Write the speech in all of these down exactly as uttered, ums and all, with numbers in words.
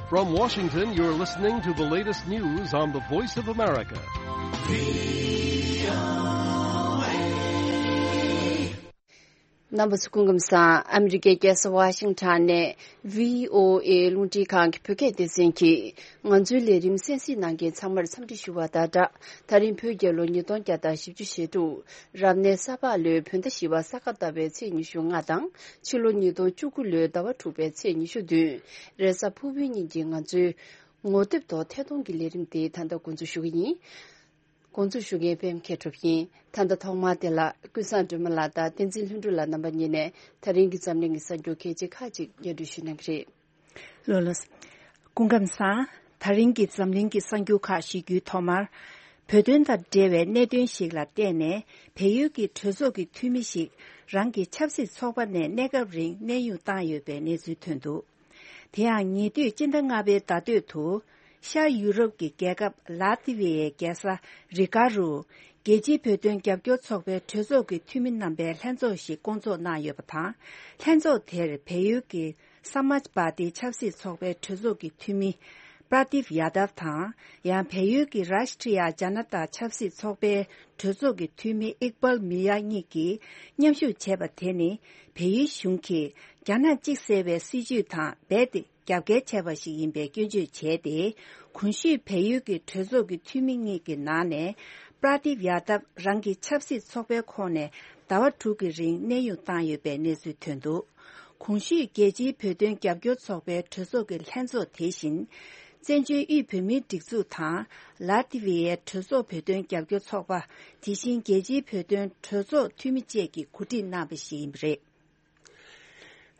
From Washington, you're listening to the latest news on the Voice of America. རྣམ་པ་ཚོ་སྐུ་ཁམས་བཟང་། ཨ་མི་རི་ཀའི་རྒྱལ་ས་ཝ་ཤིང་ཊོན་ནས་ཝི་ཨོ་ཨེ་རླུང་འཕྲིན་ཁང་གི་བོད་སྐད་སྡེ་ཚན་གྱིས་ང་ཚོའི་ལས་རིམ་གསན་གཟིགས་གནང་མཁན་ཚང་མར་འཚམས་འདྲི་ཞུ་བ་དང་སྦྲགས། ད་རིང་བོད་རྒྱལ་ལོ་ཉིས་སྟོང་བརྒྱ་དང་བཞི་བཅུ་ཞེ་དྲུག་རབ་གནས་ས་ཕག་ལོའི་བོད་ཟླ་བཞི་པ་ས་ག་ཟླ་བའི་ཚེས་ཉི་ཤུ་ལྔ་དང་ཕྱི་ལོ་ཉིས་སྟོང་བཅུ་དགུ་ལོའི་ཟླ་བ་དྲུག་པའི་ཚེས་ཉི་ཤུ་བདུན། རེས་གཟའ་ཕུར་བུའི་ཉིན་གྱི་ང་ཚོའི་ངོ་དེབ་ཐོག་ཐད་གཏོང་གི་ལས་རིམ་དེ་ད་ལྟ་འགོ་འཛུགས་ཞུ་གི་ཡིན། འགོ་འཛུགས་ཞུ་མཁན་པད་མ་མཁས་གྲུབ་ཡིན། ད་ལྟ་ཐོག་མར་དེ་ལ་ཀུན་བཟང་སྒྲོལ་མ་ལགས་དང་བསྟན་འཛིན་ལྷུན་གྲུབ་ལགས་རྣམ་པ་གཉིས་ནས་ད་རིང་གི་འཛམ་གླིང་གི་གསར་འགྱུར་གལ་ཆེ་ཁག་ཅིག་སྙན་སྒྲོན་ཞུ་གནང་གི་རེད། ལགས་ལགས། སྐུ་ཁམས་བཟང་། ད་རིང་གི་འཛམ་གླིང་གི་གསར་འགྱུར་ཁག་ཞུ་རྒྱུའི་ཐོག་མར། བོད་དོན་དང་འབྲེལ་བའི་གནད་དོན་ཞིག་ལ་བརྟེན་ནས་བལ་ཡུལ་གྱི་གྲོས་ཚོགས་ཀྱི་འཐུས་མི་ཞིག་རང་གི་ཆབ་སྲིད་ཚོགས་པ་ནས་གནས་སྐབས་རིང་གནས་དབྱུང་བཏང་ཡོད་པའི་གནས་ཚུལ་ཐོན་འདུག་དེ་ཡང་ཉེ་དུས་སྤྱི་ཟླ་ལྔ་པའི་ཟླ་སྟོད་དུ། ཤར་ཡུ་རོབ་ཀྱི་རྒྱལ་ཁབ་ལ་ཏི་ཝི་ཡའི་རྒྱལ་ས་རི་ག་རུ། རྒྱལ་སྤྱིའི་བོད་དོན་རྒྱབ་སྐྱོར་ཚོགས་པའི་གྲོས་ཚོགས་ཀྱི་འཐུས་མི་རྣམ་པའི་ལྷན་ཚོགས་ཤིག་བསྐོང་ཚོགས་གནང་ཡོད་པ་དང་། ལྷན་ཚོགས་དེར་བལ་ཡུལ་གྱི་ས་མཱཇ་པཱ་ཏི་ཆབ་སྲིད་ཚོགས་པའི་གྲོས་ཚོགས་ཀྱི་འཐུས་མི་པྲ་དིབ་ཡ་དབ་དང་། ཡང་བལ་ཡུལ་གྱི་རཱཤ་ཊི་ཡ་ཇ་ན་ཏཱ་ཆབ་སྲིད་ཚོགས་པའི་གྲོས་ཚོགས་ཀྱི་འཐུས་མི་ཨིག་པལ་མི་ཡ་གཉིས་ཀྱིས་མཉམ་ཞུགས་བྱས་པ་དེ་ནི། བལ་ཡུལ་གཞུང་གིས་རྒྱ་ནག་གཅིག་ཟེར་བའི་སྲིད་བྱུས་དང་རྦད་དེ་རྒྱབ་འགལ་བྱས་པ་ཞིག་ཡིན་པའི་སྐྱོན་བརྗོད་བྱས་ཏེ། གོང་ཞུས་བལ་ཡུལ་གྱི་གྲོས་ཚོགས་ཀྱི་འཐུས་མི་གཉིས་ཀྱི་ནང་ནས། པྲ་དིབ་ཡ་དབ་རང་གི་ཆབ་སྲིད་ཚོགས་པའི་ཁོངས་ནས་ཟླ་བ་དྲུག་གི་རིང་གནས་དབྱུང་བཏང་ཡོད་པའི་གནས་ཚུལ་ཐོན་འདུག་གོང་ཞུས་རྒྱལ་སྤྱིའི་བོད་དོན་རྒྱབ་སྐྱོར་ཚོགས་པའི་གྲོས་ཚོགས་ཀྱི་ལྷན་ཚོགས་དེ་བཞིན། བཙན་བྱོལ་དབུས་བོད་མིའི་སྒྲིག་འཛུགས་དང་། ལ་ཏི་ཝི་ཡའི་གྲོས་ཚོགས་བོད་དོན་རྒྱབ་སྐྱོར་ཚོགས་པ། དེ་བཞིན་རྒྱལ་སྤྱིའི་བོད་དོན་གྲོས་ཚོགས་འཐུས་མི་བཅས་ཀྱིས་གོ་སྒྲིག་གནང་བ་ཞིག་ཡིན་པ་རེད།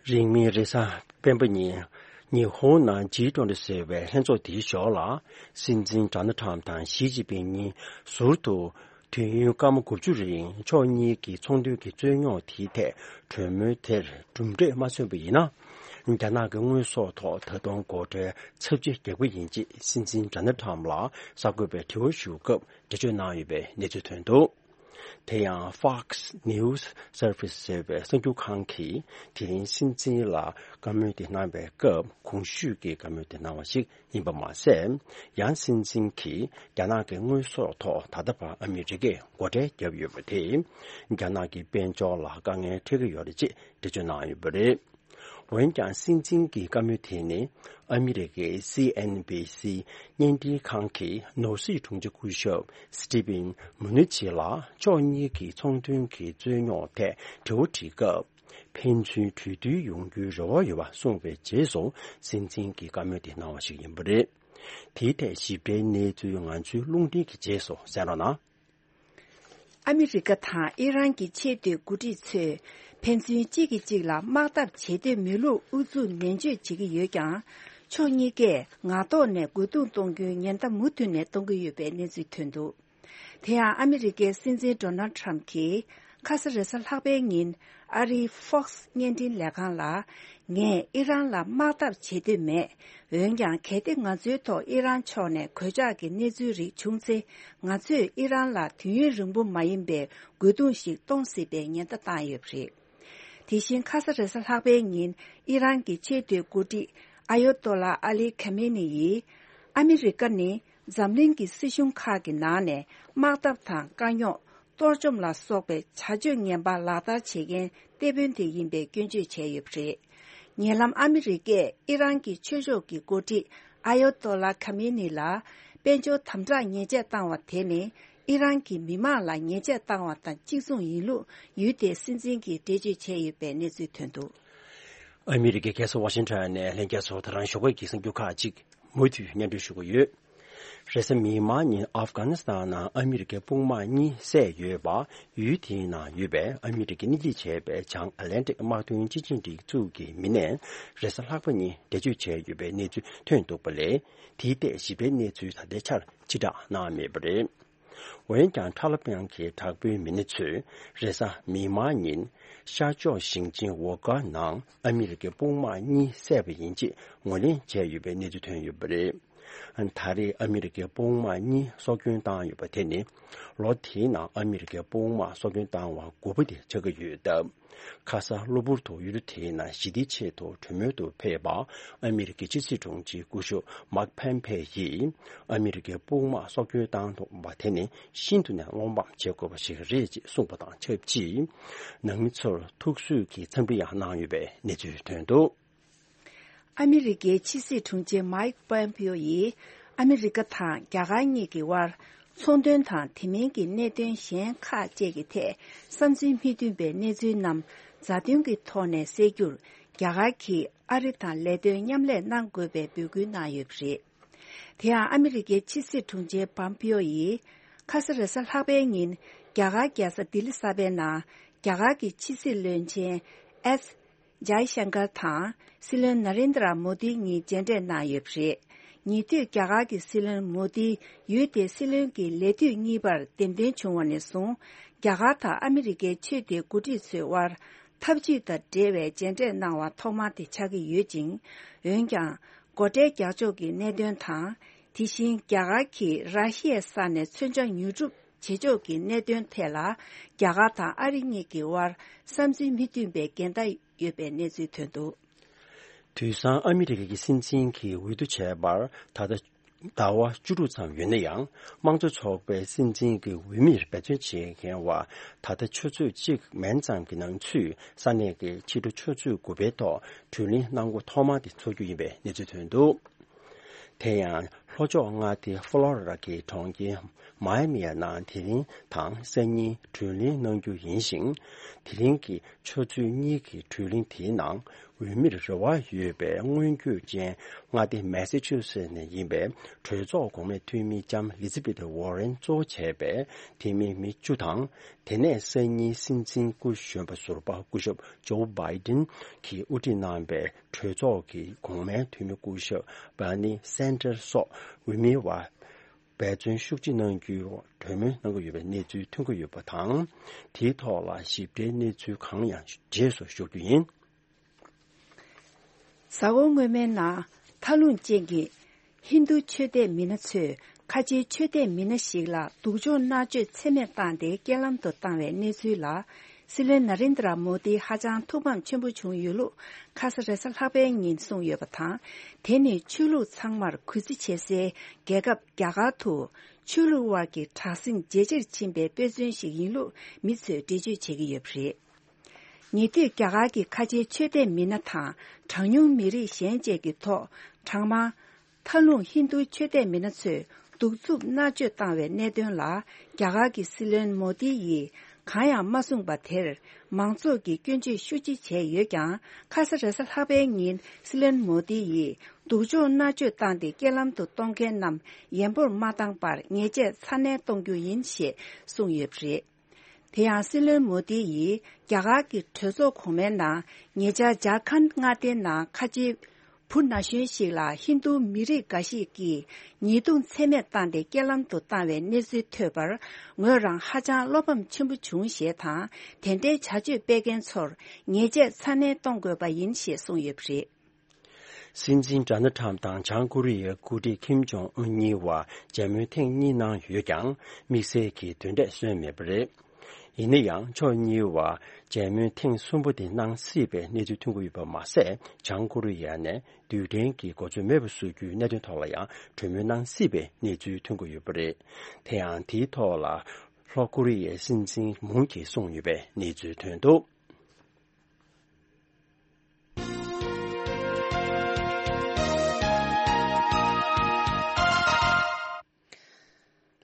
རིང་མིན་རེས་གཟའ་སྤེན་པ་ཉིན། ཉི་ཧོང་ནང་ཇི་ཊོན་ཊི་ཟེར་བའི་ལྷན་ཚོགས་དེའི་ཞོར་ལ། སྲིད་འཛིན་ཌོ་ནལ་ཊམ་དང་ཞི་ཅིན་ཕིང་གཉིས་ཟུར་དུ། དུས་ཡུན་སྐར་མ་དགུ་བཅུ་རིང་ཕྱོགས་གཉིས་ཀྱི་ཚོང་དོན་གྱི་རྩོད་རྙོག་དེའི་ཐད་གྲོས་མོལ་དེར་གྲུབ་འབྲས་མ་ཐོན་པ་ཡིན་ན། རྒྱ་ནག་གི་དངོས་ཟོག་ཐོག་ད་དུང་སྒོ་ཁྲལ་ཚབས་ཆེ་རྒྱག་པ་ཡིན་ཅེས་སྲིད་འཛིན་ཌོ་ནལ་ཊམ་ལ་གསར་འགོད་པས་དྲི་བ་ཞུ་སྐབས་འགྲེལ་བརྗོད་གནང་ཡོད་པའི་གནས་ཚུལ་ཐོན་འདུག་དེ་ཡང་Fox News Service ཟེར་བའི་གསར་འགྱུར་ཁང་གིས་དེ་རིང་སྲིད་འཛིན་ལ་བཀའ་མོལ་དེ་གནང་བའི་སྐབས། གོང་ཞུས་ཀྱི་བཀའ་མོལ་དེ་གནང་བ་ཞིག་ཡིན་པ་མ་ཟད། ཡང་སྲིད་འཛིན་གྱིས་རྒྱ་ནག་གི་དངོས་ཟོག་ཐོག་ད་ལྟ་བར་ཨ་མི་རི་ཀས་སྒོ་ཁྲལ་བརྒྱབ་ཡོད་པ་དེས། རྒྱ་ནག་གི་དཔལ་འབྱོར་ལ་དཀའ་ངལ་འཕྲད་ཀྱི་ཡོད་རེད་ཅེས་འགྲེལ་བརྗོད་གནང་ཡོད་པ་རེད། འོན་ཀྱང་སྲིད་འཛིན་གྱི་བཀའ་མོལ་དེ་ནི། ཨ་མི་རི་ཀའི་སི་ཨེན་བྷི་སི་བརྙན་འཕྲིན་ཁང་གི་ནོར་སྲིད་དྲུང་ཆེ་སྐུ་ཞབས་སི་ཏི་ཕིན་མུ་ནི་ཆི་ལ་ཕྱོགས་གཉིས་ཀྱི་ཚོང་དོན་གྱི་རྩོད་རྙོག་ཐད་དྲི་བ་དྲིས་སྐབས། ཕན་ཚུན་གྲོས་བསྡུར་ཡོང་རྒྱུའི་རེ་བ་ཡོད་པ་གསུངས་པའི་རྗེས་སུ། སྲིད་འཛིན་གྱིས་བཀའ་མོལ་དེ་གནང་བ་ཞིག་ཡིན་པ་རེད། དེའི་ཐད་ཞིབ་ཕྲའི་གནས་ཚུལ་ང་ཚོའི་རླུང་འཕྲིན་གྱི་རྗེས་སུ་གསན་རོགས་གནང་། ཨ་མི་རི་ཀ་དང་ཨི་རན་གྱི་ཆེས་མཐོའི་འགོ་ཁྲིད་ཚོས་ཕན་ཚུན་གཅིག་གིས་གཅིག་ལ་དམག་འཐབ་བྱེད་འདོད་མེད་ལུགས་ཨུ་ཚུགས་ནན་བརྗོད་བྱེད་ཀྱི་ཡོད་ཀྱང་། ཕྱོགས་གཉིས་ཀས་ངག་ཐོག་ནས་རྒོལ་རྡུང་གཏོང་རྒྱུའི་ཉེན་བརྡ་མུ་མཐུད་ནས་གཏོང་གི་ཡོད་པའི་གནས་ཚུལ་ཐོན་འདུག་དེ་ཡང་ཨ་མི་རི་ཀའི་སྲིད་འཛིན་ཌོ་ནལ་ཊམ་གྱིས་ཁ་ས་རེས་གཟའ་ལྷག་པའི་ཉིན་ཨ་རིའི་Fox་བརྙན་འཕྲིན་ལས་ཁང་ལ། ངས་ཨི་རན་ལ་དམག་འཐབ་བྱེད་འདོད་མེད། འོན་ཀྱང་གལ་ཏེ་ང་ཚོའི་ཐོག་ཨི་རན་ཕྱོགས་ནས་གོད་ཆག་གི་གནས་ཚུལ་རིགས་བྱུང་ཚེ། ང་ཚོས་ཨི་རན་ལ་དུས་ཡུན་རིང་པོ་མ་ཡིན་པའི་རྒོལ་རྡུང་ཞིག་གཏོང་སྲིད་པའི་ཉེན་བརྡ་བཏང་ཡོད་པ་རེད། དེ་བཞིན་ཁ་ས་རེས་གཟའ་ལྷག་པའི་ཉིན་ཨི་རན་གྱི་ཆེས་མཐོའི་འགོ་ཁྲིད་ཨ་ཡོ་ཏོ་ལ་ཨ་ལི་ཁ་མེ་ནི་ཡིས། ཨ་མི་རི་ཀ་ནི་འཛམ་གླིང་གི་སྲིད་གཞུང་ཁག་གི་ནང་ནས་དམག་འཐབ་དང་དཀའ་རྙོག་གཏོར་བཅོམ་ལ་སོགས་པའི་བྱ་སྤྱོད་ངན་པ་ལག་བསྟར་བྱེད་མཁན་སྡེ་དཔོན་དེ་ཡིན་པའི་སྐྱོན་བརྗོད་བྱས་ཡོད་པ་རེད། ཉེ་ལམ་ཨ་མི་རི་ཀས་ཨི་རན་གྱི་ཆོས་ཕྱོགས་ཀྱི་འགོ་ཁྲིད་ཨ་ཡོ་ཏོ་ལ་ཁ་མེ་ནི་ལ་དཔལ་འབྱོར་དམ་དྲག་ཉེས་ཆད་བཏང་བ་དེ་ནི་ཨི་རན་གྱི་མི་མང་ལ་ཉེས་ཆད་བཏང་བ་དང་གཅིག་མཚུངས་ཡིན་ལུགས་ཡུལ་དེའི་སྲིད་འཛིན་གྱིས་འགྲེལ་བརྗོད་བྱས་ཡོད་པའི་གནས་ཚུལ་ཐོན་འདུག་ཨ་མི་རི་ཀའི་རྒྱལ་ས་ཝ་ཤིང་ཊོན་ནས་ལྷན་རྒྱས་ཚོ་ད་རང་ཞོགས་ཀས་ཀྱི་གསར་འགྱུར་ཁག་ཅིག་མུ་མཐུད་སྙན་སྒྲོན་ཞུ་གི་ཡོད། རེས་གཟའ་མིག་དམར་ཉིན་ཨབ་གྷ་ནི་སི་ཐན་ནང་ཨ་མི་རི་ཀའི་དཔུང་དམག་གཉིས་བསད་ཡོད་པ། ཡུལ་དེའི་ནང་ཡོད་པའི་ཨ་མི་རི་ཀས་སྣེ་ཁྲིད་བྱས་པའི་བྱང་ཨ་ལན་ཀྲིག་དམག་དོན་སྤྱི་ཆིངས་སྒྲིག་འཛུགས་ཀྱི་མི་སྣས་རེས་གཟའ་ལྷག་པ་ཉིན་འགྲེལ་བརྗོད་བྱས་ཡོད་པའི་གནས་ཚུལ་ཐོན་འདུག་པ་ལས། དེའི་ཐད་ཞིབ་ཕྲའི་གནས་ཚུལ་ད་ལྟའི་ཆར་ཕྱིར་བསྒྲགས་གནང་མེད་པ་རེད། འོན་ཀྱང་ཁྲ་ལ་པང་གི་དྲག་པོའི་མི་སྣ་ཚོས་རེས་གཟའ་མིག་དམར་ཉིན་ཤར་ཕྱོགས་ཞིང་ཆེན་ཝོ་ཀ་ནང་ཨ་མི་རི་ཀའི་དཔུང་དམག་གཉིས་བསད་པ་ཡིན་ཅེས་ངོས་ལེན་བྱས་ཡོད་པའི་གནས་ཚུལ་ཐོན་ཡོད་པ་རེད། ད་རེས་ཨ་མི་རི་ཀའི་དཔུང་དམག་གཉིས་སྲོག་སྐྱོན་བཏང་ཡོད་པ་དེ་ནི་ལོ་དེའི་ནང་ཨ་མི་རི་ཀའི་དཔུང་དམག་སྲོག་སྐྱོན་བཏང་བ་དགུ་པ་དེ་ཆགས་ཀྱི་ཡོད་སྟབས། ཁ་ས་གློ་བུར་དུ་ཡུལ་དེའི་ནང་ཞི་བདེའི་ཆེད་དུ་གྲོས་མོལ་དུ་ཕེབས་པ་ཨ་མི་རི་ཀའི་ཕྱི་སྲིད་དྲུང་ཆེ་སྐུ་ཞབས་མཱིག་ཕན་ཕེ་ཡིས་ཨ་མི་རི་ཀའི་དཔུང་དམག་སྲོག་སྐྱོན་བཏང་ཐུབ་པ་དེ་ནི་ཤིན་ཏུ་ནས་བློ་ཕམ་བྱེད་དགོས་པ་ཞིག་རེད་ཅེས་གསུངས་པ་དང་ཆབས་ཅིག་ནང་མི་ཚོར་ཐུགས་གསོའི་གི་འཚམས་འདྲི་ཡང་གནང་ཡོད་པའི་གནས་ཚུལ་ཐོན་འདུག། ཨ་མི་རི་ཀའི་ཕྱི་སྲིད་དྲུང་ཆེ་མཱིག་པོམ་པིའོ་ཡིས་ཨ་མི་རི་ཀ་དང་རྒྱ་གར་གཉིས་ཀྱི་དབར་ཚོང་དོན་དང་དེ་མིན་གྱི་གནད་དོན་གཞན་ཁག་བཅས་ཀྱི་ཐད་བསམ་ཚུལ་མི་མཐུན་པའི་གནས་ཚུལ་རྣམས་མཛའ་མཐུན་གྱི་ཐོག་ནས་སེལ་རྒྱུར་རྒྱ་གར་གྱིས་ཨ་རི་དང་ལས་དོན་མཉམ་ལས་གནང་དགོས་པའི་འབོད་སྐུལ་གནང་ཡོད་པ་རེད། དེ་ཡང་ཨ་མི་རི་ཀའི་ཕྱི་སྲིད་དྲུང་ཆེ་པམ་པིའོ་ཡིས་ཁ་ས་རེས་གཟའ་ལྷག་པའི་ཉིན་རྒྱ་གར་རྒྱལ་ས་ལྡི་ལི་གསར་པའི་ནང་རྒྱ་གར་གྱི་ཕྱི་སྲིད་བློན་ཆེན་ཨེས་ཇའི་ཤང་ཀར་དང་སྲིད་བློན་ན་རེན་དྲ་མོ་དི་གཉིས་མཇལ་འཕྲད་གནང་ཡོད་པ་རེད། ཉེ་དུས་རྒྱ་གར་གྱི་སྲིད་བློན་མོ་དི་ཡུལ་དེའི་སྲིད་བློན་གྱི་ལས་དུས་གཉིས་པར་འདེམས་ཐོན་བྱུང་བ་ནས་བཟུང་རྒྱ་གར་དང་ཨ་མི་རི་ཀའི་ཆོས་དད་འགོ་ཁྲིད་ཚོའི་དབར་འཐབ་ཇུས་དང་འབྲེལ་བའི་མཇལ་འཕྲད་གནང་བ་ཐོག་མ་དེ་ཆགས་ཀྱི་ཡོད་ཅིང་། འོན་ཀྱང་། སྒོ་ཁྲལ་རྒྱག་ཕྱོགས་ཀྱི་གནད་དོན་དང་། དེ་བཞིན་རྒྱ་གར་གྱིས་ར་ཤི་ཡའི་ས་ནས་མཚོན་ཆ་ཉོ་སྒྲུབ་བྱེད་ཕྱོགས་ཀྱི་གནད་དོན་ཐད་ལ་རྒྱ་གར་དང་ཨ་རི་གཉིས་ཀྱི་དབར་བསམ་ཚུལ་མི་མཐུན་པའི་འགལ་ཟླ་ཡོད་པའི་གནས་ཚུལ་ཐོན་འདུག། དུས་སང་ཨ་མི་རི་ཀའི་སྲིད་འཛིན་གྱིས་འོས་བསྡུ་བྱས་པར་ད་ལྟ་ཟླ་བ་བཅུ་དྲུག་ཙམ་ཡོད་ན་ཡང་དམངས་གཙོ་ཚོགས་པའི་སྲིད་འཛིན་གྱི་འོས་མིར་འབད་བརྩོན་བྱེད་མཁན་བ་ད་ལྟ་ཆུ་ཚོད་གཅིག་མན་ཙམ་གྱི་ནང་ཚུད་ས་གནས་ཀྱི་ཕྱི་དྲོ་ཆུ་ཚོད་དགུ་པའི་ཐོག་བགྲོ་གླེང་གནང་སྒོ་ཐོག་མ་དེ་འཚོགས་རྒྱུ་ཡིན་པའི་གནས་ཚུལ་ཐོན་འདུག། དེ་ཡང་ལྷོ་ཕྱོགས་མངའ་སྡེ་ཧྥ་ལོ་རི་ཌ་གི་གྲོང་ཁྱེར་མཱ་ཡ་མིའི་ནང་དེ་རིང་དང་སང་ཉིན་བགྲོ་གླེང་གནང་རྒྱུ་ཡིན་ཞིང་། དེ་རིང་གི་ཆུ་ཚོད་གཉིས་ཀྱི་བགྲོ་གླེང་དེའི་ནང་འོས་མིར་རེ་བ་ཡོད་པའི་སྔོན་སྐྱོད་ཅན་མངའ་སྡེ་མེ་སི་ཆུ་སེ་ནས་ཡིན་པའི་གྲོས་ཚོགས་གོང་མའི་འཐུས་མི་ལྕམ་ལི་ཛི་བེ་ཐི་ཝོ་རེན་གཙོ་བྱས་པའི་འཐུས་མི་མི་བཅུ་དང་། དེ་ནས་སང་ཉིན་སྲིད་འཛིན་སྐུ་གཞོན་པ་ཟུར་པ་སྐུ་ཞབས་ཇོ་བྷའི་ཌེན་གྱིས་དབུ་ཁྲིད་གནང་པའི་གྲོས་ཚོགས་ཀྱི་གོང་མའི་འཐུས་མི་སྐུ་ཞབས་བྷར་ནི་སན་ཏར་སོགས་འོས་མི་བ་འབད་བརྩོན་ཤུགས་ཆེ་གནང་རྒྱུའི་གྲོས་མོལ་གནང་གི་ཡོད་པའི་གནས་ཚུལ་ཐོན་གྱི་ཡོད་པ་དང་། དེའི་ཐོག་ལ་ཞིབ་ཕྲའི་གནས་ཚུལ་གང་ཡང་རྗེས་སུ་ཞུ་རྒྱུ་ཡིན། གཟའ་འཁོར་སྔོན་མའི་ནང་མཐའ་ལྷུང་ཅན་གྱི་ཧིན་རྡུ་ཆོས་དད་མི་སྣ་ཚོས་ཁ་ཆེའི་ཆོས་དད་མི་སྣ་ཞིག་ལ་སྡུག་སྦྱོང་མནར་གཅོད་ཚད་མེད་བཏང་སྟེ་རྐྱེན་ལམ་དུ་བཏང་བའི་གནས་ཚུལ་ལ། སྲིད་བློན་ན་རེན་དྲ་མོ་དི་ཧ་ཅང་ཐུགས་ཕམ་ཆེན་པོ་བྱུང་ཡོད་ལུགས་ཁ་ས་རེས་གཟའ་ལྷག་པའི་ཉིན་གསུངས་ཡོད་པ་དང་། དེ་ནི་ཆོས་ལུགས་ཚང་མར་གུས་བརྩི་བྱེད་སའི་རྒྱལ་ཁབ་རྒྱ་གར་དུ་ཆོས་ལུགས་དབར་གྱི་དྲག་ཟིང་ཇེ་ཆེར་ཕྱིན་པའི་དཔེ་མཚོན་ཞིག་ཡིན་ལུགས་མི་ཚོས་འགྲེལ་བརྗོད་བྱེད་ཀྱི་ཡོད་པ་རེད། ཉེ་དུས་རྒྱ་གར་གྱི་ཁ་ཆེའི་ཆོས་དད་མི་སྣ་དང་གྲངས་ཉུང་མི་རིགས་གཞན་བཅས་ཀྱི་ཐོག་གྲངས་མང་མཐའ་ལྷུང་ཧིན་རྡུ་ཆོས་དད་མི་སྣ་ཚོས་གདུག་རྩུབ་མནར་གཅོད་བཏང་བའི་གནད་དོན་ལ་རྒྱ་གར་གྱི་སྲིད་བློན་མོ་དི་ཡིས་གང་ཡང་མ་གསུངས་པ་དེར་མང་ཚོགས་ཀྱིས་སྐྱོན་བརྗོད་ཤུགས་ཆེ་བྱས་ཡོད་ཀྱང་། ཁ་ས་རེས་གཟའ་ལྷག་པའི་ཉིན་སྲིད་བློན་མོ་དི་ཡིས་སྡུག་སྦྱོང་མནར་གཅོད་བཏང་སྟེ་རྐྱེན་ལམ་དུ་གཏོང་མཁན་རྣམས་ཡན་པོར་མ་བཏང་པར་ཉེས་ཆད་ཚ་ནན་གཏོང་རྒྱུ་ཡིན་ཞེས་གསུངས་ཡོད་པ་རེད། དེ་ཡང་སྲིད་བློན་མོ་དི་ཡིས་རྒྱ་གར་གྱི་གྲོས་ཚོགས་གོང་མའི་ནང་ཉེ་ཆར་ཇར་ཁན་མངའ་སྡེའི་ནང་ཁ་ཆེའི་བུ་ན་གཞོན་ཞིག་ལ་ཧིན་རྡུ་མི་རིགས་འགའ་ཞིག་གིས་ཉེས་རྡུང་ཚད་མེད་བཏང་སྟེ་རྐྱེན་ལམ་དུ་བཏང་བའི་གནས་ཚུལ་ཐོས་པར་ངོས་རང་ཧ་ཅང་བློ་ཕམ་ཆེན་པོ་བྱུང་ཞེས་དང་། དེ་འདྲའི་བྱ་སྤྱོད་སྤེལ་མཁན་ཚོར་ཉེས་ཆད་ཚ་ནན་གཏོང་དགོས་པ་ཡིན་ཞེས་གསུངས་ཡོད་པ་རེད། སྲིད་འཛིན་ཌོ་ནལ་ཁྲམ་དང་བྱང་ཀོ་རི་ཡའི་འགོ་ཁྲིད་ཁིམ་ཇོང་ཨུན་གཉིས་བར་མཇལ་མོལ་ཐེངས་གཉིས་གནང་ཡོད་ཀྱང་དམིགས་བསལ་གྱི་དོན་འབྲས་སོན་མེད་པ་རེད། ཡིན་ན་ཡང་ཕྱོགས་གཉིས་བར་མཇལ་མོལ་ཐེངས་གསུམ་པ་དེ་གནང་སྲིད་པའི་གནས་ཚུལ་ཐོན་གྱི་ཡོད་པ་མ་ཟད། བྱང་ཀོ་རི་ཡ་ནས་རྡུལ་ཕྲན་གྱི་གོ་མཚོན་མེད་པ་བཟོ་རྒྱུའི་གནད་དོན་ཐོག་ལ་ཡང་གྲོས་མོལ་གནང་སྲིད་པའི་གནས་ཚུལ་ཐོན་གྱི་ཡོད་པ་རེད། དེ་ཡང་དེའི་ཐོག་ལ་ལྷོ་ཀོ་རི་ཡའི་སྲིད་འཛིན་མུན་གྱིས་གསུངས་ཡོད་པའི་གནས་ཚུལ་ཐོན་འདུག།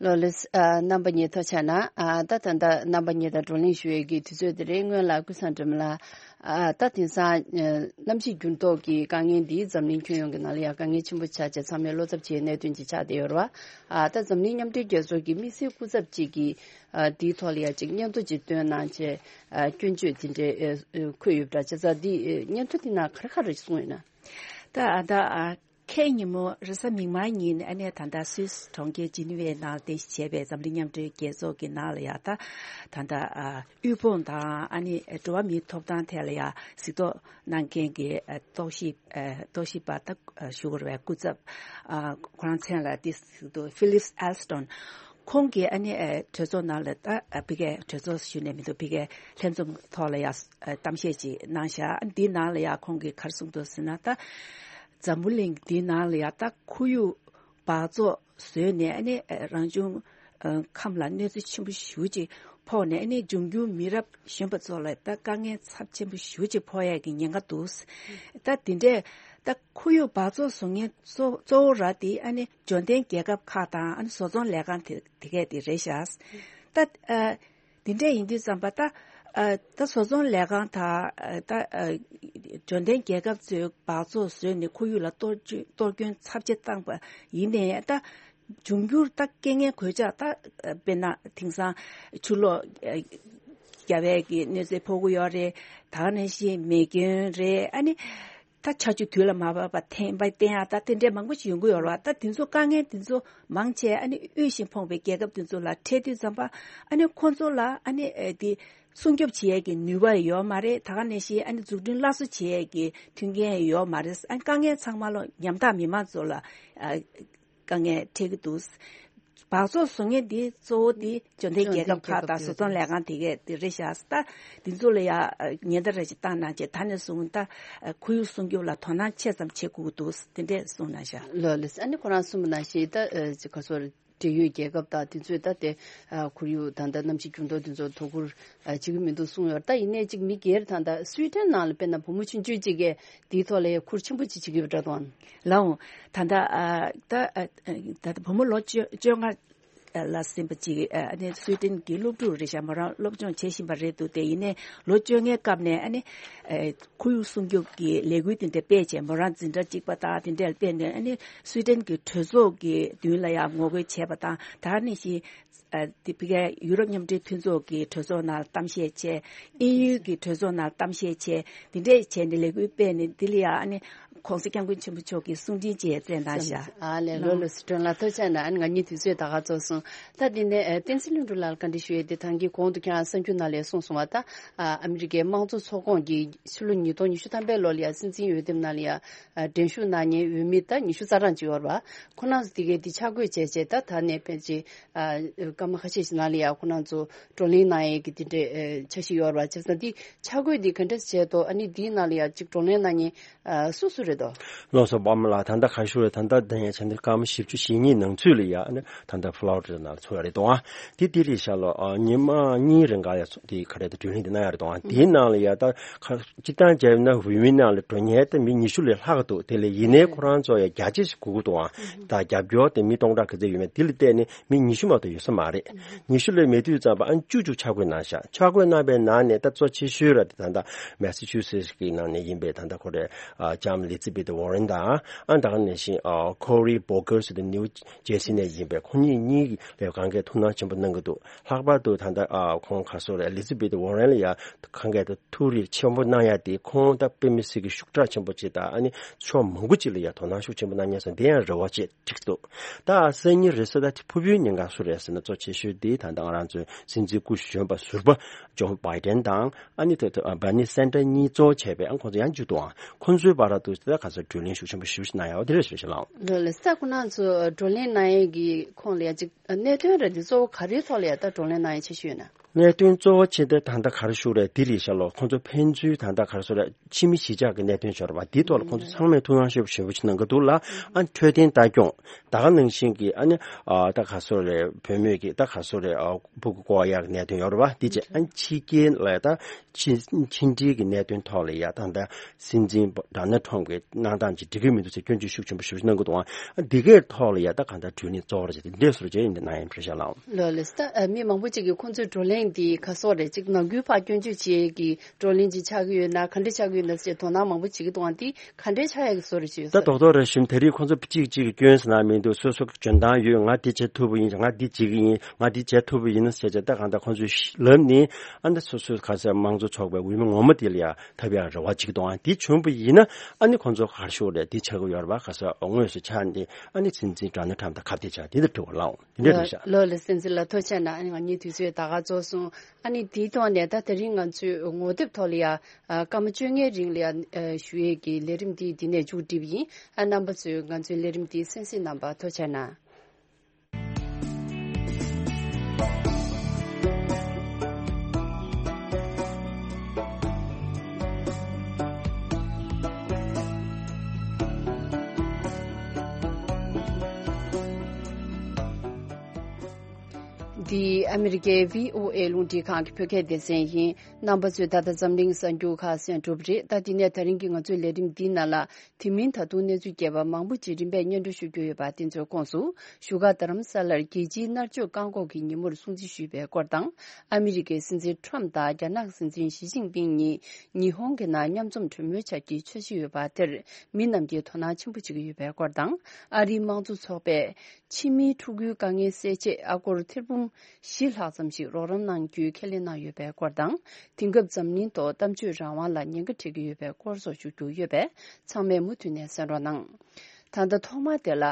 ལོ་ལེགས། ཨ། རྣམ་པ་གཉིས་ཐུགས་རྗེ་གནང་། ཨ། ད་ད་ལྟ་རྣམ་པ་གཉིས་དང་བགྲོ་གླེང་ཞུ་ཡས་ཀྱི་དུས་ཚོད་དེ་རེད། སྔོན་ལ་ཀུན་བཟང་སྒྲོལ་མ་ལགས། ཨ། ད་དེང་སང་གནམ་གཤིས་འགྱུར་ལྡོག་གི་དཀའ་ངལ་འདིས་འཛམ་གླིང་ཁྱོན་ཡོངས་ཀྱི་ནང་ལ་ཡང་དཀའ་ངལ་ཆེན་པོ་ཆགས་བྱས་ཚང་མས་བློ་འཚབ་བྱེད་ཡས་གནད་དོན་ཅིག་ཆགས་བསྡད་ཡོད་རེད་བ། ཨ། ད་འཛམ་གླིང་མཉམ་འབྲེལ་རྒྱལ་ཚོགས་ཀྱི་དམིགས་བསལ་སྐུ་ཚབ་ཅིག་གིས། ཨ། འདིའི་ཐོག་ལ་ཡང་ཅིག་སྙན་ཐོ་ཅིག་བཏོན་གནང་བྱས། ཨ། སྐྱོན་བརྗོད་དེ་འདྲའི་ཨ། འཁོད་ཡོད་པ་འདྲ་བྱས་ཙང་འདི་ཨ། སྙན་ཐོ་དེ་ནང་ག་རེ་ག་རེ་གསུངས་ཡོད་ན། ད་ཨ། ད་ཨ། ཁའི་ཉིན་མོ་རེས་གཟའ་མིག་དམར་ཉིན་ཨ་ནི་ད་ལྟ་སུད་སི་གྲོང་ཁྱེར་ཇི་ནི་ཝའི་ནང་རྟེན་གཞི་བྱས་པའི་འཛམ་གླིང་མཉམ་འབྲེལ་རྒྱལ་ཚོགས་ཀྱི་ནང་ལ་ཡ་ད་ད་ལྟ་ཨ་དབུལ་ཕོངས་དང་ཨ་ནི་འགྲོ་བ་མིའི་ཐོབ་ཐང་ཐད་ལ་ཡ་གཟིགས་རྟོག་གནང་མཁན་གྱི་ཨ་རྟོག་ཞིབ་ཨ་རྟོག་ཞིབ་པ་ད་ཨ་ཞུ་དགོས་རེད་པས། སྐུ་ཚབ་ཨ་ཁོ་རང་མཚན་ལ་དེ་གཟིགས་རྟོག་ཕི་ལིབ་ཨེལ་སི་ཊོན། ཁོང་གིས་ཨ་ནི་ཨ་གྲོས་ཚོགས་ནང་ལ་ད་ཨ་ཕ་གིའི་གྲོས་ཚོགས་ཞུས་ནས་མི་འདུག་ཕ་གིའི་ལྷན་འཛོམས་ཐོག་ལ་ཡ་ཨ་གཏམ་བཤད་ཅིག་གནང་བཞག་འདིའི་ནང་ལ་ཡ་ཁོང་གིས་ག་རེ་གསུངས་འདུག་ཟེར་ན། ད་འཛམ་བུ་གླིང་འདིའི་ནང་ལ་ཡ་ད་ཁོར་ཡུག་འབག་བཙོག་བཟོས་ནས་ཨ་ནི་ཨ་རང་བྱུང་ཨ་ཁམས་ལ་གནོད་འཚེ་ཆེན་པོ་ཞེ་པོ་ཅིག་ཕོག་ནས་ཨ་ནི་འབྱུང་འགྱུར་མི་རབས་གཞོན་པ་ཚོ་ལ་ད་དཀའ་ངལ་ཚབས་ཆེན་པོ་ཞེ་པོ་ཅིག་ཕོག་ཡས་ཀྱི་ཉེན་ཁ་འདུག་ད་དེ་འདྲས་ད་ཁོར་ཡུག་འབག་བཙོག་བཟོ་མཁན་གཙོ་གཙོ་བོ་ར་དེ་ཨ་ནི་འབྱོར་ལྡན་རྒྱལ་ཁབ་ཁག་དང་ཨ་ནི་བཟོ་ཚོང་ལས་ཁང་དེ་དེ་གས་དེ་རེད་ཤག་ད་ཨ་དེ་འདྲས་ཡིན་དུས་ཙམ་པ་ད་ཨ་ད་བཟོ་ཚོང་ལས་ཁང་དང་ཨ་ད་ཨ་འབྱོར་ལྡན་རྒྱལ་ཁབ་ཚོས་འབག་བཙོག་བཟོས་ནས་ཁོར་ཡུག་ལ་གཏོར་སྐྱོན་གཏོར་སྐྱོན་ཚབས་ཆེ་བཏང་པ་ཡིན་ནའི་ད་འབྱུང་འགྱུར་ད་རྐྱེན་ངན་གོད་ཆག་ད་ཨ་དཔེར་ན་དེང་སང་ཆུ་ལོག་ཨ་རྒྱབ་ཡས་ཀྱི་གནོད་འཚེ་ཕོག་གི་ཡོད་རེད། ད་ག་ནང་བཞིན་མེ་སྐྱོན་རེད། ཨ་ནི་ད་ཆར་ཆུ་དུས་ལ་མ་བབས་པ་འཐེན་པ་བསྟན་ཡག་ད་དེ་འདྲས་མང་པོ་ཞིག་ཡོང་གི་ཡོད་རེད་བ། ད་དེ་ཚོ་དཀའ་ངལ་དེ་ཚོ་མང་ཆེ་ཨ་ནི་དབུལ་ཞིང་ཕོངས་པའི་རྒྱལ་ཁབ་དེ་ཚོ་ལ་འཕྲད་དུས་ཙམ་པ་ཨ་ནི་ཁོང་ཚོ་ལ་ཨ་ནི་ཨེ་དེ་སྲུང་སྐྱོབ་བྱེད་ཡས་ཀྱི་ནུས་པ་ཡོད་མ་རེད། ད་ག་ནང་བཞིན་ཨ་ནི་འཛུགས་སྐྲུན་སླར་གསོ་བྱེད་ཡས་ཀྱི་མཐུན་རྐྱེན་ཡོད་མ་རེད། ཨ་ནི་དཀའ་ངལ་ཚང་མ་ལོ་ཉམ་ཐག་མི་མང་ཚོ་ལ་ཨ་དཀའ་ངལ་འཕྲད་ཀྱི་འདུག་འབག་བཙོག་བཟོ་མཁན་འདི་གཙོ་བོ་འདི་འབྱོར་ལྡན་རྒྱལ་ཁབ་ཁག་དང་བཟོ་ཚོང་ལས་ཁང་དེ་གས་དེ་རེད་ཤག་ད་འདི་ཚོ་ལ་ཡ་ཉེན་བརྡ་རེ་ཞིག་བཏང་གནང་བྱས། ད་ནས་བཟུང་ད་ཁོར་ཡུག་སྲུང་སྐྱོབ་ལ་དོ་སྣང་ཆེ་ཙམ་བྱེད་དགོས་ཀྱི་འདུག་དེ་འདྲས་གསུངས་གནང་ཤག་ལགས་ལགས། ཨ་ནི་ཁོ་རང་གསུངས་པ་ནང་བཞིན་ད་ཅི་ག་སོ་འབྲེལ་ཡོད་རྒྱལ་ཁབ་དང་དེ་ཚོས་ད་དེ་ཁོར་ཡུག་ད་ལྟ་གནམ་གཤིས་འགྱུར་ལྡོག་དེ་ཚོ་དོ་ཁུར་བྱེད་ཀྱི་མི་འདུག་གསུངས་ཡོད། ད་ཡིན་ནའི་ཅིག་མི་སྒེར་ད་ལྟ་སུའི་ཌེན་ནང་ལ་དཔེར་ན་བུ་མོ་ཆུང་ཆུང་ཅིག་གིས་དེའི་ཐོག་ལ་ཡ་ཁུར་ཆེན་པོ་ཅིག་བྱེད་ཀྱི་ཡོད་པ་འདྲ་དང་། ལགས་འོང་། ད་ལྟ་ཨ་ད་ཨ་ད་ལྟ་བུ་མོ་ལོ་བཅོ་བཅོ་ལྔ་ལ་ཟིན་པ་ཅིག་ཨ་ནི་སུའི་ཌེན་གྱི་སློབ་ཕྲུག་རེད་ཤག་མོ་རང་སློབ་སྦྱོང་བྱེད་བཞིན་པ་རེད་འདུག་དེ་ཡིན་ནའི་ལོ་བཅོ་ལྔའི་སྐབས་ནས་ཨ་ནི་ཨ་ཁོར་ཡུག་སྲུང་སྐྱོབ་ཀྱི་ལས་འགུལ་དེ་འདྲ་སྤེལ་བྱས། མོ་རང་འཛིན་གྲྭ་གཅིག་པ་དང་དེ་འདྲ་ལ་སྤེལ་ནས་ཨ་ནི་སུའི་ཌེན་གྱི་གྲོས་ཚོགས་ཀྱི་མདུན་ལ་ཡང་ངོ་རྒོལ་བྱས་པ་དང་། ད་ག་ནང་བཞིན་ཨ་དེ་ཕ་གིའི་ཡུ་རོབ་མཉམ་འབྲེལ་མཐུན་ཚོགས་ཀྱི་གྲོས་ཚོགས་ནང་གཏམ་བཤད་བྱས། དབྱིན་ཡུལ་གྱི་གྲོས་ཚོགས་ནང་གཏམ་བཤད་བྱས། འདི་འདྲས་བྱས་ནས་ལས་འགུལ་སྤེལ་ནས་འདི་ལ་ཡང་ཨ་ནི་༸གོང་ས་༸སྐྱབས་མགོན་ཆེན་པོ་མཆོག་གིས་གསུང་འཕྲིན་ཅིག་བསྩལ་གནང་ཤག་ཨ་ལས། ལགས་འོང་། ལགས་སོ། སྒྲོན་ལགས་ཐུགས་རྗེ་གནང་། ཨ་ནི་ང་གཉིས་དུས་ཚོད་ད་ག་རྫོགས་སོང་། ད་འདི་ནས་ཨ་བསྟན་འཛིན་ལྷུན་གྲུབ་ལགས་ལ་བཀའ་འདྲི་ཞུ་ཡས་དེ། ད་གིན་གོང་དུ་ཁྱེད་རང་གསར་འགྱུར་ནང་ལ་གསུངས་སོང་བ། ད་ཨ་ཨ་མི་རི་ཀའི་དམངས་གཙོ་ཚོགས་ཁོངས་ཀྱི་ཕྱི་ལོ་ཉིས་སྟོང་ཉི་ཤུ་ཐམ་པའི་ལོ་ལ་ཡ་སྲིད་འཛིན་འོས་འདེམས་ནང་ལ་ཡ་ཨ་འགྲན་ཞུགས་གནང་མཁན་འོས་མི་ད་ཉི་ཤུ་རྩ་གྲངས་ཅིག་ཡོད་རེད་པ། ཁོ་རང་ཚོ་དེ་གའི་དེ་ཆ་བགོས་བྱས་བྱས། ད་ད་ནས་ཕལ་ཆེར་ཨ་སྐར་མ་ཁ་ཤས་ཤིག་ནང་ལ་ཡ་ཁོ་རང་ཚོ་བགྲོ་གླེང་གནང་ཡས་ཀྱི་དེ་འདྲའི་ཨ་འཆར་གཞི་ཡོད་རེད་པ། བྱས་ཙང་འདི་ཆ་བགོས་འདི་ག་འདྲ་བྱས་འདུག་ཨ་ནི་འདིའི་ནང་ལ་ཡ་ཅིག་བགྲོ་གླེང་གནང་མཁན་ཨ་སུ་སུ་རེད་འདུག་ལགས་སོ། པདྨ་ལགས། ད་ལྟ་ག་རེ་ཞུ་རེད། ད་ལྟ་ད་ཡ་ཆ་འདི་སྐར་མ་བཞི་བཅུ་ཞེ་གཉིས་ནང་ཚུད་ལ་ཡ་ཨ་ནི་ད་ལྟ་ཕ་ལོ་རི་ཌ་ནང་ལ་ཚོགས་ཡ་རེད་འདུག་ཨ་དེ་དེ་རེད་ཤག་ལོ། ཨ་ཉི་མ་གཉིས་རིང་ག་ཡ་ཚོགས་དེ་ག་རེ་ད་བགྲོ་གླེང་དེ་གནང་ཡ་རེད་འདུག་ཨ་དེའི་ནང་ལ་ཡ་ད་ག་སྤྱིར་བཏང་བྱས་ན་འོས་མི་ནང་ལ་འགྲོ་མཁན་དེ་མི་ཉི་ཤུ་ལས་ལྷག་གི་འདུག་དེ་ལས་ཡིན་ནའི་ཁོ་རང་ཚོ་ཡ་རྒྱ་ཆེ་ཞིག་དགོས་ཀྱི་འདུག་ཨ་ད་རྒྱབ་སྐྱོར་དེ་མི་སྟོང་ཕྲག་ག་ཚོད་ཡོད་མེད་དེ་ལ་བལྟས་ནས་མི་ཉི་ཤུ་མ་གཏོགས་ཡོད་ས་མ་རེད། ཉི་ཤུ་ལས་མེད་དུས་ཙམ་པ་ཨ་བཅུ་གཅིག་ཆ་བགོས་གནང་ཤག་ཆ་བགོས་གནང་པའི་ནང་ནས་ད་གཙོ་ཆེ་ཤོས་ར་དེ་ད་ལྟ་མེ་སི་ཆུ་སེ་ཊི་གི་ནང་ནས་ཡིན་པའི་ད་ལྟ་ཁོ་རེ་ཨ་ལྕམ་ཨེ་ལི་ཛ་བྷེཐ་ཝོ་རེན་དང་། ཨ་ད་ག་ནང་བཞིན་ཨ་ཁོ་རི་བྷོ་གྷར་ཟེར་དེ་ནིའུ་ཇེར་སི་ནས་ཡིན་པའི་ཁོ་གཉིས་གཉིས་ལ་ཡ་གང་གས་ཐུགས་སྣང་ཆེན་པོ་གནང་གི་འདུག་ལྷག་པར་དུ་ད་ལྟ་ཨ་ཁོང་ག་སོ་རེ་ཨེ་ལི་ཛ་བྷེཐ་ཝོ་རེན་ལ་ཡ་གང་གས་ད་ཐུགས་རེ་ཆེན་པོ་གནང་ཡ་དེ་ཁོང་ད་དཔེ་མི་སྲིད་ཀྱི་ཤུགས་དྲག་ཆེན་པོ་ཅིག་དང་། ཨ་ནི་ཕྱོགས་མང་པོ་ཅིག་ལ་ཡ་དོ་སྣང་ཤུགས་ཆེན་པོ་གནང་མཁན་སོང་། དེ་ཡང་རེ་བ་བྱེད་འགྲིག་འདུག་ད་སང་ཉིན་རེས་གཟའ་ཟླ་དེ་ཕུལ་བུའི་ཉེན་ཁ་སུ་རེད་ཟེར་ན་གཙོ་ཆེ་ཤོས་དེ་ད་ལྟ་ང་རང་ཚོའི་སྲིད་འཛིན་སྐུ་གཞོན་པ་ཟུར་པ་ཇོ་བྷའི་ཌེན་དང་། ཨ་ནི་ད་ལྟ་བར་ནི་སན་ཌར་གཉིས་གཙོ་བོ་བྱས་པའི་ཨ་ཁོང་ཚོ་ཡང་བཅུ་འདུག་ཨང་། ཁོང་ཚོའི་བར་དུ་ད་ག་ཚོད་བགྲོ་གླེང་ཤུགས་ཆེན་པོ་ཞེ་པོ་ཞིག་གནང་ཡོད་པ་དེ་རེད་ཟེར་ཞུ་ལགས། ལགས་ལགས། ད་ཁོང་རྣམ་ཚོ་བགྲོ་གླེང་གནང་ཡས་ཀྱི་ཁོངས་ལ་ཡ་ཅིག་གནད་དོན་རེད་དེ་གཙོ་བོ་ག་རེའི་ཐོག་ལ་ཡ་ད་བགྲོ་གླེང་གནང་ཡས་ཆེ་ཤོས་ཡོད་ན། གནད་དོན་གཙོ་བོ་ཆེ་དེ་ད་ལྟ་ག་རེ་ཞུ་རེད་འདི་རེད་ཤག་ལོ། ཁོང་ཚོ་ཕན་ཚུན་ད་ལྟ་ག་རེ་ཞུ་རེད། ཕྱི་མི་གཞིས་ཆགས་ཀྱི་གནད་དོན་ཤོར་བ་འདིའི་ཐོག་ལ་ཁོང་ཚོ་ཚང་མས་ཐུགས་སྣང་ཤུགས་ཆེན་པོ་ཞིག་གནང་གི་འདུག་ལ། ཨ་འཕྲོད་བསྟེན་ལྟ་སྐྱོང་ད་ག་ནང་བཞིན་གྱི་ཨ་ནི་ཨ་ད་ག་སོ་རེད། བུད་མེད་ཀྱི་ད་ག་སོ་རེད། ཨ་ཕྲུ་གུ་བཀོག་ཡག་གི་གནད་དོན་ཡོད་རེད་བ། འདི་བྱས་ཨ་ཕྱི་རྒྱལ་ལ་ད་ཕྱི་ཕྱི་འབྲེལ་གྱི་གནད་དོན་ཐོག་ལ་ཡ་ད་ལྟ་སྲིད་འཛིན་ཌོ་ནལ་ཊམ་གྱི་གནང་སྟངས་ཅིག་འགྲིག་གི་མི་འདུག་ཟེར་སྐྱོན་བརྗོད་ཤུགས་ཆེན་པོ་ཞེ་པོ་ཞིག་གནང་གི་འདུག་ཨ་འདི་གའི་ཐོག་ལ་ཡ་ད་གང་ལྟར་བགྲོ་གླེང་གཙོ་བོར་བྱས་ཏེ་འདས་སོར་བྱས་ཡིན་ཏེ་གནང་ཡིན་ཕེབས་ཤག་ལགས། ལགས་ལགས། ད་མི་མང་པོ་ཅིག་གིས་ཁོང་ཚོའི་བགྲོ་གླེང་ འདི་ག་སོགས་རེད། གཅིག་ནང་ཁུལ་ཕར་སྐྱོན་བརྗོད་བྱེད་ཀྱི་བགྲོ་གླེང་ཅིག་ཆགས་ཀྱི་ཡོད་ན་ག་འདྲ་ཆགས་ཀྱི་ཡོད་ན་ཟེར་དོ་སྣང་མང་པོ་བྱེད་ཀྱི་འདུག་ཨང་། འདི་ག་འདྲ་ཆགས་ཡག་གི་བཟོ་རེད་ཅེས་ད་ཟེར། རྡོག་རྡོག་རེད་ཞུ། དེ་རིང་ཁོང་ཚོ་གཅིག་གཅིག་གི་སྐྱོན་ཟེར་ན་མི་འདུག་སོ་སོ་གི་འཇོན་ཐང་ཡོད། ང་འདི་བྱེད་ཐུབ་པ་ཡིན། ང་འདི་བྱེད་ཀྱི་ཡིན། ང་འདི་བྱེད་ཐུབ་པ་ཡིན་ཟེར་བྱས་ད་གང་ལྟར་ཁོང་ཚོས་ལབ་ནས་ཨ་ནི་སོ་སོའི་ག་ཟེར་དམངས་གཙོ་ཚོགས་པའི་འོས་མི་ངོ་མ་དེ་ལ་ཡང་ཐོབ་ཡག་རེ་བ་བྱེད་ཀྱི་འདུག་ཨང་། འདི་བྱུང་བ་ཡིན་ན་ཨ་ནི་ཁོང་ཚོ་ག་རེ་ཞུ་དགོས་རེད། འདི་ཆགས་ཀྱི་ཡོད་རེད་པ། ག་ཟེར་དངོས་སུ་ཆགས་ནས་ཨ་ནི་སྲིད་འཛིན་ཌོ་ནལ་ཊམ་དང་ཁ་གཏད་བཅག་འདི་ལྟར་འགྲོ་བ་ལའང་འདི་འདྲ་རེད་ཤག་ལོ་ལ་སྲིད་འཛིན་ལ་ཐུགས་རྗེ་གནང་། ཨ་ནི་ང་གཉིས་དུས་ཚོད་ད་ག་རྫོགས་སོང་། ཨ་ནི་དེའི་ཐོག་ནས་ད་དེ་རིང་ང་ཚོས་ངོ་དེབ་ཐོག་ལ་ཡ་ཨ་སྐར་མ་བཅོ་ལྔའི་རིང་ལ་ཡ་ཨ་ཞུ་ཡས་ཀྱི་ལས་རིམ་འདི་འདི་ནས་མཇུག་སྒྲིལ་བ་ཡིན། ཨ་རྣམ་པ་ཚོས་ང་ཚོའི་ལས་རིམ་འདི་གསན་གཟིགས་གནང་བར་ཐུགས་རྗེ་གནང་། འདི་ཨ་མི་རི་ཀའི་བྷི་ཨོ་ཨེ་རླུང་འཕྲིན་ཁང་གི་བོད་སྐད་སྡེ་ཚན་ཡིན། རྣམ་པ་ཚོས་ད་ལྟ་འཛམ་གླིང་གསར་འགྱུར་ཁག་གསན་གྲུབ་རེད། ད་འདི་ནས་ད་རིང་གི་ང་ཚོའི་ལས་རིམ་འདིའི་ནང་ལ་དེ་མིན་ད་དུང་གནས་ཚུལ་རྒྱས་པ་མང་པོ་ཅིག་རིམ་པས་སྙན་སྒྲོན་ཞུ་རྒྱུ་ཡོད་པ་དེ་ཚོའི་ཁོངས་སུ། བཞུགས་སྒར་རྡ་རམ་ས་ལར་རྒྱལ་སྤྱིའི་མནར་གཅོད་བཀག་འགོག་གི་ཉིན་མོར་སྲུང་བརྩི་ཞུས་པའི་སྐོར་དང་། ཨ་མི་རི་ཀའི་སྲིད་འཛིན་ཊམ་དང་རྒྱ་ནག་སྲིད་འཛིན་ཞི་ཅིན་ཕིང་གཉིས་ཉི་ཧོང་གི་ནང་མཉམ་འཛོམས་གྲོས་མོལ་བྱ་རྒྱུའི་འཆར་གཞི་ཡོད་པ་དེར་མི་རྣམས་ཀྱིས་དོ་སྣང་ཆེན་པོ་བྱེད་ཀྱི་ཡོད་པའི་སྐོར་དང་། ཨ་རིའི་དམངས་གཙོ་ཚོགས་པས་ཕྱི་མིའི་ཕྲུ་གུའི་དཀའ་ངལ་སེལ་ཆེད་ཨ་སྒོར་ཐེར་འབུམ་བཞི་ལྷག་ཙམ་ཞིག་རོགས་རམ་གནང་རྒྱུའི་ཁས་ལེན་གནང་ཡོད་པའི་སྐོར་དང་། དེང་སྐབས་འཛམ་གླིང་ཐོག་གཏམ་བརྗོད་རང་དབང་ལ་ཉེན་ཁ་འཕྲད་ཀྱི་ཡོད་པའི་སྐོར་སོགས་ཞུ་རྒྱུ་ཡོད་པས་ཚང་མས་མུ་མཐུད་ནས་གསན་རོགས་གནང་། ད་ལྟ་ཐོག་མ་དེ་ལ།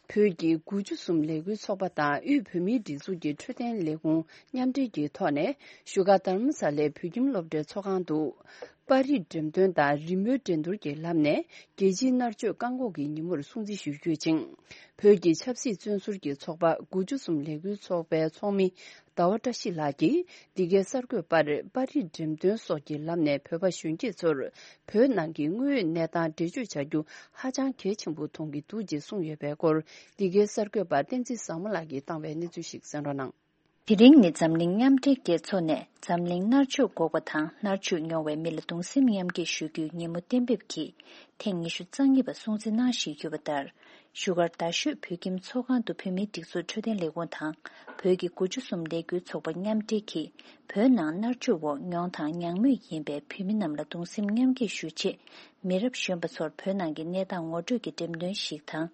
བོད་ཀྱི་དགུ་བཅུ་གསུམ་ལས་འགུལ་ཚོགས་པ་དང་དབུས་བོད་མིའི་སྒྲིག་འཛུགས་ཀྱི་འཕྲོད་བསྟེན་ལས་ཁུངས་མཉམ་འབྲེལ་གྱི་ཐོག་ནས་བཞུགས་སྒར་རྡ་རམ་ས་ལའི་བོད་ཁྱིམ་སློབ་གྲྭའི་ཚོགས་ཁང་དུ། པར་རིས་འགྲེམས་སྟོན་དང་རི་མོའི་འགྲན་བསྡུར་གྱི་ལམ་ནས་རྒྱལ་སྤྱིའི་མནར་གཅོད་བཀག་འགོག་གི་ཉིན་མོར་སྲུང་བརྩི་ཞུ་རྒྱུ་ཡིན་ཅིང་། བོད་ཀྱི་ཆབ་སྲིད་བཙོན་ཟུར་གྱི་ཚོགས་པ་དགུ་བཅུ་གསུམ་ལས་འགུལ་ཚོགས་པའི་ཚོགས་མི་ཟླ་བ་བཀྲ་ཤིས་ལགས་ཀྱིས་འདི་གའི་གསར་འགོད་པར་པར་རིས་འགྲེམས་སྟོན་སོགས་ཀྱི་ལམ་ནས་བོད་པ་གཞོན་སྐྱེས་ཚོར་བོད་ནང་གི་དངོས་ཡོད་གནས་སྟངས་འགྲེལ་བརྗོད་བྱ་རྒྱུ་ཧ་ཅང་གལ་ཆེན་པོ་མཐོང་གི་འདུག་ཅེས་གསུངས་ཡོད་པའི་སྐོར། འདི་གའི་གསར་འགོད་པ་བསྟན་འཛིན་བཟང་མོ་ལགས་ཀྱིས་བཏང་བའི་གནས་ཚུལ་ཞིག་གསན་རོགས་གནང་། དེ་རིང་ནི་འཛམ་གླིང་མཉམ་འབྲེལ་རྒྱལ་ཚོགས་ནས་འཛམ་གླིང་མནར་གཅོད་འགོག་པ་དང་མནར་གཅོད་མྱོང་བའི་མི་ལ་གདུང་སེམས་མཉམ་སྐྱེད་ཞུ་རྒྱུའི་ཉིན་མོ་གཏན་འབེབས་ཀྱིས་ཐེངས་ཉི་ཤུ་རྩ་གཉིས་པ་སྲུང་བརྩི་གནང་བཞིན་ཡོད་པ་ལྟར། བཞུགས་སྒར་རྡ་ཤོད་བོད་ཁྱིམ་ཚོགས་ཁང་དུ་བོད་མིའི་སྒྲིག་འཛུགས་འཕྲོད་བསྟེན་ལས་ཁུངས་དང་བོད་ཀྱི་དགུ་བཅུ་གསུམ་ལས་འགུལ་ཚོགས་པ་མཉམ་འབྲེལ་གྱིས་བོད་ནང་མནར་གཅོད་འོག་མྱོང་དང་མྱངས་མུས་ཡིན་པའི་བོད་མི་རྣམས་ལ་གདུང་སེམས་མཉམ་སྐྱེད་ཞུ་ཆེད། མི་རབས་གཞོན་པ་ཚོར་བོད་ནང་གི་གནས་སྟངས་ངོ་སྤྲོད་ཀྱི་འགྲེམས་སྟོན་ཞིག་དང་།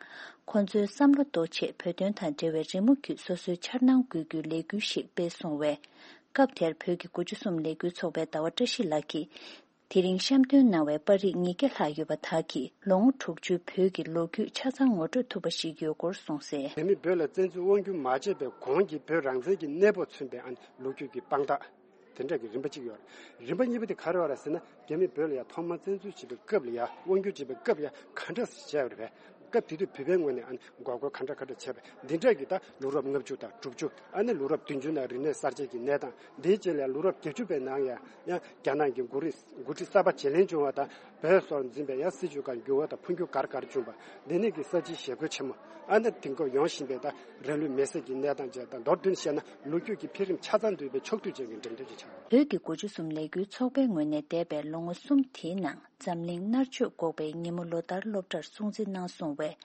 ཁོ་ཚོའི་བསམ་བློ་གཏོད་ཆེད་བོད་དོན་དང་འབྲེལ་བའི་རི་མོ་བརྒྱུད་སོ་སོའི་འཆར་སྣང་འགོད་རྒྱུའི་ལས་འགུལ་ཞིག་སྤེལ་སོང་བས། སྐབས་དེར་བོད་ཀྱི་དགུ་བཅུ་གསུམ་ལས་འགུལ་ཚོགས་པའི་ཟླ་བ་བཀྲ་ཤིས་ལགས་ཀྱིས། དེ་རིང་བཤམས་སྟོན་གནང་བའི་པར་རིས་ཉིས་བརྒྱ་ལྷག་ཡོད་པ་དག་གིས་ལོ་ངོ་དྲུག་ཅུའི་བོད་ཀྱི་ལོ་རྒྱུས་ཆ་ཚང་ངོ་སྤྲོད་ཐུབ་པ་ཞིག་ཡོད་སྐོར་གསུངས་གསལ། དེ་མིན་བོད་ལ་བཙན་འཛུལ་དབང་བསྒྱུར་མ་བྱས་པའི་གོང་གི་བོད་རང་བཙན་གྱི་གནས་བབ་མཚོན་པའི་ཨ་ནི་ལོ་རྒྱུས་ཀྱི་དཔང་རྟགས། དེ་འདྲ་གི་རིམ་པ་གཅིག་ཡོད་རེད། རིམ་པ་གཉིས་པ་དེ་ག་རེ་ཡོད་རེད་ཟེར་ན། རྒྱ་མིས་བོད་ལ་ཡང་ཐོག་མར་བཙན་འཛུལ་བྱེད་པའི་སྐབས་ལ་ཡང་དབང་བསྒྱུར་བྱེད་པའི་སྐབས་ཡང་ག་འདྲ་བྱས་པ་རེད་པས། སྐབས་དེ་དུས་བོད་པའི་ངོས་ནས་ཨ་ནི་འགོག་རྒོལ་ག་འདྲ་ག་འདྲ་བྱས་པས། འདི་འདྲ་གི་ད་ལོ་རབས་ལྔ་བཅུ་དང་དྲུག་ཅུ། ཨ་ནི་ལོ་རབས་བདུན་ཅུ་ནང་རིག་གནས་གསར་བརྗེ་གི་གནས་སྟངས། འདིའི་རྗེས་ལ་ལོ་རབས་བརྒྱད་ཅུ་པའི་ནང་ཡང་ཡང་རྒྱ་ནག་གི་འགོ་རིས་འགོ་ཁྲིད་གསར་པ་བརྗེ་ལེན་བྱུང་བ་དང་། བོད་སོགས་འཛིན་པའི་ཡང་སྲིད་བྱུས་ཁག་འགྱུར་བ་དང་འཕོ་འགྱུར་ག་རེ་ག་རེ་བྱུང་བ། འདི་ནས་ཀྱི་གསར་བརྗེའི་ཞི་རྒོལ་ཆེན་མོ། ཨ་ནི་དེང་སྐབས་ཡོང་བཞིན་པའི་ད་རང་ལུས་མེར་སྲེག་གི་གནས་སྟངས་བཅས་དང་མདོར་བསྡུས་བཤད་ན་ལོ་རྒྱུས་ཀྱི་འཕེལ་རིམ་ཆ་ཚང་འདུས་པའི་ཕྱོགས་བསྡུས་ཅན་གྱི་འགྲེམས་སྟོན་ཅིག་ཆགས་ཡོད། བོད་ཀྱི་དགུ་བཅུ་གསུམ་ལས་འགུལ་ཚོགས་པའི་ངོས་ནས་འདས་པའི་ལོ་ངོ་གསུམ་དེའི་ནང་འཛམ་གླིང་མནར་གཅོད་འགོག་པའི་ཉིན་མོ་ལོ་ལྟར་སློབ་གྲྭར་སྲུང་བརྩི་གནང་སོང་བས།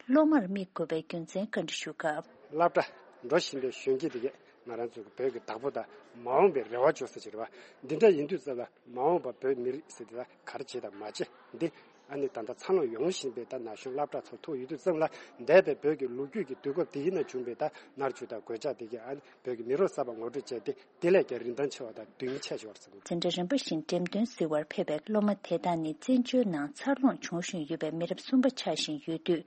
སློབ་མར་དམིགས་དགོས་པའི་རྒྱུ་མཚན་བཀའ་འདྲི་ཞུ་སྐབས། སློབ་གྲྭ་འགྲོ་བཞིན་པའི་གཞོན་སྐྱེས་དེ་གས་ང་རང་ཚོ་གི་བོད་ཀྱི་བདག་པོ་དང་མ་འོངས་པའི་རེ་བ་བཅོལ་ས་ཅིག་རེད་བ། འདི་འདྲ་ཡིན་དུས་ཙམ་ལ་མ་འོངས་པ་བོད་མི་རིགས་ཟེར་དེ་ལ་ག་རེ་བྱེད་དང་མ་བྱེད་འདི། ཨ་ནི་ད་ལྟ་འཚར་ལོངས་ཡོང་བཞིན་པའི་ད་ན་གཞོན་སློབ་གྲྭ་ཚོ་ཐུག་ཡོད་དུས་ཙམ་ལ། འདས་པའི་བོད་ཀྱི་ལོ་རྒྱུས་ཀྱི་དུས་སྐབས་དེ་ཡིན་ན་བྱུང་བའི་ད་མནར་གཅོད་དང་གོད་ཆག་དེ་གས་ཨ་ནི་བོད་ཀྱི་མི་རབས་གསར་པ་ངོ་སྤྲོད་བྱས་ཏེ། དེ་ལས་ཀྱང་རིན་ཐང་ཆེ་བ་དང་དོན་སྙིང་ཆེ་ཞིག་ཡོད་རེད་བསམ་གྱི། འཛིན་གྲྭ་རིམ་པ་བཞིན་འགྲེམས་སྟོན་གཟིགས་པར་ཕེབས་པའི་སློབ་མ་དེ་དག་ནི་བཙན་བྱོལ་ནང་འཚར་ལོངས་བྱུང་བཞིན་ཡོད་པའི་མི་རབས་གསུམ་པ་ཆགས་བཞིན་ཡོད་དུས།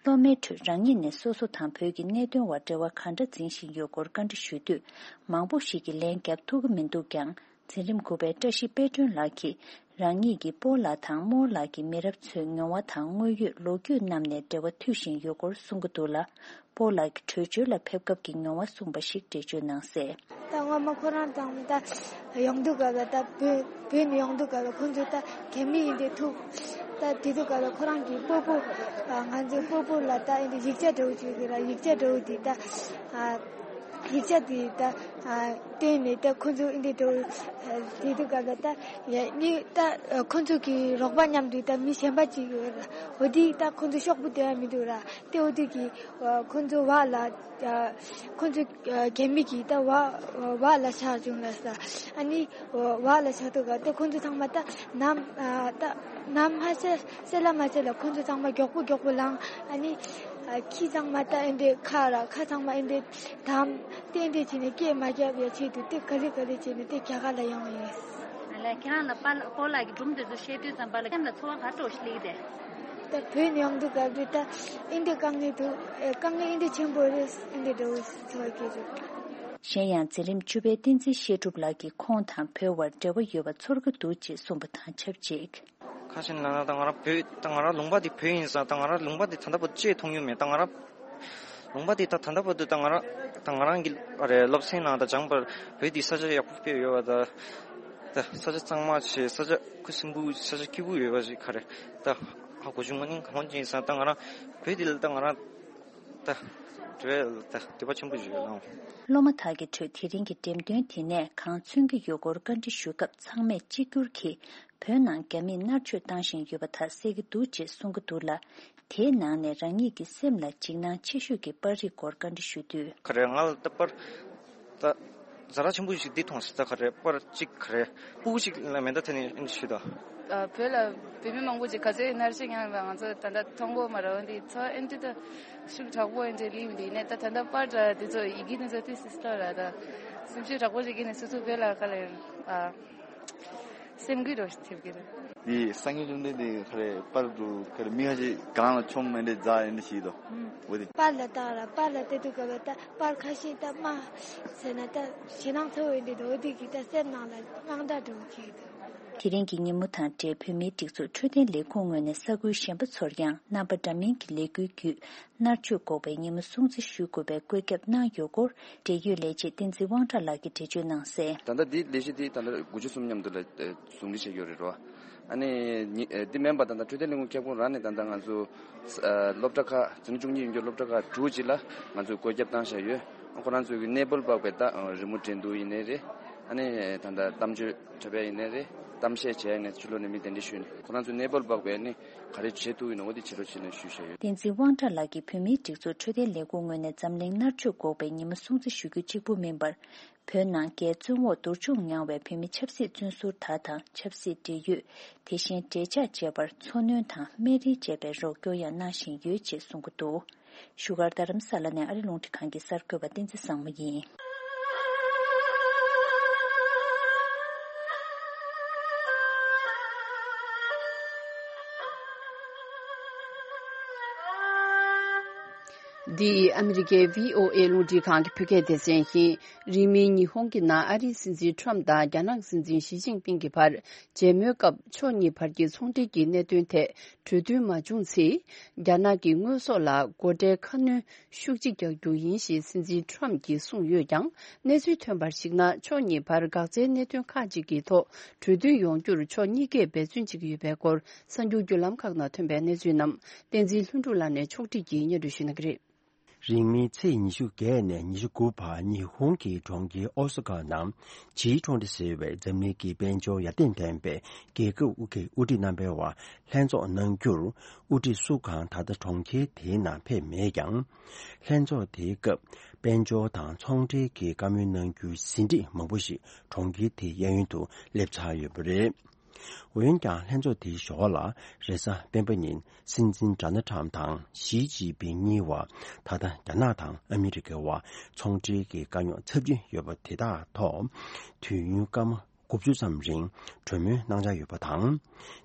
སློབ་མའི་ཁྲོད་རང་ཉིད་ནས་སོ་སོ་དང་བོད་ཀྱི་གནད་དོན་བར་འབྲེལ་བ་ག་འདྲ་འཛིན་བཞིན་ཡོད་སྐོར་བཀའ་འདྲི་ཞུས་དུས། མང་པོ་ཞིག་གིས་ལན་བརྒྱབ་ཐུབ་ཀྱི་མི་འདུག་ཀྱང་། འཛིན་རིམ་དགུ་པའི་བཀྲ་ཤིས་དཔལ་སྒྲོན་ལགས་ཀྱིས། རང་ཉིད་ཀྱི་སྤོ་ལགས་དང་རྨོ་ལགས་ཀྱི་མི་རབས་ཚོའི་མྱོང་བ་དང་དངོས་ཡོད་ལོ་རྒྱུས་རྣམས་ནས་འབྲེལ་བ་མཐུད་བཞིན་ཡོད་སྐོར་གསུང་གི་འདུག་ལ། སྤོ་ལགས་ཀྱིས་བྲོས་བྱོལ་ལ་ཕེབས་སྐབས་ཀྱི་མྱོང་བ་གསུངས་པ་ཞིག་འགྲེལ་བརྗོད་གནང་གསལ། ད་སྔོན་མ་ཁོ་རང་དང་ད་ཡོང་དུས་སྐབས་ལ་ད་བོད་བོད་ནས་ཡོང་དུས་སྐབས་ལ་ཁོ་ཚོས་ད་རྒྱ་མི་ཡིན་དེ་ཐུག་ད་དེ་དུས་སྐབས་ལ་ཁོ་རང་གི་སྤོ་བོ། ང་ཚོའི་སྤོ་བོ་ལ་ད་ཨེ་འདྲ་ཡིག་ཆ་འདྲ་བོ་བྱོས་ཀྱི་ར། ཡིག་ཆ་འདྲ་བོ་དེ་ད། ཡིག་ཆ་དེ་ད་ཨ་བཏོན་ནས་ད་ཁོ་ཚོ་འདི་འགྲོ་དེ་དུས་སྐབས་ལ་ད་ཡ་ནི་ད་ཁོ་ཚོ་གི་རོགས་པ་མཉམ་དུ་ད་མི་གཞན་པ་ཅིག་ཡོད་ར། འོ་དེ་ད་ཁོ་ཚོ་ཤོག་བུ་དེ་ཡང་མི་འདུག་ར། དེ་འོ་དེ་གི་ཁོ་ཚོ་བ་ལ་ཁོ་ཚོ་རྒན་མི་གི་ད་བ་བ་ལ་ཆགས་བྱུང་ལ་ས། ཨ་ནི་བ་ལ་ཆགས་དུས་སྐབས་ད་ཁོ་ཚོ་ཚང་མ་ད་ནམ་ད་ནམ་ཧ་ཤ་སེ་ལ་མ་ཤ་ལ་ཁོ་ཚོ་ཚང་མ་མགྱོགས་པོ་མགྱོགས་པོ་ལངས། ཨ་ནི་ཨ་ཁྱི་ཚང་མ་ད་ཨེ་འདྲས་ཁ་ར་ཁ་ཚང་མ་ཨེ་འདྲས་དམ་ཏན་ཏན་བྱས་ནས་སྐད་མ་རྒྱབ་ཡ་ཆེད་དུ་དེ་ག་ལེ་ག་ལེ་བྱས་ནས་དེ་རྒྱ་གར་ལ་ཡོང་བ་ཡིན། ཨ་ལས་ཁྱེད་རང་ལ་པཱ་ལགས་སྐོར་ལ་གི་སྒྲུང་དེ་ཚོ་བཤད་དུས་ཙམ་པ་ལ་ཁྱེད་ལ་ཚོར་བ་ག་འདྲ་ཞིག་སླེབས་ཏེ། ད་བོད་ནས་ཡོང་དུས་སྐབས་དེ་ད་ཨེ་འདྲས་དཀའ་ངལ་འདུག་ཨེ་དཀའ་ངལ་ཨེ་འདྲས་ཆེན་པོ་རེད། ཨེ་འདྲས་འདྲ་བོ་ཚོར་གྱི་རེད། གཞན་ཡང་འཛིན་རིམ་བཅུ་པའི་བསྟན་འཛིན་བཤད་སྒྲུབ་ལགས་ཀྱིས་ཁོང་དང་བོད་དབར་འབྲེལ་བ་ཡོད་པ་ཚོར་གྱི་འདུག་ཅེས་གསུངས་པ་དང་ཆབས་ཅིག་ཁ་ཤས་ལ་ན་ད་ང་རང་བོད་ད་ང་རང་ལུང་པ་འདི་བོད་ཡིན་ས། ད་ང་རང་ལུང་པ་འདི་ད་ལྟ་བར་དུ་ཅིག་མཐོང་མྱོང་མེད། ད་ང་རང་ལུང་པ་འདི་ད་ད་ལྟ་བར་དུ་ད་ང་རང་ད་ང་རང་གི་ཨ་རེ་སློབ་ཚན་ནང་ད་སྦྱངས་པར་བོད་འདི་ས་ཆ་ཡག་པོ་དཔེ་ཡོད་པ། ད་ད་ས་ཆ་གཙང་མ་ཆེ། ས་ཆ་ཁུ་སིམ་པོ། ས་ཆ་སྐྱིད་པོ་ཡོད་པ་ཞིག་ག་རེ་ད་ཧ་གོ་བྱུང་མ་ནི་གང་ཡིན་ས། ད་ང་རང་བོད་འདི་ལ་ད་ང་རང་ད་དེ་བས་ད་འདོད་པ་ཆེན་པོ་ཞིག་ཡོད་ལ། སློབ་མ་དག་གི་ཁྲོད་དེ་རིང་གི་འགྲེམས་སྟོན་དེ་ནས་གང་མཚོན་གྱི་ཡོད་སྐོར་བཀའ་འདྲི་ཞུས་སྐབས་ཚང་མས་གཅིག་གྱུར་གྱིས་བོད་ནང་རྒྱ་མིས་མནར་གཅོད་བཏང་བཞིན་ཡོད་པ་དག་གསལ་གྱི་འདུག་ཅེས་གསུང་གི་འདུག་ལ། དེའི་ནང་ནས་རང་ཉིད་ཀྱི་སེམས་ལ་འཇིགས་སྣང་ཆེ་ཤོས་ཀྱི་པར་རིས་སྐོར་བཀའ་འདྲི་ཞུས་དུས། ག་རེ་ང་ལ་ད་པར་ད་ཛ་དྲག་ཆེན་པོ་ཞིག་འདི་མཐོང་སྲིད། ད་ག་རེ་པར་གཅིག་ག་རེ་སྤུ་གུ་ཅིག་ལ་མེ་མདའ་ཐེབས་ནས་ཨེ་འདྲ་ཞུས་ད། ཨ་བོད་ལ་བོད་མི་མང་པོ་ཅིག་ག་ཚོད་མནར་གཅོད་མྱངས་ཡོད་པ་ང་ཚོ་ད་ལྟ་མཐོང་གོ་མ་རེད། འོན་ཏེ་ཚོ་ཨེ་འདྲ་ད་ཤུགས་དྲག་པོ་ཨེ་འདྲ་སླེབས་འདི་ནས་ད་ད་ལྟ་པར་འདྲ་འདི་ཚོ་ཡི་གེ་འདི་ཚོ་ཏི་སི་སི་ལ་ར་ད་སེམས་ཤུགས་དྲག་པོ་ཞིག་གིས་ནས་སོ་སོ་བོད་ལ་ག་ལ་ཡོད་ཨ། སེམས་འགུལ་རོ་ཐེབས་ཀྱི་རེད། འདི་སང་ཉིན་བཅོམ་ལྡན་འདས་ག་རེ་པར་དུ་ག་རེ་མི་ཁ་ཤས་སྒང་ལ་མཆོང་མེ་འདྲེ་རྫ་ཨེ་འདྲ་ཞིག་དོ། འོ་དེ། པར་ལ་བཏགས་ར་པར་ལ་བལྟས་དུས་སྐབས་ལ་ད་པར་ཁ་ཤས་ད་དམའ་ཟེར་ན་ད་ཞེད་སྣང་ཚ་བོ་ཨེ་འདྲ་འདུག་འོ་དེ་གིས་ད་སེམས་ནང་ལ་དངངས་སྐྲག་འདྲ་བོ་སྐྱེས་འདུག་དེ་རིང་གི་ཉིན་མོ་དང་འབྲེལ་བོད་མིའི་སྒྲིག་འཛུགས་འཕྲོད་བསྟེན་ལས་ཁུངས་ངོས་ནས་ས་ཁུལ་གཞན་པ་ཚོར་ཡང་རྣམ་པ་འདྲ་མིན་གྱི་ལས་འགུལ་བརྒྱུད། མནར་གཅོད་འགོག་པའི་ཉིན་མོ་སྲུང་བརྩི་ཞུ་དགོས་པའི་བཀོད་ཁྱབ་གནང་ཡོད་སྐོར། འབྲེལ་ཡོད་ལས་བྱེད་བསྟན་འཛིན་དབང་གྲགས་ལགས་ཀྱིས་འགྲེལ་བརྗོད་གནང་གསལ། ད་ལྟ་འདི་ལས་གཞི་འདི་ད་ལྟ་དགུ་བཅུ་གསུམ་མཉམ་དུ་ལ་ཨེ་ཟུང་འབྲེལ་བྱས་ཡོད་རེད་རོ། ཨ་ནི་ཉི་ཨེ་འདི་མིན་པ་ད་ལྟ་འཕྲོད་བསྟེན་ལས་ཁུངས་ཁྱབ་ཁོངས་རང་ནས་ད་ལྟ་ང་ཚོ་ཨ་སློབ་གྲྭ་ཁག་འཛིན་གྲྭ་བཅུ་གཉིས་ཡོད་རྒྱུ་སློབ་གྲྭ་ཁག་དྲུག་ཅིག་ལ་ང་ཚོས་བཀོད་ཁྱབ་བཏང་བཞག་ཡོད། ཁོ་རང་ཚོའི་གི་གནས་སྤོ་ལ་དཔག་པའི་ད་རི་མོ་འགྲན་བསྡུར་ཡིན་ནའི་རེད། ཨ་ནི་ད་ལྟ་གཏམ་བརྗོད་འཁྲབ་ཡ་ཡིན་ནའི་རེད། གཏམ་བཤད་བྱས་ནས་ཕྱི་ལོགས་ནས་མི་གདན་འདྲེན་ཞུས་ནས་ཁོ་རང་ཚོའི་གནས་སྤོ་ལ་དཔག་པའི་ཨ་ནི་ག་རེ་བྱེད་ཐུབ་ཡིན་ནོ་འོ་དེ་བྱེད་རོགས་བྱེད་ནས་ཞུས་བཞག་ཡོད། བསྟན་འཛིན་དབང་གྲགས་ལགས་ཀྱིས་བོད་མིའི་སྒྲིག་འཛུགས་འཕྲོད་བསྟེན་ལས་ཁུངས་ངོས་ནས་འཛམ་གླིང་མནར་གཅོད་འགོག་པའི་ཉིན་མོ་སྲུང་བརྩི་ཞུ་རྒྱུ་གཅིག་པུ་མིན་པར། བོད་ནང་རྒྱའི་བཙོན་འོག་འདུར་མཆོང་མྱངས་བའི་བོད་མི་ཆབ་སྲིད་བཙོན་ཟུར་དག་དང་ཆབ་སྲིད་འབྲེལ་ཡོད། དེ་བཞིན་འབྲེལ་ཆགས་བཅས་པར་འཚོ་སྣོན་དང་སྨན་རིན་བཅས་པའི་རོགས་སྐྱོར་ཡང་གནང་བཞིན་ཡོད་ཅེས་གསུང་གི་འདུག་བཞུགས་སྒར་རྡ་རམ་ས་ལ་ནས་ཨ་རི་རླུང་འཕྲིན་ཁང་གི་གསར་འགོད་པ་བསྟན་འཛིན་བཟང་མོ་ཡིན། འདི་ཨ་མི་རི་ཀའི་བྷི་ཨོ་ཨེ་རླུང་འཕྲིན་ཁང་གི་བོད་སྐད་སྡེ་ཚན་ཡིན། རིང་མིན་ཉི་ཧོང་གི་ནང་ཨ་རིའི་སྲིད་འཛིན་ཁྲོམ་དང་རྒྱ་ནག་སྲིད་འཛིན་ཞི་ཅིན་ཕིང་གི་བར་མཇལ་མོལ་སྐབས་ཕྱོགས་གཉིས་བར་གྱི་ཚོང་འབྲེལ་གྱི་གནད་དོན་ཐད་གྲོས་མཐུན་མ་བྱུང་ཚེ། རྒྱ་ནག་གི་དངོས་ཟོག་ལ་སྒོ་ཁྲལ་ཁ་སྣོན་ཤུགས་ཆེ་རྒྱག་རྒྱུ་ཡིན་ཞེས་སྲིད་འཛིན་ཁྲོམ་གྱིས་གསུངས་ཡོད་ཀྱང་། གནས་ཚུལ་ཐོན་པར་གཞིགས་ན། ཕྱོགས་གཉིས་བར་འགག་རྩའི་གནད་དོན་ཁག་ཅིག་གི་ཐོག་གྲོས་མཐུན་ཡོང་རྒྱུར་ཕྱོགས་གཉིས་ཀས་འབད་བརྩོན་བྱེད་ཀྱི་ཡོད་པའི་སྐོར། གསར་འགྱུར་བརྒྱུད་ལམ་ཁག་ནང་ཐོན་པའི་གནས་ཚུལ་རྣམས་བསྟན་འཛིན་ལྷུན་གྲུབ་ལགས་ནས་ཕྱོགས་སྒྲིག་གིས་སྙན་སྒྲོན་ཞུ་གནང་གི་རེད། རིང་མིན་ཚེས་ཉི་ཤུ་བརྒྱད་ནས་ཉི་ཤུ་དགུ་བར་ཉི་ཧོང་གི་གྲོང་ཁྱེར་ཨོ་ས་ཀ་ནང་ཇི་ཀྲོན་ཊི་ཟེར་བའི་འཛམ་གླིང་གི་དཔལ་འབྱོར་ཡར་ཐོན་ལྡན་པའི་རྒྱལ་ཁབ་དབུ་ཁག་དབུ་ཁྲིད་རྣམ་པའི་བར་ལྷན་ཚོགས་གནང་རྒྱུར་དབུ་ཁྲིད་སུ་གང་ད་ལྟ་གྲོང་ཁྱེར་དེའི་ནང་ཕེབས་མེད་ཀྱང་། ལྷན་ཚོགས་དེའི་སྐབས་དཔལ་འབྱོར་དང་ཚོང་འབྲེལ་གྱི་བཀའ་མོལ་གནང་རྒྱུའི་ཟིན་བྲིས་མང་པོ་ཞིག་གྲོང་ཁྱེར་དེའི་གཡས་གཡོན་དུ་སླེབས་ཚར་ཡོད་པ་རེད། འོན་ཀྱང་ལྷན་ཚོགས་དེའི་ཞོར་ལ་རེས་གཟའ་སྤེན་པ་ཉིན་སྲིད་འཛིན་ཌོ་ནལ་ཊམ་དང་ཞི་ཅིན་ཕིང་གཉིས་བར་ད་ལྟ་རྒྱ་ནག་དང་ཨ་མི་རི་ཀའི་བར་ཚོང་འབྲེལ་གྱི་དཀའ་རྙོག་ཚབས་ཆེན་ཡོད་པ་དེ་དག་ཐོག་དུས་ཡུན་སྐར་མ་དགུ་བཅུ་ཙམ་རིང་གྲོས་མོལ་གནང་འཆར་ཡོད་པ་དང་།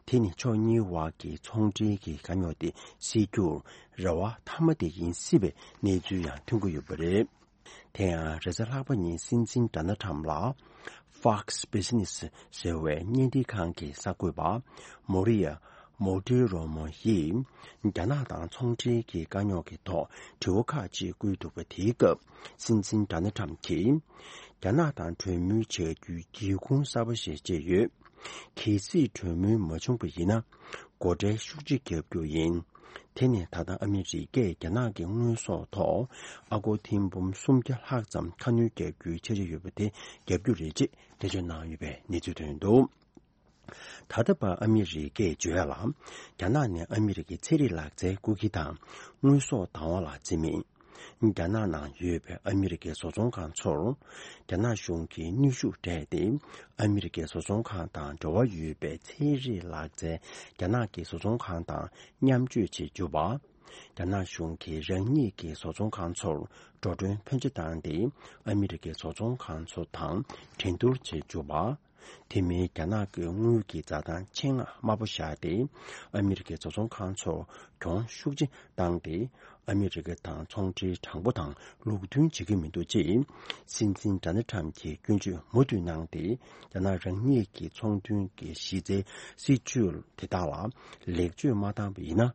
དེ་ནི་ཕྱོགས་གཉིས་བར་གྱི་ཚོང་འབྲེལ་གྱི་དཀའ་རྙོག་དེ་སེལ་རྒྱུར་རེ་བ་མཐའ་མ་དེ་ཡིན་སྲིད་པའི་གནས་ཚུལ་ཡང་ཐོན་གྱི་ཡོད་པ་རེད། དེ་ཡང་རེས་གཟའ་ལྷག་པ་ཉིན་སྲིད་འཛིན་ཌོ་ནལ་ཊམ་ལ་Fox Business ཟེར་བའི་བརྙན་འཕྲིན་ཁང་གི་གསར་འགོད་པ་མོ་རི་ཡ་མོ་ཏི་རོ་མོ་ཡིས་རྒྱ་ནག་དང་ཚོང་འབྲེལ་གྱི་དཀའ་རྙོག་གི་ཐོག་དྲི་བ་ཁག་ཅིག་བསྐུལ་འདུག་པ་དེའི་སྐབས་སྲིད་འཛིན་ཌོ་ནལ་ཊམ་གྱིས། རྒྱ་ནག་དང་གྲོས་མོལ་བྱ་རྒྱུའི་སྒེའུ་ཁུང་གསར་པ་ཞིག་བཅད་ཡོད། གལ་སྲིད་གྲོས་མོལ་མ་བྱུང་བ་ཡིན་ན། སྒོ་ཁྲལ་ཤུགས་ཆེ་བརྒྱབ་རྒྱུ་ཡིན། དེ་ནི་ད་ལྟ་ཨ་མི་རི་ཀས་རྒྱ་ནག་གི་དངོས་ཟོག་ཐོག་ཨ་སྒོར་ཐེར་འབུམ་སུམ་བརྒྱ་ལྷག་ཙམ་ཁ་སྣོན་རྒྱག་རྒྱུའི་འཆར་གཞི་ཡོད་པ་དེ་རྒྱབ་རྒྱུ་རེད་ཅེས་འགྲེལ་བརྗོད་གནང་ཡོད་པའི་གནས་ཚུལ་ཐོན་འདུག། ད་ལྟ་བར་ཨ་མི་རི་ཀས་བརྗོད་ཡ་ལ། རྒྱ་ནག་ནས་ཨ་མི་རི་ཀའི་ཚན་རིག་ལག་རྩལ་རྐུ་འཁྱེར་དང་དངོས་ཟོག་བདག་དབང་ལ་བརྩི་མིན། རྒྱ་ནག་ནང་ཡོད་པའི་ཨ་མི་རི་ཀའི་བཟོ་ཚོང་ཁང་ཚོར། རྒྱ་ནག་གཞུང་གིས་གནོན་ཤུགས་སྤྲད་དེ། ཨ་མི་རི་ཀའི་བཟོ་ཚོང་ཁང་དང་འབྲེལ་བ་ཡོད་པའི་ཚན་རིག་ལག་རྩལ་རྒྱ་ནག་གི་བཟོ་ཚོང་ཁང་དང་མཉམ་སྤྱོད་བྱེད་རྒྱུ་བ། རྒྱ་ནག་གཞུང་གིས་རང་ཉིད་ཀྱི་བཟོ་ཚོང་ཁང་ཚོར་འགྲོ་གྲོན་ཕོན་ཆེ་བཏང་སྟེ། ཨ་མི་རི་ཀའི་བཟོ་ཚོང་ཁང་ཚོ་དང་འགྲན་བསྡུར་བྱེད་རྒྱུ་བ། དེ་མིན་རྒྱ་ནག་གི་དངུལ་གྱི་འཛའ་ཐང་ཆེད་མངགས་དམའ་པོ་བཞག་སྟེ། ཨ་མི་རི་ཀའི་བཟོ་ཚོང་ཁང་ཚོར་གྱོང་ཤུགས་ཆེ་བཏང་སྟེ། ཨ་མི་རི་ཀ་དང་ཚོང་འབྲེལ་དྲང་པོ་དང་ལུགས་མཐུན་བྱེད་ཀྱི་མི་འདུག་ཅེས། སྲིད་འཛིན་ཌོ་ནལ་ཊམ་གྱིས་སྐྱོན་བརྗོད་མུ་མཐུད་གནང་སྟེ། རྒྱ་ནག་རང་ཉིད་ཀྱི་ཚོང་དོན་གྱི་གཞི་རྩའི་སྲིད་ཇུས་དེ་དག་ལ་ལེགས་བཅོས་མ་བཏང་བ་ཡིན་ན།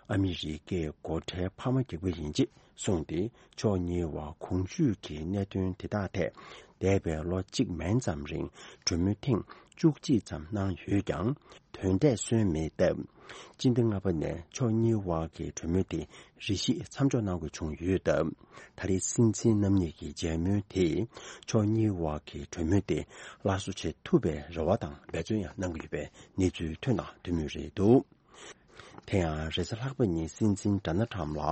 ཨ་མི་རི་ཀས་སྒོ་ཁྲལ་འཕར་མ་རྒྱག་པ་ཡིན་ཅེས་གསུངས་ཏེ། ཕྱོགས་གཉིས་བར་གོང་ཞུས་ཀྱི་གནད་དོན་དེ་དག་ཐད། འདས་པའི་ལོ་གཅིག་མན་ཙམ་རིང་གྲོས་མོལ་ཐེངས་བཅུ་གཅིག་ཙམ་གནང་ཡོད་ཀྱང་། དོན་འབྲས་སོན་མེད་སྟབས། སྤྱི་ཟླ་ལྔ་པ་ནས་ཕྱོགས་གཉིས་བར་གྱི་གྲོས་མོལ་དེ་རེ་ཞིག་མཚམས་འཇོག་གནང་དགོས་བྱུང་ཡོད་སྟབས། ད་རེས་སྲིད་འཛིན་རྣམ་གཉིས་ཀྱི་མཇལ་མོལ་དེས་ཕྱོགས་གཉིས་བར་གྱི་གྲོས་མོལ་དེ་སླར་གསོ་བྱེད་ཐུབ་པའི་རེ་བ་དང་འབད་བརྩོན་ཡང་གནང་གི་ཡོད་པའི་གནས་ཚུལ་ཐོན་གནང་ཡོད་མུས་རེད་འདུག། དེ་ཡང་རེས་གཟའ་ལྷག་པ་ཉིན་སྲིད་འཛིན་ཌོ་ནལ་ཊམ་ལ་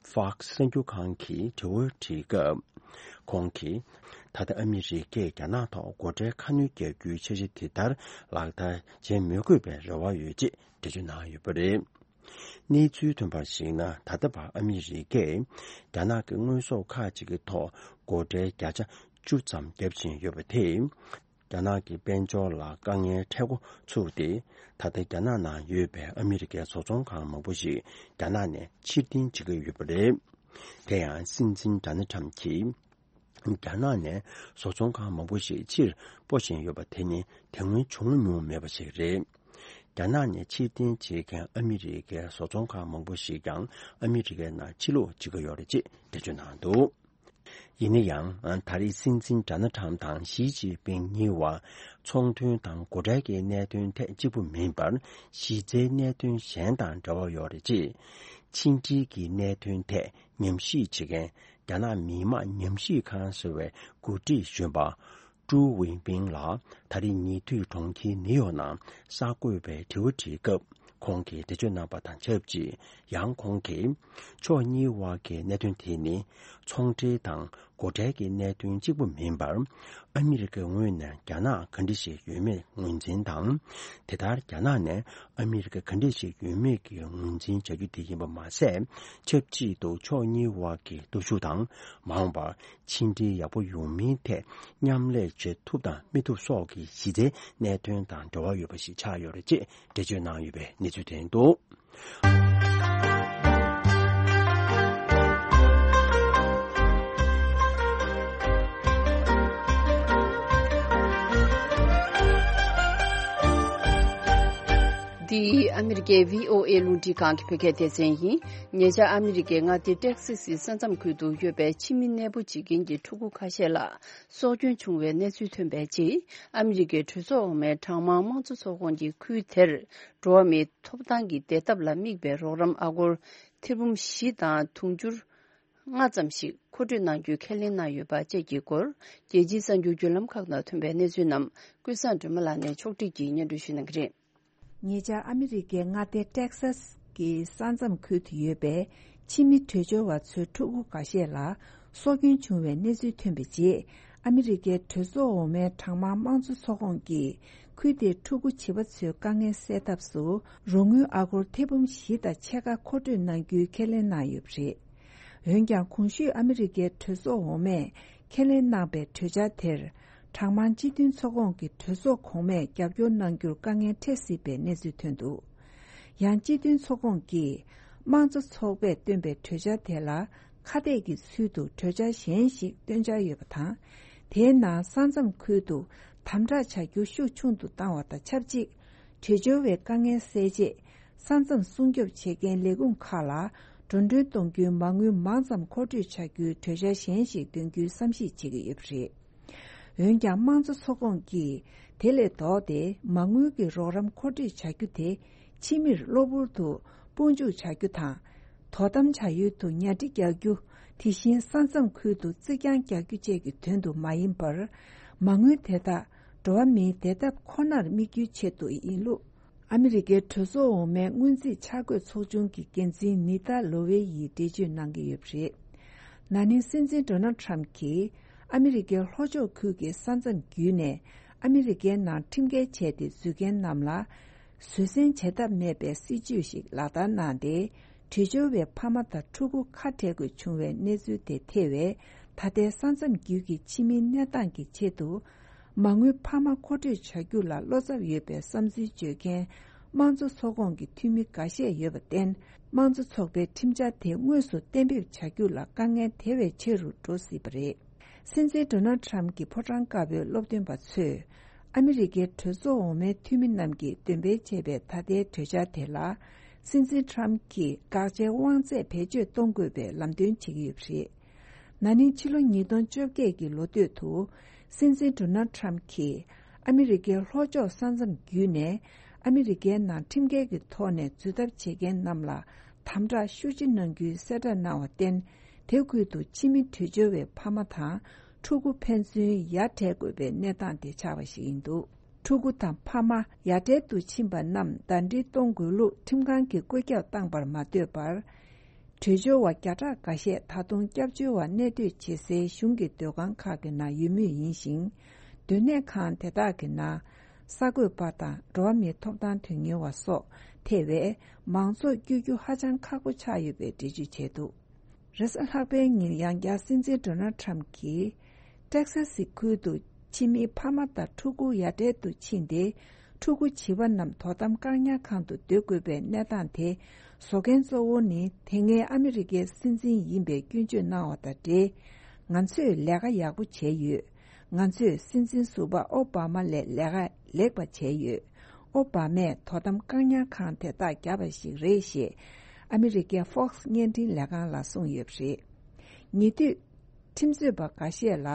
ཧྥོག་སི་གསར་འགྱུར་ཁང་གིས་དྲི་བ་དྲིས་སྐབས། ཁོང་གིས། ད་ལྟ་ཨ་མི་རི་ཀས་རྒྱ་ནག་ཐོག་སྒོ་ཁྲལ་ཁ་སྣོན་རྒྱག་རྒྱུའི་འཆར་གཞི་དེ་ལྟར་ལག་བསྟར་བྱེད་མི་དགོས་པའི་རེ་བ་ཡོད་ཅེས་འགྲེལ་བརྗོད་གནང་ཡོད་པ་རེད། གནས་ཚུལ་ཐོན་པར་གཞིགས་ན། ད་ལྟ་བར་ཨ་མི་རི་ཀས་རྒྱ་ནག་གི་དངོས་ཟོག་ཁག་ཅིག་གི་ཐོག་སྒོ་ཁྲལ་བརྒྱ་ཆ་བཅུ་ཙམ་བརྒྱབ་བཞིན་ཡོད་པ་དེས། རྒྱ་ནག་གི་དཔལ་འབྱོར་ལ་དཀའ་ངལ་འཕྲད་འགོ་ཚུགས་ཏེ། ད་ལྟ་རྒྱ་ནག་ནང་ཡོད་པའི་ཨ་མི་རི་ཀའི་བཟོ་ཚོང་ཁང་མང་པོ་ཞིག་རྒྱ་ནག་ནས་ཕྱིར་འཐེན་བྱེད་ཀྱི་ཡོད་པ་རེད། དེ་ཡང་སྲིད་འཛིན་ཌོ་ནལ་ཊམ་གྱིས། རྒྱ་ནག་ནས་བཟོ་ཚོང་ཁང་མང་པོ་ཞིག་ཕྱིར་སྤོ་བཞིན་ཡོད་པ་དེ་ནི་དེ་སྔོན་བྱུང་མྱོང་མེད་པ་ཞིག་རེད། རྒྱ་ནག་ནས་ཕྱིར་འཐེན་བྱེད་མཁན་ཨ་མི་རི་ཀའི་བཟོ་ཚོང་ཁང་མང་པོ་ཞིག་ཀྱང་ཨ་མི་རི་ཀའི་ནང་ཕྱིར་ལོག་བྱེད་ཀྱི་ཡོད་རེད་ཅེས་འགྲེལ་བརྗོད་གནང་འདུག། ཡིན་ན་ཡང་། ད་རེས་སྲིད་འཛིན་ཌོ་ནལ་ཊམ་དང་ཞི་ཅིན་ཕིང་གཉིས་བར་ཚོང་དོན་དང་སྒོ་ཁྲལ་གྱི་གནད་དོན་ཐད་གཅིག་པུ་མིན་པར། གཞི་རྩའི་གནད་དོན་གཞན་དང་འབྲེལ་བ་ཡོད་རེད་ཅེས། ཕྱི་འབྲེལ་གྱི་གནད་དོན་ཐད་ཉམས་ཞིབ་བྱེད་མཁན་རྒྱ་ནག་མི་དམངས་ཉམས་ཞིབ་ཁང་ཟེར་བའི་འགོ་ཁྲིད་གཞོན་པ་ཀྲུའུ་ཝིང་པིང་ལ་ད་རེས་ཉེ་དུས་གྲོང་ཁྱེར་ནིའུ་ཡོག་ནང་གསར་འགོད་པས་དྲི་བ་དྲིས་སྐབས། ཁོང་གིས་འགྲེལ་བརྗོད་གནང་པ་དང་ཆབས་ཅིག། ཡང་ཁོང་གིས། ཕྱོགས་གཉིས་བར་གྱི་གནད་དོན་དེ་ནི། ཚོང་འབྲེལ་དང་སྒོ་ཁྲལ་གྱི་གནད་དོན་གཅིག་པུ་མིན་པར། ཨ་མི་རི་ཀའི་ངོས་ནས་རྒྱ་ནག་ག་འདྲ་ཞིག་ཡོད་མེད་ངོས་འཛིན་དང་། དེ་ལྟར་རྒྱ་ནག་ནས་ཨ་མི་རི་ཀ་ག་འདྲ་ཞིག་ཡོད་མེད་ཀྱི་ངོས་འཛིན་བྱ་རྒྱུ་དེ་ཡིན་པ་མ་ཟད། ཆབས་ཅིག་ཏུ་ཕྱོགས་གཉིས་བར་གྱི་སྟོབས་ཤུགས་དང་། མ་འོངས་པར་ཕྱི་འབྲེལ་ཡག་པོ་ཡོང་མིན་ཐད་མཉམ་ལས་བྱེད་ཐུབ་དང་མི་ཐུབ་སོགས་ཀྱི་གཞི་རྩའི་གནད་དོན་དང་འབྲེལ་བ་ཡོད་པ་ཞིག་ཆགས་ཡོད་རེད་ཅེས་འགྲེལ་བརྗོད་གནང་ཡོད་པའི་གནས་ཚུལ་ཐོན་འདུག། འདི་ཨ་མི་རི་ཀའི་བྷི་ཨོ་ཨེ་རླུང་འཕྲིན་ཁང་གི་བོད་སྐད་སྡེ་ཚན་ཡིན། ཉེ་ཆར་ཨ་མི་རི་ཀའི་མངའ་སྡེ་ཏེག་སི་སི་ས་མཚམས་ཁུལ་དུ་ཡོད་པའི་ཕྱི་མི་གནས་སྤོ་བྱེད་མཁན་གྱི་ཕྲུ་གུ་ཁ་ཤས་ལ། སྲོག་སྐྱོན་བྱུང་བའི་གནས་ཚུལ་ཐོན་པའི་རྗེས། ཨ་མི་རི་ཀའི་གྲོས་ཚོགས་འོག་མའི་གྲངས་མང་དམངས་གཙོ་ཚོགས་ཁོངས་ཀྱིས་ཁུལ་དེར་འགྲོ་བ་མིའི་ཐོབ་ཐང་གི་བདེ་ཐབས་ལ་དམིགས་པའི་རོགས་རམ་ཨ་སྒོར་ཐེར་འབུམ་བཞི་དང་དུང་ཕྱུར་ལྔ་ཙམ་ཞིག་མཁོ་སྤྲོད་གནང་རྒྱུའི་ཁས་ལེན་གནང་ཡོད་པ་བཅས་ཀྱི་སྐོར། རྒྱལ་སྤྱིའི་གསར་འགྱུར་བརྒྱུད་ལམ་ཁག་ནང་ཐོན་པའི་གནས་ཚུལ་རྣམས། ཀུན་བཟང་སྒྲོལ་མ་ལགས་ནས་ཕྱོགས་བསྒྲིགས་ཀྱིས་སྙན་སྒྲོན་ཞུ་གནང་གི་རེད། ཉེ་ཆར་ཨ་མི་རི་ཀའི་མངའ་སྡེ་ཏེག་སཱས་ཀྱི་ས་མཚམས་ཁུལ་དུ་ཡོད་པའི་ཕྱི་མི་བྲོས་བྱོལ་བ་ཚོའི་ཕྲུ་གུ་འགའ་ཤས་ལ་སྲོག་སྐྱོན་བྱུང་བའི་གནས་ཚུལ་ཐོན་པའི་རྗེས། ཨ་མི་རི་ཀའི་གྲོས་ཚོགས་འོག་མའི་གྲངས་མང་དམངས་གཙོ་ཚོགས་ཁོངས་ཀྱིས་ཁུལ་དེའི་ཕྲུ་གུ་བྱིས་པ་ཚོའི་དཀའ་ངལ་སེལ་ཐབས་སུ་རོགས་དངུལ་ཨ་སྒོར་ཐེར་འབུམ་བཞི་དང་ཕྱེད་ཀ་མཁོ་སྤྲོད་གནང་རྒྱུའི་ཁས་ལེན་གནང་ཡོད་པ་རེད། འོན་ཀྱང་། གོང་ཞུས་ཨ་མི་རི་ཀའི་གྲོས་ཚོགས་འོག་མས་ཁས་ལེན་གནང་པའི་གྲོས་འཆར་དེར། གྲངས་མང་སྤྱི་མཐུན་ཚོགས་ཁོངས་ཀྱི་གྲོས་ཚོགས་གོང་མས་རྒྱབ་སྐྱོར་གནང་རྒྱུར་དཀའ་ངལ་འཕྲད་སྲིད་པའི་གནས་ཚུལ་ཐོན་འདུག། ཡང་། སྤྱི་མཐུན་ཚོགས་ཁོངས་ཀྱིས་དམངས་གཙོ་ཚོགས་པས་བཏོན་པའི་གྲོས་འཆར་དེ་ལ་ཁ་གཏད་ཀྱི་ཚུལ་དུ་གྲོས་འཆར་གཞན་ཞིག་བཏོན་འཆར་ཡོད་པ་དང་། དེའི་ནང་ས་མཚམས་ཁུལ་དུ་དམ་དྲག་བྱ་རྒྱུ་ཤུགས་ཆུང་དུ་བཏང་བ་དང་ཆབས་ཅིག། བྲོས་བྱོལ་བའི་དཀའ་ངལ་སེལ་ཆེད། ས་མཚམས་སྲུང་སྐྱོབ་བྱེད་མཁན་ལས་ཁུངས་ཁག་ལ་འགྲོ་གྲོན་གཏོང་རྒྱུའི་མ་དངུལ་མང་ཙམ་མཁོ་སྤྲོད་བྱ་རྒྱུའི་གྲོས་འཆར་གཞན་ཞིག་འདོན་རྒྱུའི་བསམ་གཞིག་བྱེད་ཀྱི་ཡོད་པ་རེད། འོན་ཀྱང་། དམངས་གཙོ་ཚོགས་ཁོངས་ཀྱིས་དེ་ལས་ལྡོག་སྟེ་མ་དངུལ་གྱི་རོགས་རམ་མཁོ་སྤྲོད་བྱ་རྒྱུ་དེ་ ཕྱི་མིར་གློ་བུར་དུ་དཔུང་འཇུག་བྱ་རྒྱུ་དང་། དོ་དམ་བྱ་ཡུལ་དུ་ཉར་སྒྲི་རྒྱག་རྒྱུ། དེ་བཞིན་ས་མཚམས་ཁུལ་དུ་རྩིག་གྱང་རྒྱག་རྒྱུ་བཅས་ཀྱི་དོན་དུ་མ་ཡིན་པར། མ་དངུལ་དེ་དག་འགྲོ་བ་མིའི་བདེ་ཐབས་ཁོ་ནར་དམིགས་རྒྱུའི་ཆེད་དུ་ཡིན་ལུགས། ཨ་མི་རི་ཀའི་གྲོས་ཚོགས་འོག་མའི་སྔོན་རྩིས་འཆར་འགོད་ཚོགས་ཆུང་གི་འགན་འཛིན་ནི་ཏཱ་ལོ་ཝེ་ཡིས་འགྲེལ་བརྗོད་གནང་གི་ཡོད་པ་རེད། ན་ནིང་སྲིད་འཛིན་ཌོ་ནལ་ཁྲམ་གྱིས་ཨ་མི་རི་ཀའི་ལྷོ་ཕྱོགས་ཁུལ་གྱི་ས་མཚམས་བརྒྱུད་ནས་ཨ་མི་རི་ཀའི་ནང་ཁྲིམས་འགལ་བྱས་ཏེ་འཛུལ་མཁན་རྣམས་ལ་བཟོད་བསྲན་བྱེད་ཐབས་མེད་པའི་སྲིད་ཇུས་ཤིག་ལག་བསྟར་གནང་སྟེ། བྲོས་བྱོལ་བའི་ཕ་མ་དང་ཕྲུ་གུ་ཁ་བྲལ་དགོས་བྱུང་བའི་གནས་ཚུལ་དེ་ཐེ་བའི་ད་ལྟའི་ས་མཚམས་བརྒྱུད་ཀྱི་ཕྱི་མིའི་གནས་སྟངས་ཀྱི་ཆེད་དུ། མ་དངུལ་འཕར་མ་མཁོ་སྤྲོད་བྱ་རྒྱུ་ལ་བློ་འཚབ་ཡོད་པའི་བསམ་ཚུལ་བརྗོད་མཁན་དམངས་གཙོ་ཚོགས་ཁོངས་ཀྱི་འཐུས་མི་འགའ་ཤས་ཡོད་པར་བརྟེན། དམངས་གཙོ་ཚོགས་པའི་ཁྲིམས་འཆར་དེ་དངོས་སུ་གཏན་འབེབས་བྱ་རྒྱུ་ལ་དཀའ་ངལ་དེ་བས་ཆེ་རུ་འགྲོ་སྲིད་པ་རེད། སྲིད་འཛིན་ཌོ་ནལ་ཁྲམ་གྱི་ཕོ་བྲང་དཀར་པོའི་སློབ་སྟོན་པ་ཚོས། ཨ་མི་རི་ཀའི་གྲོས་ཚོགས་འོག་མའི་འཐུས་མི་རྣམས་ཀྱིས་འདོན་སྤེལ་བྱས་པའི་ད་ལྟའི་གྲོས་འཆར་དེ་ལ། སྲིད་འཛིན་ཁྲམ་གྱིས་དགག་བྱའི་དབང་ཚད་བེད་སྤྱོད་གཏོང་དགོས་པའི་ལམ་སྟོན་བྱེད་ཀྱི་ཡོད་པ་རེད། ན་ནིང་ཕྱི་ལོ་ཉིས་སྟོང་བཅོ་བརྒྱད་ཀྱི་ལོ་སྟོད་དུ། སྲིད་འཛིན་ཌོ་ནལ་ཁྲམ་གྱིས་ཨ་མི་རི་ཀའི་ལྷོ་ཕྱོགས་ས་མཚམས་བརྒྱུད་ནས་ཨ་མི་རི་ཀའི་ནང་ཁྲིམས་འགལ་གྱི་ཐོག་ནས་འཛུལ་ཐབས་བྱེད་མཁན་རྣམས་ལ་དམ་དྲག་ཤུགས་ཆེ་གནང་རྒྱུའི་གསལ་བསྒྲགས་གནང་བར་བརྟེན། དེ་ཁུལ་དུ་ཕྱི་མི་བྲོས་བྱོལ་བའི་ཕ་མ་དང་ཕྲུ་གུ་ཕན་ཚུན་ཡ་བྲལ་དགོས་པའི་གནས་སྟངས་དེ་ཆགས་པ་ཞིག་ཡིན་འདུག་ཕྲུ་གུ་དང་ཕ་མ་ཡ་བྲལ་དུ་ཕྱིན་པ་རྣམས་ཟླ་སྒྲིལ་གཏོང་དགོས་ལུགས་ཁྲིམས་ཁང་གིས་བཀོད་ཁྱབ་བཏང་པར་མ་ལྟོས་པར། བྲོས་བྱོལ་བ་བརྒྱ་ཕྲག་འགའ་ཤས་ད་དུང་སྐྱབས་བཅོལ་བ་གནས་སྡོད་བྱེད་སའི་གཞུང་གི་སྡོད་ཁང་ཁག་གི་ནང་ཡོད་མུས་ཡིན་ཞིང་། སྡོད་གནས་ཁང་དེ་དག་གི་ནང་གསར་འགོད་པ་དང་འགྲོ་བ་མིའི་ཐོབ་ཐང་དོན་གཉེར་བ་སོགས་ཐེ་བའི་མང་ཚོགས་བསྐྱོད་རྒྱུ་ཧ་ཅང་ཁག་པོ་ཆགས་ཡོད་པའི་འགྲེལ་བརྗོད་བྱས་འདུག་རེས་གཟའ་ལྷག་པའི་ཉིན་ཡང་བསྐྱར་སྲིད་འཛིན་ཌོ་ནལ་ཁྲམ་གྱིས། ཏེག་སཱ་སི་ཁུལ་དུ་ཕྱི་མིའི་ཕ་མ་དང་ཕྲུ་གུ་ཡ་བྲལ་དུ་ཕྱིན་ཏེ། ཕྲུ་གུ་བྱིས་པ་རྣམས་དོ་དམ་བཀག་ཉར་ཁང་དུ་སྡོད་དགོས་པའི་གནས་སྟངས་དེ་བཟོ་མཁན་གཙོ་བོ་ནི་དེ་སྔའི་ཨ་མི་རི་ཀའི་སྲིད་འཛིན་ཡིན་པའི་སྐྱོན་བརྗོད་གནང་བ་དང་འབྲེལ། ང་ཚོས་ལས་ཀ་ཡག་པོ་བྱས་ཡོད། ང་ཚོས་སྲིད་འཛིན་ཟུར་པ་ཨོ་བྷ་མ་ལས་ལས་ཀ་ལེགས་པ་བྱས་ཡོད། ཨོ་བྷ་མས་དོ་དམ་བཀག་ཉར་ཁང་དེ་དག་བརྒྱབ་པ་ཞིག་རེད་ཞེས་ཨ་མི་རི་ཀའི་Fox་བརྙན་འཕྲིན་ལས་ཁང་ལ་གསུངས་ཡོད་པ་རེད། ཉེ་དུས། ཁྲིམས་རྩོད་པ་འགའ་ཤས་ལ།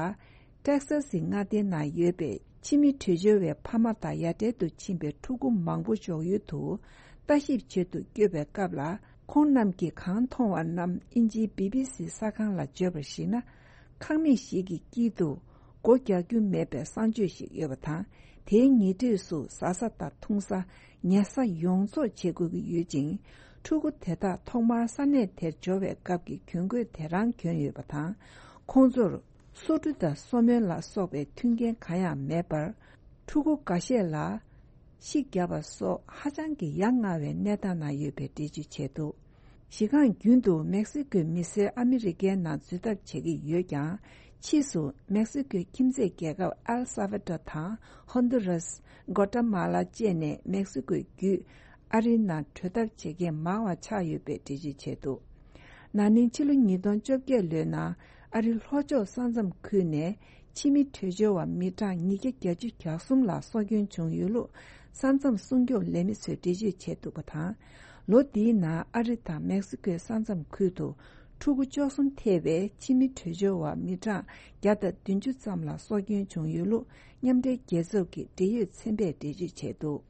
ཏེག་སཱ་སི་མངའ་སྡེའི་ནང་ཡོད་པའི་ཕྱི་མི་བྲོས་བྱོལ་བའི་ཕ་མ་དང་ཡ་བྲལ་དུ་ཕྱིན་པའི་ཕྲུ་གུ་མང་པོ་འཇོག་ཡུལ་དུ་ལྟ་ཞིབ་བྱེད་དུ་བསྐྱོད་པའི་སྐབས་ལ། ཁོང་རྣམས་ཀྱིས་གང་མཐོང་བ་རྣམས་དབྱིན་ཇིའི་བི་བི་སི་གསར་ཁང་ལ་བརྗོད་པར་གཞིགས་ན། ཁང་མིག་ཞིག་གི་དཀྱིལ་དུ་སྒོ་རྒྱག་རྒྱུ་མེད་པའི་གསང་སྤྱོད་ཞིག་ཡོད་པ་དང་། དེའི་ཉེ་འཁྲིས་སུ་ཟ་ས་དང་འཐུང་ས། ཉལ་ས་ཡོངས་རྫོགས་བྱེད་དགོས་ཀྱི་ཡོད་ཅིང་། ཕྲུ་གུ་དེ་དག་ཐོག་མར་ས་གནས་དེར་འབྱོར་བའི་སྐབས་ཀྱི་གྱོན་གོས་དེ་རང་གྱོན་ཡོད་པ་དང་། ཁོང་ཚོར་སོ་འཁྲུ་དང་སོ་སྨོན་ལ་སོགས་པའི་མཐུན་རྐྱེན་གང་ཡང་མེད་པར། ཕྲུ་གུ་འགའ་ཤས་ལ་ཤི་བརྒྱབ་པ་སོགས་ཧ་ཅང་གི་ཡ་ང་བའི་གནས་སྟངས་ན་ཡོད་པའི་འགྲེལ་བརྗོད་བྱས་འདུག་གཞི་རྐང་རྒྱུན་དུ་མེག་སི་ཀོའི་མི་སེར་ཨ་མི་རི་ཀའི་ནང་འཛུལ་ཐབས་བྱེད་ཀྱི་ཡོད་ཀྱང་། ཕྱིས་སུ་མེག་སི་ཀོའི་ཁྱིམ་མཚེས་རྒྱལ་ཁབ་ཨེལ་སཱ་ཝ་ཏོ་དང་ཧོན་དུ་རཱས། གོ་ཏ་མ་ལ་བཅས་ནས་མེག་སི་ཀོའི་བརྒྱུད་ཨ་རིའི་ནང་བྲོས་ཐབས་བྱེད་མཁན་མང་བ་ཆགས་ཡོད་པའི་འགྲེལ་བརྗོད་བྱས་འདུག་ན་ནིང་ཕྱི་ལོ་ཉིས་སྟོང་བཅོ་བརྒྱད་ལོའི་ནང་ཨ་རི་ལྷོ་ཕྱོགས་ས་མཚམས་ཁུལ་ནས་ཕྱི་མི་བྲོས་བྱོལ་བ་མི་གྲངས་ཉིས་བརྒྱ་བརྒྱད་ཅུ་གྱ་གསུམ་ལ་སྲོག་སྐྱོན་བྱུང་ཡོད་ལུགས་ས་མཚམས་སྲུང་སྐྱོབ་ལས་མི་ཚོས་འགྲེལ་བརྗོད་བྱས་འདུག་པ་དང་། ལོ་འདིའི་ནང་ཨ་རི་དང་མེག་སི་ཀོའི་ས་མཚམས་ཁུལ་དུ་ཕྲུ་གུ་བཅུ་གསུམ་ཐེ་བའི་ཕྱི་མི་བྲོས་བྱོལ་བ་མི་གྲངས་བརྒྱ་དང་བདུན་ཅུ་ཙམ་ལ་སྲོག་སྐྱོན་བྱུང་ཡོད་ལུགས་མཉམ་འབྲེལ་རྒྱལ་ཚོགས་ཀྱི་འབྲེལ་ཡོད་ཚན་པས་འགྲེལ་བརྗོད་བྱས་འདུག་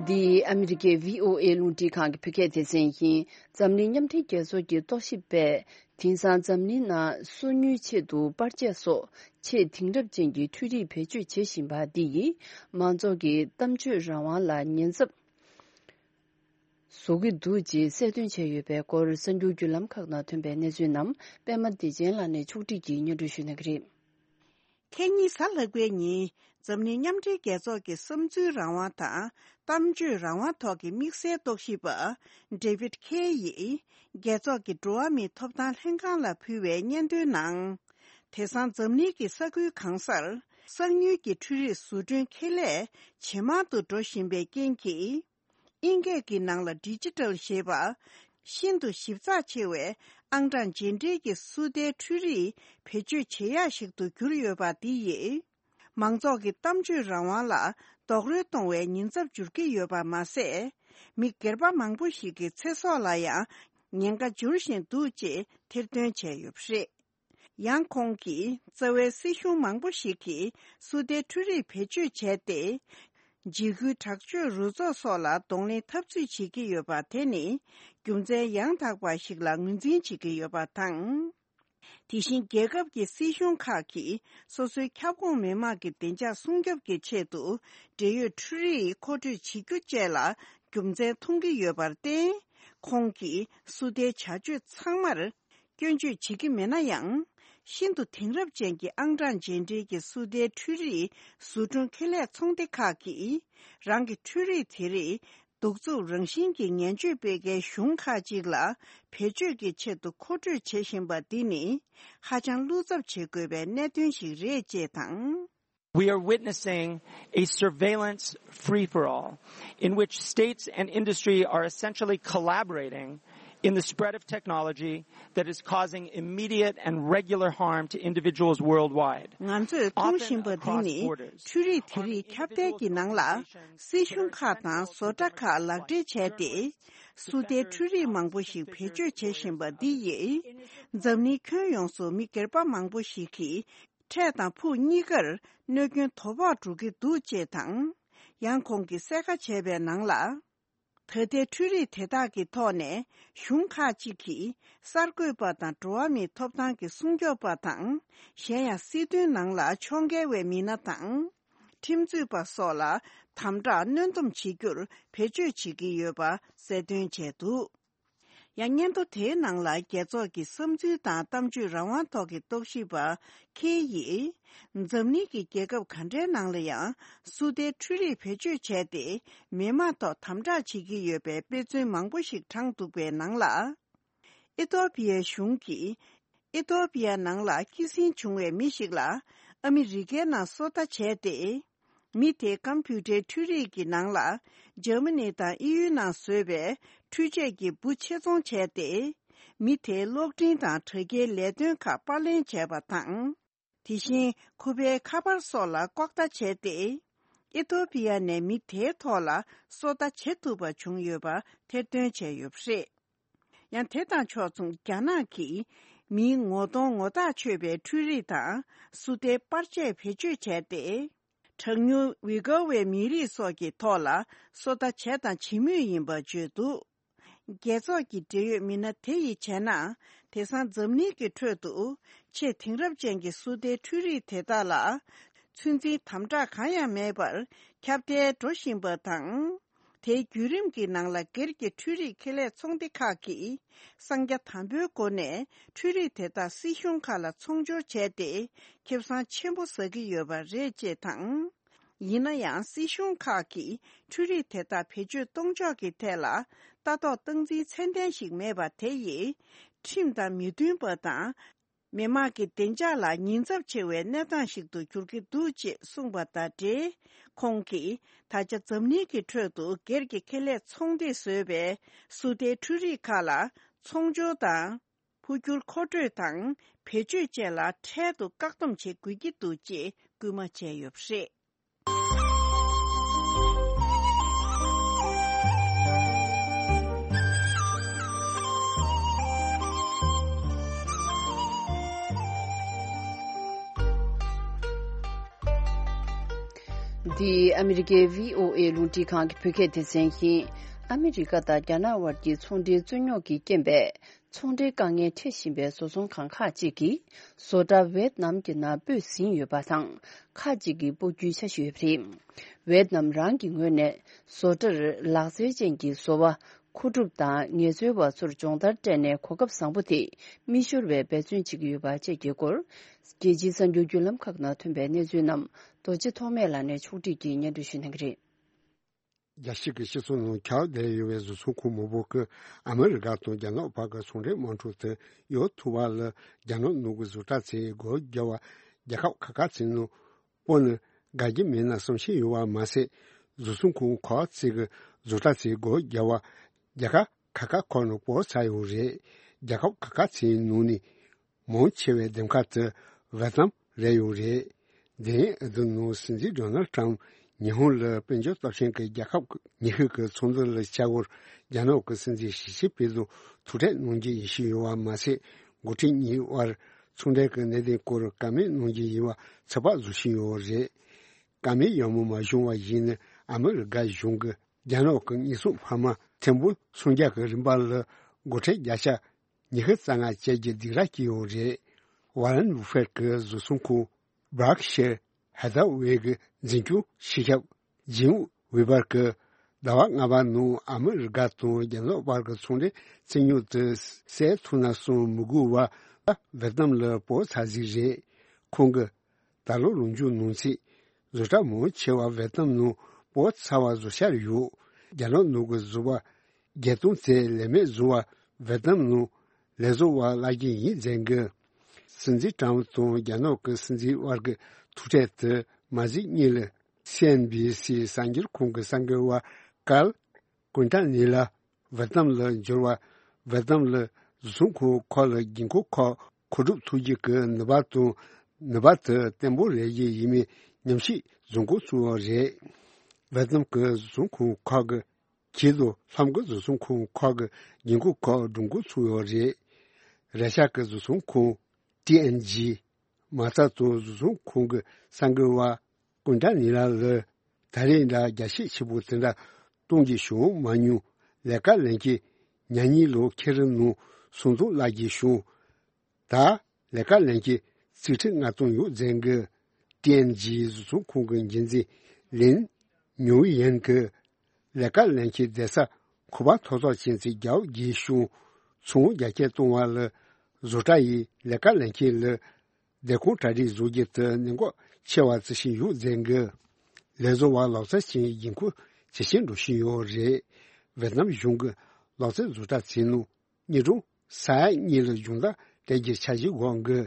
འདི་ཨ་མི་རི་ཀའི་བྷི་ཨོ་ཨེ་རླུང་འཕྲིན་ཁང་གི་བོད་སྐད་སྡེ་ཚན་ཡིན། འཛམ་གླིང་མཉམ་འབྲེལ་རྒྱལ་ཚོགས་ཀྱི་རྟོག་ཞིབ་པས། དེང་སང་འཛམ་གླིང་ནང་སོ་ཉུལ་ཆེད་དུ་པར་ཆས་སོགས་ཆེས་དེང་རབས་ཅན་གྱི་འཕྲུལ་རིག་བེད་སྤྱོད་བྱེད་བཞིན་པ་འདི་ཡིས་མང་ཚོགས་ཀྱི་གཏམ་བརྗོད་རང་དབང་ལ་ཉེན་ཚབས་བཟོ་གི་འདུག་ཅེས་གསལ་སྟོན་བྱས་ཡོད་པའི་སྐོར་གསར་འགྱུར་བརྒྱུད་ལམ་ཁག་ནང་ཐོན་པའི་གནས་ཚུལ་རྣམས་པད་མ་བདེ་ཆེན་ལགས་ནས་ཕྱོགས་སྒྲིག་གིས་སྙན་སྒྲོན་ཞུ་གནང་གི་རེད། ཁ་ཉིན་གཟའ་ལྷག་པའི་ཉིན་འཛམ་གླིང་མཉམ་འབྲེལ་རྒྱལ་ཚོགས་ཀྱི་བསམ་ཚུལ་རང་དབང་དང་གཏམ་བརྗོད་རང་དབང་ཐོག་གི་དམིགས་བསལ་རྟོག་ཞིབ་པ་David Kaye་ཡིས་རྒྱལ་ཚོགས་ཀྱི་འགྲོ་བ་མིའི་ཐོབ་ཐང་ལྷན་ཁང་ལ་ཕུལ་བའི་སྙན་ཐོའི་ནང་། དེང་སང་འཛམ་གླིང་གི་ས་ཁུལ་གང་སར་གསར་ཉུལ་གྱི་འཕྲུལ་རིག་བཟོ་སྐྲུན་ཁེ་ལས་ཇེ་མང་དུ་འགྲོ་བཞིན་པའི་རྐྱེན་གྱིས། དབྱིན་སྐད་ཀྱི་ནང་ལ་ཌི་ཇི་ཊལ་ཞེས་པ། ཤིན་ཏུ་ཞིབ་ཚགས་ཆེ་བའི་ཨང་གྲངས་རྗེས་འབྲེལ་གྱི་སུ་ཏའི་འཕྲུལ་རིག་བེད་སྤྱོད་བྱེད་ཡག་ཞིག་ཏུ་གྱུར་ཡོད་པ་འདི་ཡིས། མང་ཚོགས་ཀྱི་གཏམ་བརྗོད་རང་དབང་ལ་རྡོག་རོལ་གཏོང་བའི་ཉེན་ཚབས་འགྱུར་གྱི་ཡོད་པ་མ་ཟད། མི་སྒེར་པ་མང་པོ་ཞིག་གི་ཚེ་སྲོག་ལ་ཡང་ཉེན་ཁ་འབྱོར་བཞིན་འདུག་ཅེས་ཐེར་འདོན་བྱས་ཡོད་པ་རེད། ཡང་ཁོང་གིས་རྩ་བའི་སྲིད་གཞུང་མང་པོ་ཞིག་གིས་སུ་ཏའི་འཕྲུལ་རིག་བེད་སྤྱོད་བྱས་ཏེ། འཇིགས་སྐུལ་དྲག་སྤྱོད་རུ་ཚོགས་སོགས་ལ་གདོང་ལེན་འཐབ་རྩོད་བྱེད་ཀྱི་ཡོད་པ་དེ་ནི་རྒྱུ་མཚན་ཡང་དག་པ་ཞིག་ལ་ངོས་འཛིན་བྱེད་ཀྱི་ཡོད་པ་དང་། དེ་བཞིན་རྒྱལ་ཁབ་ཀྱི་སྲིད་གཞུང་ཁག་གིས་སོ་སོའི་ཁྱབ་ཁོངས་མི་དམངས་ཀྱི་བདེ་འཇགས་སྲུང་སྐྱོབ་ཀྱི་ཆེད་དུ་འབྲེལ་ཡོད་འཕྲུལ་རིག་མཁོ་སྤྲོད་བྱེད་རྒྱུ་བཅས་ལ་རྒྱུ་མཚན་མཐོང་གི་ཡོད་པར་བརྟེན། ཁོང་གིས་སུ་ཏའི་བྱ་སྤྱོད་ཚང་མར་སྐྱོན་བརྗོད་བྱེད་ཀྱི་མེད་ན་ཡང་། ཤིན་ཏུ་དེང་རབས་ཅན་གྱི་ཨང་གྲངས་རྗེས་འབྲེལ་གྱི་སུ་ཏའི་འཕྲུལ་རིག་བཟོ་སྐྲུན་ཁེ་ལས་ཚོང་སྡེ་ཁག་གིས་རང་གི་འཕྲུལ་རིག་དེ་རིགས་གདུག་རྩུབ་རང་བཞིན་གྱི་ངན་སྤྱོད་སྤེལ་མཁན་གཞུང་ཁག་ཅིག་ལ་བེད་སྤྱོད་ཀྱི་ཆེད་དུ་མཁོ་སྤྲོད་བྱེད་བཞིན་པ་འདི་ནི་ཧ་ཅང་བློ་འཚབ་བྱེད་དགོས་པའི་གནད་དོན་ཞིག་རེད་ཅེས་དང་། We are witnessing a surveillance free-for-all in which states and industry are essentially collaborating in the spread of technology that is causing immediate and regular harm to individuals worldwide. ང་ཚོས་མཐོང་བཞིན་པ་འདི་ནི་འཕྲུལ་རིག་དེ་རིགས་ཁྱབ་གདལ་གྱི་ནང་ལ་སྲིད་གཞུང་ཁག་དང་བཟོ་གྲྭ་ཁག་ལག་འབྲེལ་བྱས་ཏེ། སུ་ཏའི་འཕྲུལ་རིག་མང་པོ་ཞིག་བེད་སྤྱོད་བྱེད་བཞིན་པ་འདི་ཡིས་འཛམ་གླིང་ཁྱོན་ཡོངས་སུ་མི་སྒེར་པ་མང་པོ་ཞིག་གིས་འཕྲལ་དང་ཕུགས་གཉིས་ཀར་གནོད་སྐྱོན་དོ་ཕོག་འགྲོ་གི་འདུག་ཅེས་དང་། ཡང་ཁོང་གིས་གསལ་ཁ་བྱས་པའི་ནང་ལ། ད་ལྟའི་འཕྲུལ་རིག་དེ་དག་གི་ཐོག་ནས་གཞུང་ཁག་ཅིག་གིས་གསར་འགོད་པ་དང་འགྲོ་བ་མིའི་ཐོབ་ཐང་གི་སྲུང་སྐྱོབ་པ་དང་། གཞན་ཡང་སྲིད་དོན་ནང་ལ་ཕྱོགས་འགལ་བའི་མི་སྣ་དང་། ཁྲིམས་རྩོད་པ་སོགས་ལ་དམ་དྲག་གནོན་སྡོམ་བྱེད་རྒྱུར་བེད་སྤྱོད་བྱེད་ཀྱི་ཡོད་པ་གསལ་སྟོན་བྱས་འདུག་ཡང་སྙན་ཐོ་དེའི་ནང་ལ་རྒྱལ་ཚོགས་ཀྱི་བསམ་ཚུལ་དང་གཏམ་བརྗོད་རང་དབང་ཐོག་གི་རྟོག་ཞིབ་པ་ཁེ་ཡིས། འཛམ་གླིང་གི་རྒྱལ་ཁབ་ག་འདྲའི་ནང་ལ་ཡང་སུ་ཏའི་འཕྲུལ་རིག་བེད་སྤྱོད་བྱས་ཏེ་མི་དམངས་ཐོག་དམ་དྲག་བྱེད་ཀྱི་ཡོད་པའི་དཔེ་མཚོན་མང་པོ་ཞིག་དྲངས་འདུག་པའི་ནང་ལ། ཨི་ཐོ་པི་ཡའི་གཞུང་གིས། ཨི་ཐོ་པི་ཡ་ནང་ལ་སྐྱེད་སྲིང་བྱུང་བའི་མི་ཞིག་ལ་ཨ་མི་རི་ཀའི་ནང་སོ་ལྟ་བྱས་ཏེ། མི་དེས་ཀམ་པུ་ཊའི་འཕྲུལ་རིག་གི་ནང་ལ་འཇར་མ་ནི་དང་དབྱིན་ཡུལ་ནང་བཟོས་པའི་འཕྲུལ་ཆས་ཀྱི་འབུ་ཆེད་རྫོང་བྱས་ཏེ། མི་དེའི་གློག་འཕྲིན་དང་དྲ་རྒྱའི་ལས་དོན་ཁག་པར་ལེན་བྱས་པ་དང་། དེ་བཞིན་ཁོ་པའི་ཁ་པར་སོགས་ལ་ལྐོག་ལྟ་བྱས་ཏེ། ཨི་ཐོ་པི་ཡ་ནས་མི་དེའི་ཐོག་ལ་སོ་ལྟ་བྱེད་ཐུབ་པ་བྱུང་ཡོད་པ་ཐེར་འདོན་བྱས་ཡོད་པ་རེད། ཡང་དེ་དང་ཕྱོགས་མཚུངས་རྒྱ་ནག་གིས་མིའི་ངོ་གདོང་ངོ་ཐག་ཆོད་པའི་འཕྲུལ་རིག་དང་སུ་ཏའི་པར་ཆས་བེད་སྤྱོད་བྱས་ཏེ། གྲངས་ཉུང་ཝི་གོ་བའི་མི་རིགས་སོགས་ཀྱི་ཐོག་ལ་སོ་ལྟ་བྱས་དང་བྱེད་མུས་ཡིན་པ་བརྗོད་འདུག་རྒྱལ་ཚོགས་ཀྱི་འབྲེལ་ཡོད་མི་སྣ་དེ་ཡིས་བྱས་ན། དེང་སང་འཛམ་གླིང་གི་ཁྲོད་དུ་ཆེས་དེང་རབས་ཅན་གྱི་སུ་ཏའི་འཕྲུལ་རིག་དེ་དག་ལ་ཚོད་འཛིན་དམ་དྲག་གང་ཡང་མེད་པར་ཁྱབ་གདལ་འགྲོ་བཞིན་པ་དང་། དེའི་བརྒྱུད་རིམ་གྱི་ནང་ལ་སྒེར་གྱི་འཕྲུལ་རིག་ཁེ་ལས་ཚོང་སྡེ་ཁག་གིས་གསང་རྒྱ་དམ་པོའི་སྒོ་ནས་འཕྲུལ་རིག་དེ་དག་སྲིད་གཞུང་ཁག་ལ་ཚོང་སྦྱོར་བྱས་ཏེ་ཁེ་བཟང་ཆེན་པོ་ཟ་གི་ཡོད་པ་རེད་ཅེས་དང་། ཡིན་ན་ཡང་སྲིད་གཞུང་ཁག་གིས་འཕྲུལ་རིག་དེ་དག་བེད་སྤྱོད་གཏོང་ཕྱོགས་ཀྱི་ཐད་ལ་ལྟ་རྟོག་སྟངས་འཛིན་ཚད་ལྡན་ཞིག་མེད་པ་དེ་ཡིས་ཁྲིམས་དང་མི་མཐུན་པ་དང་། མི་དམངས་ཀྱི་བདེ་འཇགས་ལ་ཉེན་ཚབས་ཆེ་བའི་གནས་སྟངས་ཤིག་ཏུ་འགྱུར་གྱི་འདུག་ཅེས་གསུངས་པ་དང་འབྲེལ། ཁོང་གིས་ད་ཆ་འཛམ་གླིང་གི་ཁྲོད་དུ་སྒེར་གྱི་ཁེ་ལས་ཚོང་སྡེས་བཟོས་པའི་སུ་ཏའི་འཕྲུལ་རིག་ཁག་ལ་ཚོང་སྦྱོར་དང་། འཕོ་འགྱུར་མཁོ་སྤྲོད་དང་བེད་སྤྱོད་བཅས་ལ་འཕྲལ་དུ་བཀག་སྡོམ་བྱེད་དགོས་ཀྱི་འདུག་ཅེས་སྐུལ་མ་བྱས་ཡོད་པ་རེད། འདི་ཨ་མི་རི་ཀའི་བྷི་ཨོ་ཨེ་རླུང་འཕྲིན་ཁང་གི་བོད་སྐད་སྡེ་ཚན་ཡིན། ཨ་མི་རི་ཀ་དང་རྒྱ་ནག་དབར་གྱི་ཚོང་འབྲེལ་རྩོད་རྙོག་གི་རྐྱེན་པས། ཚོང་འབྲེལ་དཀའ་ངལ་འཕྲད་བཞིན་པའི་བཟོ་ཚོང་ཁང་ཁག་ཅིག་གིས་བཟོ་གྲྭ་ཝེད་ནམ་གྱི་ནང་སྤོས་ཟིན་ཡོད་པ་དང་། ཁག་ཅིག་གིས་སྤོ་རྒྱུའི་འཆར་གཞི་ཡོད་པ་རེད། ཝེད་ནམ་རང་གི་ངོས་ནས་བཟོ་གྲྭར་ལག་རྩལ་ཅན་གྱི་བཟོ་བ་མཁོ་སྒྲུབ་དང་ངལ་རྩོལ་བ་ཚོར་སྦྱོང་བརྡར་སྤྲད་ནས་གོ་སྐབས་བཟང་པོ་དེ་མི་ཤོར་བའི་འབད་བརྩོན་བྱེད་ཀྱི་ཡོད་པ་བཅས་ཀྱི་སྐོར། རྒྱལ་སྤྱིའི་གསར་འགྱུར་བརྒྱུད་ལམ་ཁག་ནང་ཐོན་པའི་གནས་ཚུལ་རྣམས་རྡོ་རྗེ་ཐོགས་མེད་ལགས་ནས་ཕྱོགས་སྒྲིག་གིས་སྙན་སྒྲོན་ཞུ་གནང་གི་རེད། རྒྱལ་སྤྱི་གི་སྤྱི་ཚོགས་ནང་ཁྱབ་བསྡད་ཡོད་པའི་བཟོ་ཚོང་ཁང་མང་པོ་གིས་ཨ་མི་རི་ཀ་དང་རྒྱ་ནག་བར་གྱི་ཚོང་འབྲེལ་དམག་འཁྲུག་དེ་ཡོལ་ཐུབ་པ་ལ་རྒྱ་ནག་ནང་གི་བཟོ་གྲྭ་ཚོས་སྒོ་བརྒྱབ་པ་རྒྱལ་ཁབ་ཁག་ཁག་ཚོའི་ནང་སྤོ་ནས་དགའ་རྒྱུ་མེད་ན་བསམ་ཤེས་ཡོད་པ་མ་ཟད། བཟོ་ཚོང་ཁང་ཁག་ཅིག་གི་བཟོ་གྲྭ་ཚོས་སྒོ་བརྒྱབ་པ་རྒྱལ་ཁབ་ཁག་ཁག་ཁག་ནང་སྤོ་ཚར་ཡོད་རེད། རྒྱལ་ཁབ་ཁག་ཁག་ཚོའི་ནང་ནས་མང་ཆེ་བའི་འདེམས་ཁག་དེ་ཝེ་ཏི་ནམ་རེད་ཡོད་རེད། འདི་ཨ་རིའི་ནང་སྲིད་འཛིན་ཌོ་ནལ་ཏྲམ་ ཉི་ཧོང་ལ་དཔལ་འབྱོར་སྟོབས་ཆེན་གྱི་རྒྱལ་ཁབ་ཉི་ཤུ་གི་ཚོགས་འདུ་ལ་བཅར་བར་རྒྱ་ནག་གི་སྲིད་འཛིན་ཞི་ཅིན་ཕིང་དང་ཐུག་འཕྲད་གནང་རྒྱུ་ཡིན་བཞིན་ཡོད་པ་མ་ཟད། འགོ་ཁྲིད་གཉིས་དབར་ཚོང་འབྲེལ་གྱི་གནད་དོན་སྐོར་བཀའ་མོལ་གནང་རྒྱུ་ཡིན་པ་ཚོད་དཔག་བཟོ་བཞིན་ཡོད་པ་རེད། བཀའ་མོལ་ཡག་མོ་མ་བྱུང་བ་ཡིན་ན། ཨ་མི་རི་ཀ་གཞུང་གིས་རྒྱ་ནག་གི་དངོས་ཟོག་འཕར་མ་ཐེར་འབུམ་སུམ་བརྒྱ་གི་རིན་པ་ལ་སྒོ་ཁྲལ་བརྒྱ་ཆ་ཉི་ཤུ་རྩ་ལྔ་བཅད་རྒྱུའི་སྡིགས་ར་བསྐྱིས་ཡོད་རེད། ཝ་རན་བུ་ཧྥེད་ཀྱི་བཟོ་ཚོང་ཁང་Berkshire Hathaway གི་འཛིན་སྐྱོང་སྤྱི་ཁྱབ་ཇིམ་ཝི་བར་གྱིས་ཟླ་བ་ལྔ་པ་ནང་ཨ་མི་རི་ཀ་དང་རྒྱ་ནག་བར་གྱི་ཚོང་འབྲེལ་རྩིས་ཉོ་དེ་སེབ་ཐུབ་ན་བསམ་མི་དགོས་པར་ཝེ་ཏི་ནམ་ལ་སྤོ་ཚར་ཟིག་རེད། ཁོང་གིས། ད་ལོ་ལོ་མཇུག་ནང་ཚེ་བཟོ་གྲྭ་མང་ཆེ་བ་ཝེ་ཏི་ནམ་ནང་སྤོ་ཚར་བ་བཟོ་འཆར་ཡོད། རྒྱ་ནག་ནང་གི་བཟོ་པ་བརྒྱད་སྟོང་ཙམ་ལས་མེད་བཟོ་བ་ཝེ་ཏི་ནམ་ནང་ལས་བཟོ་བ་བརླག་གི་ཡིན་ཟེར་གི། སྲིད་འཛིན་ཀྲམ་དང་རྒྱ་ནག་གི་སྲིད་འཛིན་དབར་གྱི་ཐུག་འཕྲད་དེ་མ་གཟིགས་གཉིས་ལ་སི་ཨེན་བྷི་སི་གསར་འགྱུར་ཁང་གི་གསར་འགོད་པ་ཀལ་ཀུན་ཏ་ནི་ལ། ཝེ་ཏི་ནམ་ལ་འབྱོར་བ། ཝེ་ཏི་ནམ་ལ་བཟོ་ཚོང་ཁང་ཁག་ལ་ཉེན་ཁ་ཁག་མཁོ་སྒྲུབ་ཐུབ་རྒྱུ་གི་ནུས་པ་དང་ནུས་པ་དེ་བརྟན་པོ་རེ་ཡི་ཡིན་མིན་ཉམས་ཞིབ་བཟོ་འགོ་ཚུགས་པ་རེད། ཝེ་ཏི་ནམ་གྱི་བཟོ་ཚོང་ཁང་ཁག་གི་ཁྱེད་དང་ལྷམ་གྱི་བཟོ་ཚོང་ཁང་ཁག་གི་ཉེན་ཁ་ཁག་སྒྲུབ་འགོ་ཚུགས་པ་རེད། ར་ཤ་གི་བཟོ་ཚོང་ཁང་ཊི་ཨེན་ཇི། མ་རྩ་དང་བཟོ་ཚོང་ཁང་གི་གསར་འགོད་པ་ཀུན་ཏ་ནི་ལ་ལ་ད་རེས་འདྲ་རྒྱ་ཆེ་ཆེ་པོ་དེ་འདྲ་གཏོང་རྒྱུ་བྱུང་མ་མྱོང་། ལས་ཀ་ལེན་མཁན་ཉག་ཉིས་ལོ་ཁེ་རི་ནང་སུམ་སྟོང་བརླག་རྒྱུ་བྱུང་། ད་ལས་ཀ་ལེན་མཁན་རྩིས་ཁྲི་ལྔ་སྟོང་ཡོད་ཟེར་གི། ཊི་ཨེན་ཇི་བཟོ་ཚོང་ཁང་གི་འགན་འཛིན་ལིན་ཉུའུ་ཡན་གྱིས། ལས་ཀ་ལེན་མཁན་བསྡད་ས་ཁོ་པ་ཐོབ་ཐང་ཅན་ཚོས་རྒྱ་བོ་རྒྱས་བྱུང་། ཚོང་རྒྱ་སྐྱེད་གཏོང་བ་ལ་བཟོ་གྲྭ་ཡིས་ལས་ཀ་ལེན་མཁན་ལ་བསྡད་ཁང་གྲ་སྒྲིག་བཟོ་རྒྱུ་དེ་གནད་འགག་ཆེ་བ་བརྩི་བཞིན་ཡོད་ཟེར་གི། ལས་བཟོ་བ་ལག་རྩལ་ཅན་རྒྱུན་འཁོར་ཇེ་ཆེར་འགྲོ་བཞིན་ཡོད་རེད། ཝེ་ཏི་ནམ་གཞུང་གིས་ལག་རྩལ་བཟོ་གྲྭ་ཚོའི་ནང་ཉིན་གྲངས་ས་ཡ་གཉིས་ལ་སྦྱོང་བརྡར་སྤྲད་རྒྱུའི་འཆར་གཞི་འགོད་གི།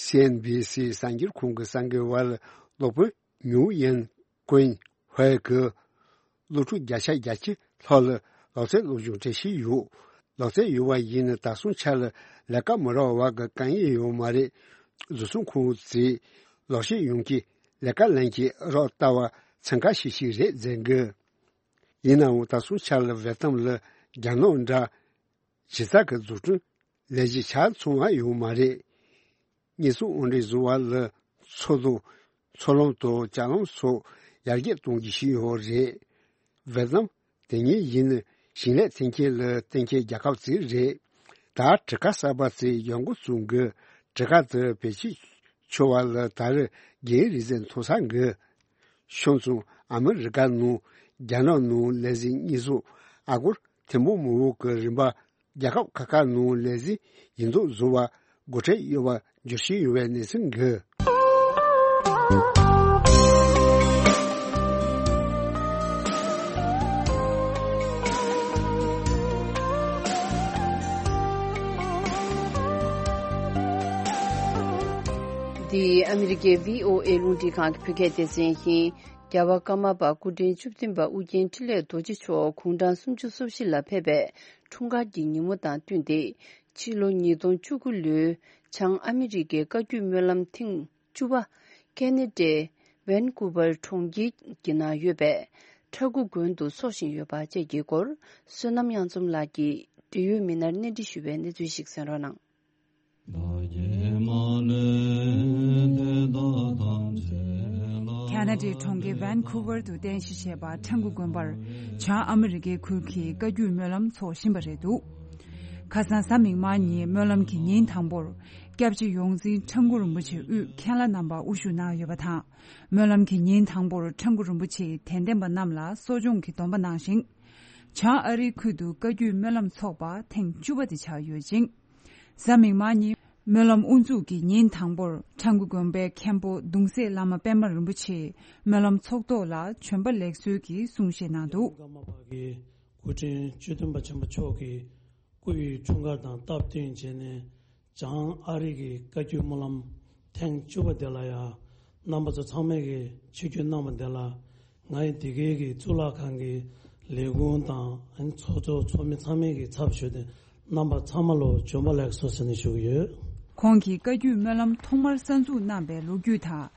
སི་ཨེན་བྷི་སི་གསར་འགྱུར་ཁང་གི་གསར་འགོད་པ་ལ་སློབ་དཔོན་ཉུའུ་ཡན་ཀུན་ཧུའེ་གིས། སློབ་ཕྲུག་བརྒྱ་ཆ་བརྒྱད་ཅུ་ལྷག་ལ་ལག་རྩལ་སློབ་སྦྱོང་སྤྲད་བཞིན་ཡོད། ལག་རྩལ་ཡོད་པ་ཡིན་ན་ད་སོང་ཆ་ལ་ལས་ཀ་མི་རག་པ་གི་དཀའ་ངལ་ཡོད་མ་རེད། བཟོ་ཚོང་ཁང་ཚོས་ལག་ཤེས་ཡོད་མཁན་ལས་ཀ་ལེན་མཁན་རག་ལྟ་བར་འཚང་ཁ་ཤིག་ཤིག་རེད་ཟེར་གི། ཡིན་ནའང་ད་སོང་ཆ་ལ་ཝེ་ཏི་ནམ་ལ་རྒྱ་ནག་འདྲ་ཇི་ལྟར་གྱི་འཛུགས་སྐྲུན་ལས་གཞི་ཆ་ཚང་བ་ཡོད་མ་རེད། དངོས་སུ་འོང་འདྲེན་བཟོ་བ་ལ་མཚོ་དང་མཚོ་ལམ་དང་ལྕགས་ལམ་སོགས་ཡར་རྒྱས་གཏོང་རྒྱུ་ཞིག་ཡོད་རེད། ཝེ་ཏི་ནམ་དེ་ཉིད་ཡིན་ན་ཞིང་ལས་ཐོན་སྐྱེད་ལ་བརྟེན་མཁན་རྒྱལ་ཁབ་ཅིག་རེད། ད་གྲུ་ཁ་གསར་པ་ཅིག་ཡོང་འགོ་བཙུགས་གི། གྲུ་ཁ་དེ་བེད་སྤྱོད་ཆོག་པ་ལ་ད་རེས་རྒྱའི་རིག་རྩལ་མཐོ་ས་འགི། ཤོང་ཙང་ཨ་མི་རི་ཀ་ནང་རྒྱ་ནག་ནང་ལས་འཛིན་དངོས་སུ་ཨ་སྒོར་ཐེར་འབུམ་མང་པོ་གི་རིན་པ། རྒྱལ་ཁབ་ཁག་ཁག་ནང་ལས་འཛིན་ཡིན་མདོག་བཟོ་བར་སྒོ་ཁྲལ་གཡོལ་བར་འགྱུར་བཞིན་ཡོད་པའི་གནས་ཚུལ་འགི། འདི་ཨ་མི་རི་ཀའི་བྷི་ཨོ་ཨེ་རླུང་འཕྲིན་ཁང་གི་བོད་སྐད་སྡེ་ཚན་ཡིན། རྒྱལ་བ་ཀརྨ་པ་སྐུ་ཕྲེང་བཅུ་བདུན་པ་ཨུ་རྒྱན་འཕྲིན་ལས་རྡོ་རྗེ་མཆོག་དགུང་གྲངས་སུམ་ཅུ་སོ་བཞི་ལ་ཕེབས་པའི་འཁྲུངས་སྐར་གྱི་ཉིན་མོ་དང་བསྟུན་ཏེ། ཕྱི་ལོ་ཉིས་སྟོང་བཅུ་དགུ་ལོའི་བྱང་ཨ་མི་རི་ཀའི་བཀའ་བརྒྱུད་སྨོན་ལམ་ཐེངས་བཅུ་པ་ཁེ་ན་ཌའི་ཝན་ཀུ་ཝར་གྲོང་ཁྱེར་གྱི་ནང་ཡོད་པའི་ཁྲ་འགུ་དགོན་དུ་འཚོགས་བཞིན་ཡོད་པ་བཅས་ཀྱི་སྐོར། བསོད་ནམས་དབྱངས་འཛོམས་ལགས་ཀྱིས་འབྲེལ་ཡོད་མི་སྣར་གནས་འདྲི་ཞུས་པའི་གནས་ཚུལ་ཞིག་གསན་རོགས་གནང་། ཁ་ན་ཌའི་གྲོང་ཁྱེར་ཝན་ཀུ་ཝར་དུ་རྟེན་གཞི་བྱས་པ་ཁྲ་འགུ་དགོན་པར་བྱང་ཨ་མི་རི་ཀའི་ཁུལ་གྱི་བཀའ་བརྒྱུད་སྨོན་ལམ་འཚོགས་བཞིན་པ་རེད་འདུག་ཁ་སང་གཟའ་མིག་དམར་ཉིན་སྨོན་ལམ་གྱི་ཉིན་དང་པོར་སྐྱབས་རྗེ་ཡོངས་འཛིན་ཁྲ་འགུ་རིན་པོ་ཆེ་དབུས་མཁན་བླ་རྣམ་པ་དབུ་བཞུགས་གནང་ཡོད་པ་དང་། སྨོན་ལམ་གྱི་ཉིན་དང་པོར་ཁྲ་འགུ་རིན་པོ་ཆེས་དད་ལྡན་པ་རྣམས་ལ་གསོ་སྦྱོང་གི་སྡོམ་པ་གནང་ཞིང་། བྱང་ཨ་རིའི་ཁུལ་དུ་བཀའ་བརྒྱུད་སྨོན་ལམ་འཚོགས་པ་ཐེངས་བཅུ་པ་དེ་ཆགས་ཡོད་ཅིང་། གཟའ་མིག་དམར་ཉིན་སྨོན་ལམ་དབུ་འཛུགས་ཀྱི་ཉིན་དང་པོར་ཁྲ་འགུ་དགོན་པའི་མཁན་པོ་གདུང་སྲས་བླ་མ་པད་མ་རིན་པོ་ཆེས་སྨོན་ལམ་ཚོགས་ཐོག་ལ་བྱོན་པ་ལེགས་གསོལ་གྱི་གསུང་བཤད་གནང་འདུག་ཀརྨ་པ་གི་སྐུ་ཕྲེང་བཅུ་བདུན་པ་ཆེན་པོ་མཆོག་གི་སྐུ་ཡི་འཁྲུངས་སྐར་དང་སྟབས་བསྟུན་བྱས་ནས། བྱང་ཨ་རི་གི་བཀའ་བརྒྱུད་སྨོན་ལམ་ཐེངས་བཅུ་པ་དེ་ལ་ཡང་རྣམ་པ་ཚོ་ཚང་མས་ཀྱི་ཆིབས་བསྒྱུར་གནང་བ་དེ་ལ། ང་ཡི་འདི་གའི་གི་གཙུག་ལག་ཁང་གི་ལས་ཁུངས་དང་ཚོགས་གཙོ་ཚོགས་མི་ཚང་མས་ཀྱི་ཚབ་ཞུས་ཏེ་རྣམ་པ་ཚང་མ་ལོ་བྱོན་པ་ལེགས་སོ་ཟེར་ནས་ཞུ་གི་ཡོད། ཁོང་གིས་བཀའ་བརྒྱུད་སྨོན་ལམ་ཐོག་མར་གསར་འཛུགས་གནང་པའི་ལོ་རྒྱུས་དང་།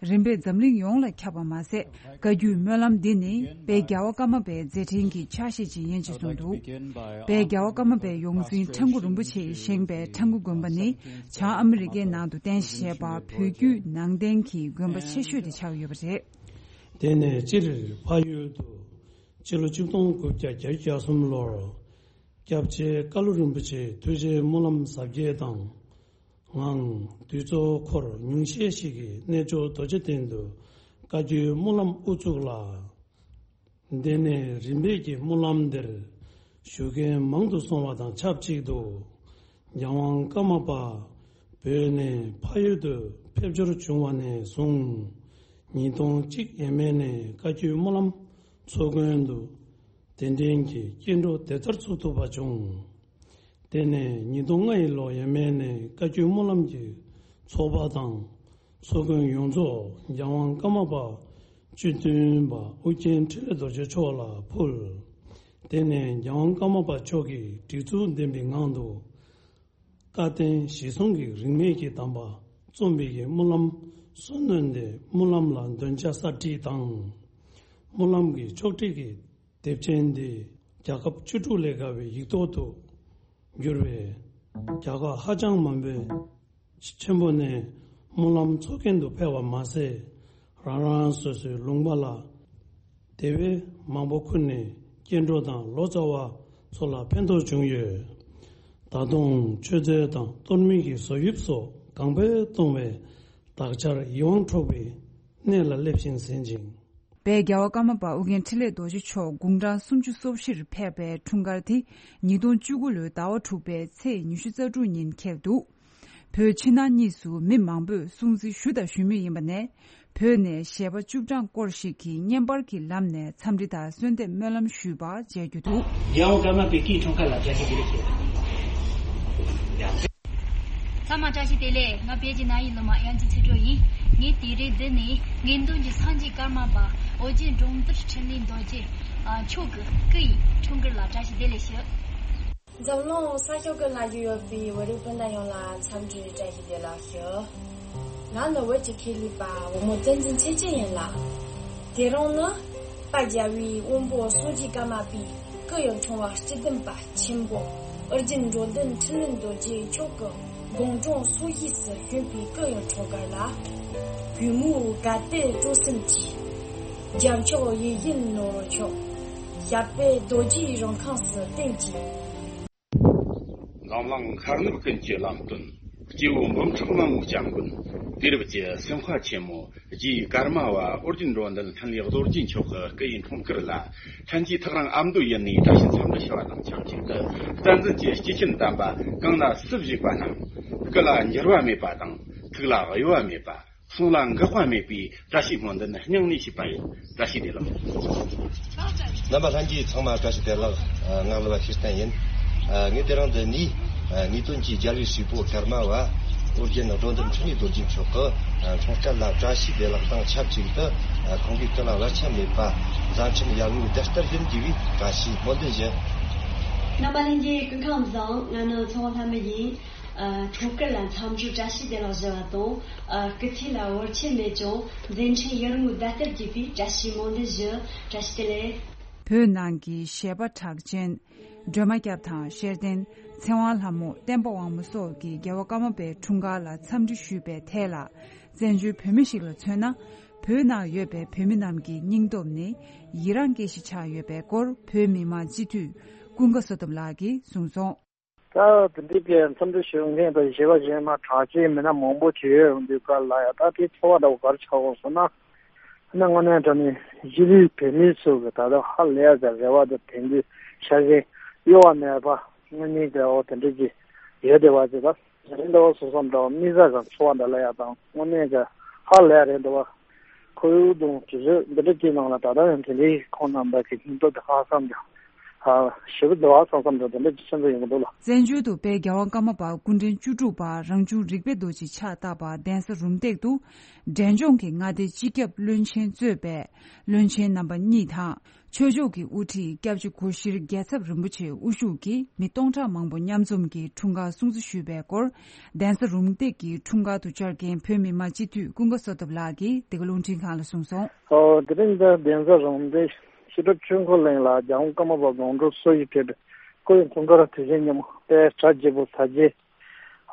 རིམ་པས་འཛམ་གླིང་ཡོངས་ལ་ཁྱབ་པ་མ་ཟད། བཀའ་བརྒྱུད་སྨོན་ལམ་འདི་ནི་དཔལ་རྒྱལ་བ་ཀརྨ་པའི་མཛད་འཕྲིན་གྱི་ཆ་ཤས་ཅིག་ཡིན་ཅེས་གསུངས་འདུག་དཔལ་རྒྱལ་བ་ཀརྨ་པའི་ཡོངས་འཛིན་ཁྲ་འགུ་རིན་པོ་ཆེས་བཞེངས་པའི་ཁྲ་འགུ་དགོན་པ་ནི་བྱང་ཨ་མི་རི་ཀའི་ནང་དུ་རྟེན་གཞི་བྱས་པ་བོད་བརྒྱུད་ནང་བསྟན་གྱི་དགོན་པ་ཆེ་ཤོས་དེ་ཆགས་ཡོད་པ་རེད། དེ་ནས་སྤྱིར་ཕ་ཡུལ་དུ་སྤྱི་ལོ་ཆིག་སྟོང་དགུ་བརྒྱ་བརྒྱད་ཅུ་གྱ་གསུམ་ལོར་སྐྱབས་རྗེ་ཀ་ལུ་རིན་པོ་ཆེའི་ཐུགས་རྗེའི་སྨོན་ལམ་ཟབ་རྒྱས་དང་། ངང་། དུས་ཚོད་འཁོར་ཉུང་ཤས་ཤིག་གིས་གནས་མཆོག་རྡོ་རྗེ་གདན་དུ་བཀའ་བརྒྱུད་སྨོན་ལམ་དབུ་བཙུགས་ལ། དེ་ནས་རིམ་པས་ཀྱི་སྨོན་ལམ་འདིར་ཞུགས་མཁན་མང་དུ་སོང་བ་དང་ཆབས་ཅིག་ཏུ། རྒྱལ་དབང་ཀརྨ་པ་བོད་ནས་ཕ་ཡུལ་དུ་ཕེབས་འབྱོར་བྱུང་བ་ནས་བཟུང་ཉིས་སྟོང་གཅིག་ཡས་མས་ནས་བཀའ་བརྒྱུད་སྨོན་ལམ་ཚོགས་མགོན་དུ་གདན་འདྲེན་གྱི་སྐྱེ་འགྲོ་དེབ་ཐེར་ཚུགས་ཐུབ་པ་བྱུང་། དེ་ནས་ཉིས་སྟོང་ལྔ་ཡི་ལོ་ཡས་མས་ནས་བཀའ་བརྒྱུད་སྨོན་ལམ་གྱི་ཚོགས་པ་དང་ཚོགས་མགོན་ཡོངས་རྫོགས་རྒྱལ་དབང་ཀརྨ་པ་བཅུ་བདུན་པ་ཨོ་རྒྱན་འཕྲིན་ལས་རྡོ་རྗེ་མཆོག་ལ་ཕུལ། དེ་ནས་རྒྱལ་དབང་ཀརྨ་པ་མཆོག་གིས་སྒྲིག་འཛུགས་ལྡན་པའི་ངང་དུ་བཀའ་བསྟན་གཞིར་བཟུང་གི་རིས་མེད་ཀྱི་གདམས་པ་རྩོམ་པའི་གི་སྨོན་ལམ་གསོལ་སྣོན་ཏེ་སྨོན་ལམ་ལ་འདོན་ཆ་གསར་བསྒྲིགས་དང་། སྨོན་ལམ་གྱི་ཕྱོགས་བསྒྲིགས་ཀྱི་དེབ་ཆེན་འདི་རྒྱལ་ཁབ་བཅུ་དྲུག་ལས་བརྒལ་བའི་ཡིག་ཐོག་ཏུ་བསྒྱུར་བས། རྒྱལ་ཁབ་ཧ་ཅང་མང་པོའི་ཆེན་པོ་ནས་སྨོན་ལམ་ཚོགས་མཁན་དུ་ཕེབས་པ་མ་ཟད། རང་རང་སོ་སོའི་ལུང་པ་ལ་དེ་བས་མང་པོ་ཁུར་ནས་སྐྱེ་འགྲོ་དང་ལོ་ཙཱ་བ་ཚོ་ལ་ཕན་ཐོགས་བྱུང་ཡོད། ད་དུང་མཆོད་རྫས་དང་གཏོར་མའི་གི་བཟོ་དབྱིབས་སོགས་གང་འཕེལ་གཏོང་བས་བདག་ཅག་ཡིད་དབང་འཕྲོག་པའི་གནས་ལ་སླེབས་ཤིང་ཟིན་ཅིང་། དཔལ་རྒྱལ་བ་ཀརྨ་པ་ཨོ་རྒྱན་འཕྲིན་ལས་རྡོ་རྗེ་མཆོག་དགུང་གྲངས་སུམ་ཅུ་སོ་བཞིར་ཕེབས་པའི་འཁྲུངས་སྐར་དེ་ཉིས་སྟོང་བཅུ་དགུ་ལོའི་ཟླ་བ་དྲུག་པའི་ཚེས་ཉི་ཤུ་རྩ་དྲུག་ཉིན་འཁེལ་འདུག་བོད་ཕྱི་ནང་གཉིས་སུ་མི་མང་པོས་སྲུང་བརྩི་ཞུ་དང་ཞུ་མུས་ཡིན་པ་ནས། བོད་ནས་གཞས་པ་བཅུ་གྲངས་སྐོར་ཞིག་གིས་བརྙན་པར་གྱི་ལམ་ནས་འཚམས་འདྲི་དང་གསོལ་འདེབས་སྨོན་ལམ་ཞུས་པ་མཇལ་རྒྱུ་འདུག་རྒྱལ་དབང་ཀརྨ་པའི་སྐུའི་འཁྲུངས་སྐར་ལ་བཀྲ་ཤིས་བདེ་ལེགས་ཞུ། ཚང་མ་བཀྲ་ཤིས་བདེ་ལེགས། ང་བོད་ཀྱི་ན་ཡི་ལོ་མ་དབྱངས་ཅན་ཚེ་སྒྲོན་ཡིན། ངས་དེ་རིང་འདི་ནས་ངན་གདོང་གི་སངས་རྒྱས་ཀརྨ་པ་ཨོ་རྒྱན་འགྲོ་འདུལ་འཕྲིན་ལས་རྡོ་རྗེ་མཆོག་གི་སྐུ་ཡི་འཁྲུངས་སྐར་ལ་བཀྲ་ཤིས་བདེ་ལེགས་ཞུ། འཛམ་གླིང་ས་ཕྱོགས་ཀྱི་ན་གཞི་ཡོད་པའི་བོད་རིགས་སྤུན་ཟླ་ཡོངས་ལ་འཚམས་འདྲི་བཀྲ་ཤིས་བདེ་ལེགས་ཞུ། ང་ནི་བོད་ཀྱི་ཁེ་ལས་པ་བུ་མོ་བསྟན་འཛིན་ཚེ་བརྟན་ཡིན་ལ། དེ་རིང་ནི་དཔལ་རྒྱལ་བའི་དབོན་པོ་སངས་རྒྱས་ཀརྨ་པའི་སྐུ་ཡི་འཁྲུངས་པ་སྤྱི་ལྡན་པ་ཆེན་པོ་ཨོ་རྒྱན་འགྲོ་འདུལ་འཕྲིན་ལས་རྡོ་རྗེ་མཆོག་གི་དགུང་གྲངས་སོ་བཞི་སུ་བྱོན་པའི་སྐུ་ཡི་འཁྲུངས་སྐར་ལ། གུས་མོས་དགའ་དད་སྤྲོ་སེམས་ཀྱིས། རྒྱལ་མཆོག་ཡིད་བཞིན་ནོར་བུ་མཆོག་ཞབས་པད་རྡོ་རྗེའི་རིང་ཁང་སུ་བརྟན་ཅིང་། འཛམ་གླིང་མཁའ་ནུབ་ཀུན་གྱི་ལམ་སྟོན། སྐྱེ་བོ་འབུམ་ཕྲག་མང་པོའི་སྐྱབས་མགོན། དུས་རབས་ཀྱི་སེམས་དཔའ་ཆེན་མོ་རྗེ་ཀརྨ་པ་ཨོ་རྒྱན་འགྲོ་འདུལ་འཕྲིན་ལས་རྡོ་རྗེ་མཆོག་གི་སྐུ་ཡི་འཁྲུངས་སྐར་ལ། ལྷན་རྒྱས་ཐག་རིང་ཨ་མདོ་ཡུལ་ནས་བཀྲ་ཤིས་འཚམས་འདྲི་ཞུ་བ་དང་ཆབས་ཅིག་ཏུ། བསྟན་འཛིན་གྱི་སྐྱེས་ཆེན་དམ་པ་གང་ན་སུ་བཞུགས་པ་རྣམས། སྐུ་ལ་འགྱུར་བ་མེད་པ་དང་། ཐུགས་ལ་གཡོ་བ་མེད་པ། གསུང་ལ་འགག་པ་མེད་པའི་བཀྲ་ཤིས་སྨོན་འདུན་སྙིང་ནས་ཞུས་པ་ཡིན། བཀྲ་ཤིས་བདེ་ལེགས། རྣམ་པ་ལྷན་རྒྱས་ཚང་མ་བཀྲ་ཤིས་བདེ་ལེགས། ངག་ལ་བ་ཤེས་བསྟན་ཡིན། ངས་དེ་རིང་འདི་ནས་ངེས་དོན་གྱི་རྒྱལ་བའི་སྲས་པོ་ཀརྨ་པ་ཨོ་རྒྱན་འགྲོ་འདུལ་འཕྲིན་ལས་རྡོ་རྗེ་མཆོག་གི་འཁྲུངས་སྐར་ལ་བཀྲ་ཤིས་བདེ་ལེགས་དང་ཆབས་ཅིག་ཏུ། ཁོང་གི་སྐུ་ལ་བར་ཆད་མེད་པ། མཛད་འཕྲིན་ཡར་ངོའི་ཟླ་ལྟར་ཡིན་དགོས་པའི་བཀྲ་ཤིས་སྨོན་འདུན་ཞུ། རྣམ་པ་ལྷན་རྒྱས་སྐུ་ཁམས་བཟང་། ང་ནི་ཚོང་ལྷ་མི་ཡིན། འཁྲུངས་སྐར་ལ་འཚམས་འདྲི་བཀྲ་ཤིས་བདེ་ལེགས་ཞུ་བ་དང་། སྐུ་ཚེ་ལ་བར་ཆད་མེད་ཅིང་མཛད་འཕྲིན་ཡར་ངོའི་ཟླ་ལྟར་རྒྱས་པའི་བཀྲ་ཤིས་སྨོན་འདུན་ཞུ། བཀྲ་ཤིས་བདེ་ལེགས། བོད་ནང་གི་གཞས་པ་གྲགས་ཅན། སྒྲོལ་མ་སྐྱབས་དང་ཤེར་ལྡན། ཚེ་དབང་ལྷ་མོ། བསྟན་པ་དབང་མོ་སོགས་ཀྱིས་རྒྱལ་བ་ཀརྨ་པའི་འཁྲུངས་སྐར་ལ་འཚམས་འདྲི་ཞུས་པའི་ཐད་ལ། བཙན་བྱོལ་བོད་མི་ཞིག་ལ་མཚོན་ན། བོད་ནང་ཡོད་པའི་བོད་མི་རྣམས་ཀྱི་སྙིང་སྟོབས་ནི་ཡི་རངས་སྐྱེ་གཞི་ཆགས་ཡོད་པའི་སྐོར་བོད་མི་མང་སྤྱི་འཐུས་ཀུན་དགའ་བསོད་སྟོབས་ལགས་ཀྱིས་གསུངས་སོང་། ད་དེ་འདྲའི་གི་འཚམས་འདྲི་ཞུ་མཁན་དང་གཞས་པ་གཞས་མ་གྲགས་ཅན་མི་སྣ་མང་པོ་ཅིག་ཡོད་འོང་དུས་སྐབས་ལ་ཡ། ད་དེ་ཚོར་བ་འདྲ་བོ་ག་རེ་ཆགས་འོང་ཟེར་ན། ཨ་ནི་དངོས་གནས་དྲང་གནས་གཞིས་ལུས་བོད་མི་ཚོ་གི་ད་ལྟ་ཧ་ལས་ཡག་གི་རེ་བ་དང་དད་གུས་ཤ་ཞེན་གཡོ་བ་མེད་པ་དངོས་གནས་ཀྱི་འོ་དེ་འདྲ་ཅིག་ཡོད་བསྡད་པ་ཅིག་ད་རིང་འདྲ་བོ་སོ་སོ་འདྲ་བོ་དམིགས་བསལ་གི་ཚོར་བ་འདྲ་ལ་ཡ་དང་དངོས་གནས་ཀྱི་ཧ་ལས་ཡག་རེད་འདུག་བ། ཁོར་ཡུག་དང་དུས་ཚོད་འདི་འདྲ་ཅིག་ནང་ལ་ད་ལྟ་ཡང་དེ་འདྲའི་ཁོང་རྣམ་པ་གི་སྙིང་སྟོབས་དེ་ཧ་སངས་ཀྱང་ ཞེ་པོ་འདུག་བསམ་བསམ་འདྲ་དེ་འདྲ་ཅིག་ཤེས་ཚོད་ཡོང་གི་འདུག་ལ། བཙན་བྱོལ་དུ་དཔལ་རྒྱལ་དབང་ཀརྨ་པ་སྐུ་ཕྲེང་བཅུ་དྲུག་པ་རང་བྱུང་རིག་པའི་རྡོ་རྗེ་ཕྱག་བཏབ་པ་གདན་ས་རུམ་བཏེག་ཏུ། འབྲས་ལྗོངས་ཀྱི་མངའ་སྡེ་སྤྱི་ཁྱབ་བློན་ཆེན་གཙོས་པའི་བློན་ཆེན་རྣམ་པ་གཉིས་དང་། ཆོས་ཕྱོགས་ཀྱི་དབུ་ཁྲིད་སྐྱབས་རྗེ་སྒོ་ཤྲི་རྒྱལ་ཚབ་རིན་པོ་ཆེ་དབུ་བཞུགས་ཀྱིས་མི་སྟོང་ཕྲག་མང་པོ་མཉམ་འཛོམས་ཀྱིས་འཁྲུངས་སྐར་སྲུང་བརྩི་ཞུས་པའི་སྐོར། གདན་ས་རུམ་བཏེག་གི་འཁྲུངས་སྐར་དུ་བཅར་མཁན་བོད་མི་མང་སྤྱི་འཐུས་ཀུན་དགའ་བསོད་སྟོབས་ལགས་ཀྱིས་འདི་ག་རླུང་འཕྲིན་ཁང་ལ་གསུངས་སོང་། ཨོ། དེ་རིང་འདི་གདན་ས་རུམ་བཏེག་ཤེས་རབ་ཆོས་འཁོར་གླིང་ལ་རྒྱལ་དབང་ཀརྨ་པ་དགོང་དྲོ་གསོལ་ཞིག་ཕེབས་པའི་སྐུ་ཡི་འཁྲུངས་སྐར་དུས་ཆེན་ཉིན་མོ་དཔེ་གྲ་རྒྱས་པོ་དར་རྒྱས།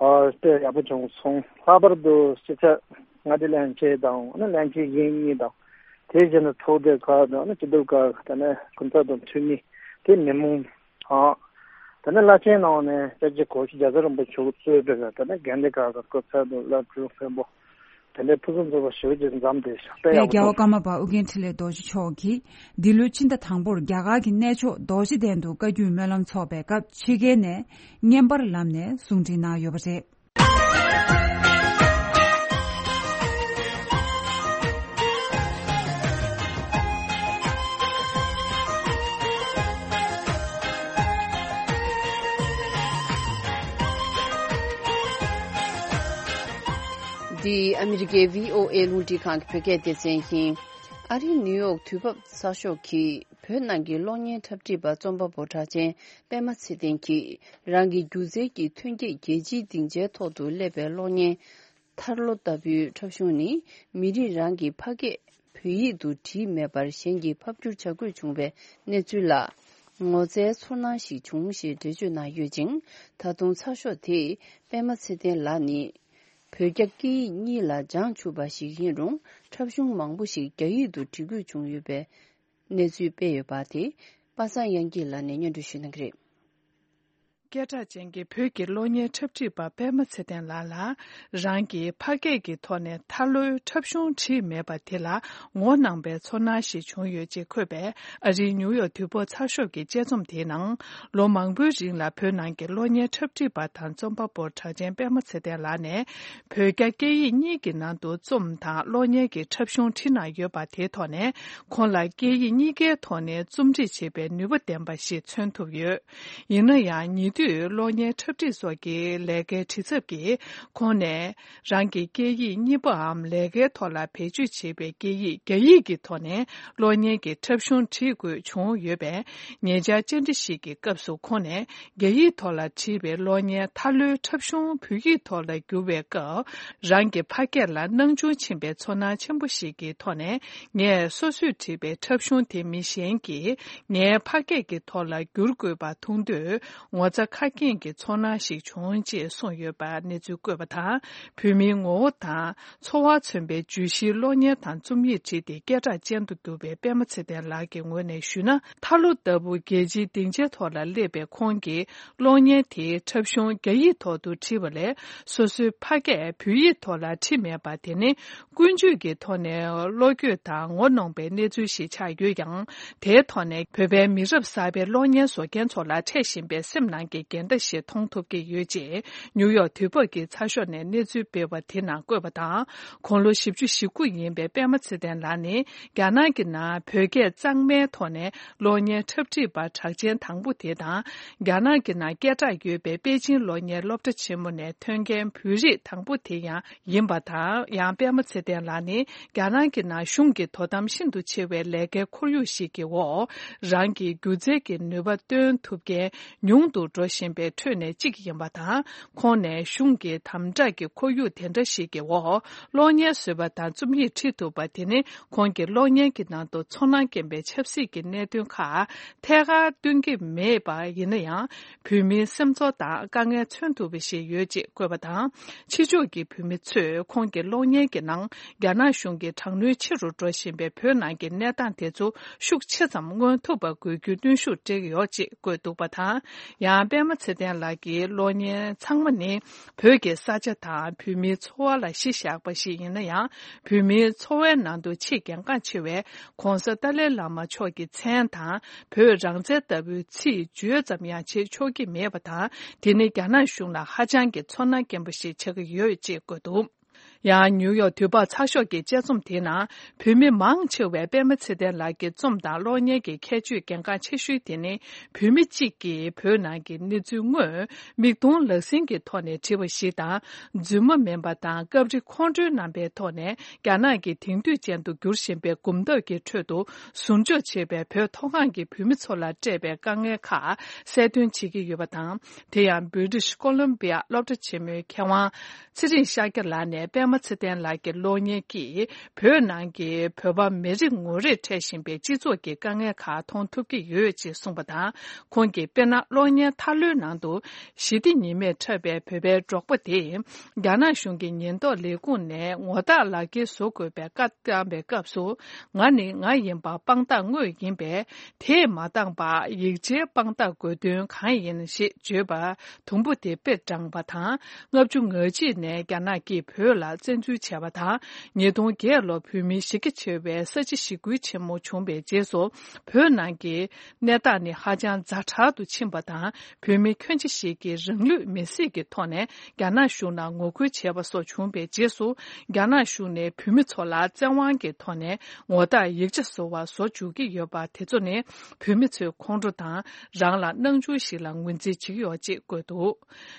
ཨ། དཔེ་ཡག་པོ་བྱུང་སོང་། ལྷག་པར་དུ་སྤྱི་ཁྱབ་མངའ་སྡེ་བློན་ཆེན་དང་ཨ་ནི་བློན་ཆེན་གཞན་གཉིས་དང་། དེ་བཞིན་དུ་ཚོགས་སྡེ་ཁག་དང་ཨ་ནི་སྤྱི་འཐུས་ཁག་དང་ནི་སྐུ་ཚབ་དང་འཐུས་མི། དེ་མི་མང་དང་། དེ་ནི་བླ་ཆེན་ནང་ནས་སྐྱབས་རྗེ་གོ་ཤྲི་རྒྱལ་ཚབ་རིན་པོ་ཆེ་གཙོས་པའི་དེ་ནི་དགོན་སྡེ་ཁག་གི་སྐུ་ཚབ་དང་བླ་སྤྲུལ་དཔོན་པོ། དེ་འདྲའི་ཕུན་སུམ་ཚོགས་པ་ཞེ་པོ་ཅིག་འཛོམས་ཏེ་དཔེ་དཔལ་ཡག་པོ་རྒྱལ་བ་བྱུང་། ཀརྨ་པ་ཨོ་རྒྱན་འཕྲིན་ལས་རྡོ་རྗེ་མཆོག་གིས་འདི་ལོའི་ཕྱི་ཟླ་དང་པོར་རྒྱ་གར་གྱི་གནས་མཆོག་རྡོ་རྗེ་གདན་དུ་བཀའ་བརྒྱུད་སྨོན་ལམ་ཚོགས་པའི་སྐབས་ཕྱི་རྒྱལ་ནས་བརྙན་པར་ལམ་ནས་གསུང་འཕྲིན་གནང་ཡོད་པ་རེད། འདི་ཨ་མི་རི་ཀའི་བྷི་ཨོ་ཨེ་རླུང་འཕྲིན་ཁང་གི་བོད་སྐད་སྡེ་ཚན་ཡིན། ཨ་རིའི་ནིའུ་ཡོག་དུས་བབ་ཚགས་ཤོག་གིས་བོད་ནང་གི་གློག་བརྙན་འཁྲབ་ཁྲིད་པ་རྩོམ་པ་པོ་གྲགས་ཅན་པད་མ་ཚེ་བརྟན་གྱིས་རང་གི་སྒྱུ་རྩལ་གྱི་ཐོན་སྐྱེད་རྒྱལ་སྤྱིའི་སྡིངས་ཆའི་ཐོག་ཏུ་སླེབས་པའི་གློག་བརྙན། ཐར་ལོ་ལྟ་བུའི་འཁྲབ་གཞུང་ནི་མི་རིགས་རང་གི་ཕ་སྐད་བོད་ཡིག་ཏུ་བྲིས་མེད་པར་གཞན་གྱིས་ཕབ་བསྒྱུར་བྱ་དགོས་བྱུང་བའི་གནས་ཚུལ་ལ་ངོ་མཚར་ཚོར་སྣང་ཞིག་བྱུང་ཞེས་འགྲེལ་བརྗོད་གནང་ཡོད་ཅིང་། ད་དུང་ཚགས་ཤོག་དེས་པད་མ་ཚེ་བརྟན་ལགས་ནི་བོད་རྒྱ་སྐད་ཡིག་གཉིས་ལ་སྦྱངས་ཚུགས་པ་ཞིག་ཡིན་རུང་། འཁྲབ་གཞུང་མང་པོ་ཞིག་རྒྱ་ཡིག་ཏུ་འབྲི་དགོས་བྱུང་ཡོད་པའི་གནས་ཚུལ་སྤེལ་ཡོད་པ་དེ་པ་སངས་དབྱངས་སྐྱིད་ལགས་ནས་སྙན་སྒྲོན་ཞུ་གནང་གི་རེད། སྐད་གྲགས་ཅན་གྱི་བོད་ཀྱི་གློག་བརྙན་འཁྲབ་ཁྲིད་པ་པད་མ་ཚེ་བརྟན་ལགས་ལ། རང་གི་ཕ་སྐད་ཀྱི་ཐོག་ནས་ཐར་ལོའི་འཁྲབ་གཞུང་བྲིས་མེད་པ་དེ་ལ་ངོ་གནོང་བའི་ཚོར་སྣང་ཞིག་བྱུང་ཡོད་ཅེས་འཁོད་པའི་ཨ་རིའི་ནིའུ་ཡོག་དུས་བབ་ཚགས་ཤོག་གི་དཔྱད་རྩོམ་དེའི་ནང་། ལོ་མང་པོའི་རིང་ལ་བོད་ནང་གི་གློག་བརྙན་འཁྲབ་ཁྲིད་པ་དང་རྩོམ་པ་པོ་གྲགས་ཅན་པད་མ་ཚེ་བརྟན་ལགས་ནས། བོད་རྒྱ་སྐད་ཡིག་གཉིས་ཀྱི་ནང་དུ་རྩོམ་དང་གློག་བརྙན་གྱི་འཁྲབ་གཞུང་བྲིས་གནང་ཡོད་པ་དེའི་ཐོག་ནས། ཁོང་ལ་སྐད་ཡིག་གཉིས་ཀའི་ཐོག་ནས་རྩོམ་སྒྲིག་བྱེད་པའི་ནུས་པ་ལྡན་པ་ཞིག་མཚོན་ཐུབ་ཡོད། ཡིན་ན་ཡང་། ཉེ་དུས་གློག་བརྙན་འཁྲབ་ཁྲིད་སོགས་ཀྱི་ལས་ཀའི་བྲེལ་འཚབ་ཀྱིས། ཁོང་ནས་རང་གི་སྐད་ཡིག་གཉིས་པའམ་ལས་ཀའི་ཐོག་ལ་བེད་སྤྱོད་བྱེད་པའི་སྐད་ཡིག་རྒྱ་ཡིག་གི་ཐོག་ནས་གློག་བརྙན་གྱི་འཁྲབ་གཞུང་བྲིས་དགོས་བྱུང་ཡོད་པས། ཉེ་ཆར་བཅར་འདྲི་ཞིག་གི་སྐབས་སུ་ཁོང་ནས། རྒྱ་ཡིག་ཐོག་ལ་བྲིས་པའི་གློག་བརྙན་ཐར་ལོའི་འཁྲབ་གཞུང་བོད་ཡིག་ཐོག་ལ་བསྒྱུར་བའི་སྐབས། རང་གི་ཕ་སྐད་ལ་སྣང་ཆུང་ཕྱིན་པའི་ཚོར་སྣང་ཆེན་པོ་ཞིག་གི་ཐོག་ནས། ངས་སོ་སོས་བྲིས་པའི་འཁྲབ་གཞུང་དེ་མི་གཞན་གྱིས་ངའི་ཕ་སྐད་ཀྱི་ཐོག་ལ་བསྒྱུར་དགོས་པ་མཐོང་དུས། ངོ་ཚ་ཁ་སྐྱེངས་ཀྱི་ཚོར་སྣང་ཞིག་བྱུང་ཅེས་གསུངས་ཡོད་པ་གནས་ཚུལ་བཀོད་པ་དང་། བོད་མིའི་ངོ་བོ་དང་། འཚོ་བ་མཚོན་པའི་བརྗོད་གཞིའི་གློག་བརྙན་དང་རྩོམ་ཡིག་བྲིས་ཏེ་སྐད་གྲགས་ཅན་དུ་གྱུར་པའི་པད་མ་ཚེ་བརྟན་ལགས་ཀྱི་ངོས་ནས་ཞུས་ན། ཐར་ལོ་ལྟ་བུ་རྒྱལ་སྤྱིའི་སྡིངས་ཆའི་ཐོག་ལ་སླེབས་པའི་ཁོང་གིས་གློག་བརྙན་དེའི་འཁྲབ་གཞུང་རྒྱ་ཡིག་ཐོག་ཏུ་བྲིས་པ་ལས། སོ་སོའི་ཕ་སྐད་བོད་ཡིག་ཐོག་ལ་བྲིས་མེད་པ་དེ་ནི། ཀུན་སྤྱོད་ཀྱི་ཐོག་ནས་བློ་འགྱོད་དང་ངོ་གནོང་པའི་གནས་ཚུལ་ཞིག་ཆགས་ཡོད་ཀྱང་། དེའི་ཐོག་ནས་བོད་པའི་མི་རབས་གསར་པའི་གློག་བརྙན་བཟོ་མཁན་ཚོ་ལ་འཕྲད་བཞིན་པའི་སེམས་ནང་གི་འགལ་ཟླ་ཞིག་མཐོང་ཐུབ་ཀྱི་ཡོད་ཅེས། ནིའུ་ཡོག་དུས་བབ་ཀྱི་ཚགས་ཤོག་ནས་གནས་ཚུལ་སྤེལ་བ་དེ་ནང་བཀོད་པ་དང་། དགུང་ལོ་བཞི་བཅུ་ཞེ་དགུ་ཡིན་པའི་པད་མ་ཚེ་བརྟན་ལགས་ནི། རྒྱ་ནག་གི་ནང་བོད་སྐད་གཙང་མའི་ཐོག་ནས་གློག་བརྙན་འཁྲབ་ཁྲིད་པ་གྲགས་ཅན་དང་པོ་དེ་དང་། རྒྱ་ནག་གི་ནང་སྐད་གྲགས་ཡོད་པའི་པེ་ཅིང་གློག་བརྙན་སློབ་གྲྭ་ཆེན་མོ་ནས་ཐོན་མཁན་བོད་རིགས་དང་པོ་དེ་ཡང་ཡིན་པ་དང་། ཡང་པད་མ་ཚེ་བརྟན་ལགས་ནི། རྒྱ་ནག་གི་ནང་གཞུང་གི་དོ་དམ་ཤིན་ཏུ་ཆེ་བའི་ལས་ཀའི་ཁོར་ཡུག་ཞིག་གི་འོག་རང་གི་སྒྱུ་རྩལ་གྱི་ནུས་པ་སྟོན་ཐུབ་མཁན་ཉུང་དུ་འགྲོ་བཞིན་པའི་ཁྲོད་ནས་གཅིག་ཡིན་པ་དང་། ཁོང་ནས་གཞུང་གི་དམ་དྲག་གི་ཁོར་ཡུག་དེ་འདྲ་ཞིག་གི་འོག་གློག་བརྙན་བཟོས་པ་དང་རྩོམ་ཡིག་བྲིས་ཐུབ་པ་དེ་ནི། ཁོང་གིས་གློག་བརྙན་གྱི་ནང་དུ་ཚོར་སྣང་སྐྱེན་པའི་ཆབ་སྲིད་ཀྱི་གནད་དོན་ཁག་ཐད་ཀར་སྟོན་གྱི་མེད་པ་ཡིན་ན་ཡང་། བོད་མིའི་སེམས་ཚོར་དང་དཀའ་ངལ་མཚོན་ཐུབ་པ་ཞིག་ཡོད་ཅེས་བཀོད་པ་དང་། ཕྱི་ཕྱོགས་ཀྱི་བོད་མི་ཚོས་ཁོང་གི་གློག་བརྙན་གྱི་ནང་། རྒྱ་ནག་གཞུང་གིས་དྲག་གནོན་ཆེ་རུ་འགྲོ་བཞིན་པའི་བོད་ནང་གི་གནས་སྟངས་དེ་ཚོ་ཤུགས་ཆེ་ཙམ་མངོན་ཐུབ་པ་དགོས་རྒྱུའི་གནོན་ཤུགས་སྤྲད་ཀྱི་ཡོད་ཅེས་བཀོད་འདུག་པ་དང་། ཡང་པད་མ་ཚེ་བརྟན་ལགས་ཀྱི་གློག་བརྙན་ཚང་མ་ནི། བོད་ཀྱི་ས་ཆ་དང་བོད་མིའི་འཚོ་བ་ལ་གཞི་བཞག་པ་ཞིག་ཡིན་ན་ཡང་། བོད་མིའི་འཚོ་བའི་ནང་དུ་ཆེས་གལ་འགངས་ཆེ་བའི་༸གོང་ས་ཏཱ་ལའི་བླ་མ་མཆོག་གི་མཚན་དང་། བོད་རང་བཙན་ལྟ་བུའི་ཚིག་བརྗོད་ཙམ་ཡང་བྱེད་ཆོག་གི་མེད་པ་དང་། དེ་ནི་རྒྱ་ནག་གཞུང་ལ་ཧ་ཅང་གི་ཚོར་སྣང་སྐྱེན་པོ་ཞིག་ཆགས་ཀྱི་ཡོད་ཅེས་བཀོད་འདུག་ཡང་ནིའུ་ཡོག་དུས་བབ་ཚགས་ཤོག་གི་དཔྱད་རྩོམ་དེའི་ནང་། བོད་མི་མང་ཆེ་བས་པད་མ་ཚེ་བརྟན་ལགས་ཀྱི་རྩོམ་དང་གློག་བརྙན་གྱི་ཁྱད་ཆོས་གལ་འགངས་ཆེ་ཤོས་དེ་ནི། བོད་མི་གཅིག་གིས་བོད་ནང་གི་གནས་ཚུལ་དངོས། མིག་མཐོང་ལག་ཟིན་གྱི་ཐོག་ནས་བྲིས་པ་ཞིག་དང་། རྫུན་མ་མིན་པ་དང་། སྐབས་རེ་ཁོང་ཁྲོའི་རྣམ་པའི་ཐོག་ནས། རྒྱ་ནག་གི་དེང་དུས་ཅན་དུ་འགྱུར་བཞིན་པའི་གོམ་སྟབས་ཀྱི་ཁྲོད་དུ། ཟུར་འཇོག་བྱས་པའི་བོད་མཐོ་སྒང་གི་བོད་མི་ཚོ་ལ་སྤྲད་པའི་དཀའ་ངལ་ཁག་གསལ་སྟོན་བྱེད་ཀྱི་ཡོད་པ་དང་། དེ་ཡང་British Columbia་སློབ་གྲྭ་ཆེན་མོའི་མཁས་དབང་ཚེ་རིང་ཤཱཀྱ་ལགས་ནས་པད་མ་ཚེ་བརྟན་ལགས་ཀྱི་གློག་བརྙན་གྱིས་བོད་ནང་གི་བོད་པ་མི་རེ་ངོ་རེར་འཕྲད་བཞིན་པའི་སྤྱི་ཚོགས་ཀྱི་དཀའ་ངལ་ཁག་མཐོང་ཐུབ་ཀྱི་ཡོད་ཅེས་གསུངས་པ་དང་། ཁོང་གིས་དཔེར་ན་གློག་བརྙན་ཐར་ལོའི་ནང་དུ་ཞི་བདེ་ཉི་མས་འཁྲབ་པའི་བོད་པའི་འབྲོག་པ་དེས། རྒྱ་ནག་གཞུང་གི་ཉེན་རྟོག་ལས་ཁུངས་ནས་ངོ་རྟགས་ལག་འཁྱེར་བཟོ་དགོས་པའི་བཀའ་བཏང་པའི་སྐབས་སུ། ང་ནི་ང་ཡིན་པ་དཔང་རྟགས་དངོས་ཡིན་པས། དེས་མ་བཏང་པར་ཡིག་ཆའི་དཔང་རྟགས་དགོས་དོན་གང་ཡིན་ཞེས་བརྗོད་པ་དུམ་བུ་དེ་དཔེ་དྲངས་པ་དང་། ལྔ་བཅུ་ང་གཅིག་ནས་རྒྱ་ནག་གིས་བོད་ལ་བཙན་འཛུལ་བྱས་པ་དང་། ཉིས་སྟོང་བརྒྱད་ལོར་བོད་མིའི་གཞི་རྒྱ་ཆེ་བའི་ས་བྱི་ཞི་རྒོལ་ཆེན་མོ་བྱུང་བའི་རྗེས་སུ། བོད་ནང་གི་གནས་སྟངས་ནི་ཧ་ཅང་ཛ་དྲག་ཏུ་ཕྱིན་པ་དང་། བོད་མི་ཁྱོན་ཆེ་ཞིག་གིས་རང་ལུས་མེར་སྲེག་གི་ཐོག་ནས་རྒྱ་ནག་གཞུང་ལ་ངོ་རྒོལ་བྱས་པ་སོགས་བྱུང་བའི་རྗེས་སུ། རྒྱ་ནག་གཞུང་ནས་བོད་མི་ཚོ་ལ་བཙན་དབང་གི་ཐོག་ནས་ངོ་རྟགས་ཡིག་ཆ་བཟོ་བར་བཟོ་འཇུག་གི་ཡོད་པ་དེ་ཚོ་ནི། བོད་མི་ཚོའི་ཁོང་ཁྲོ་དང་། རང་ལ་སྣང་ཆུང་ཞིག་ལ་ངོས་འཛིན་བྱེད་ཀྱི་ཡོད་ཅེས་བཀོད་འདུག་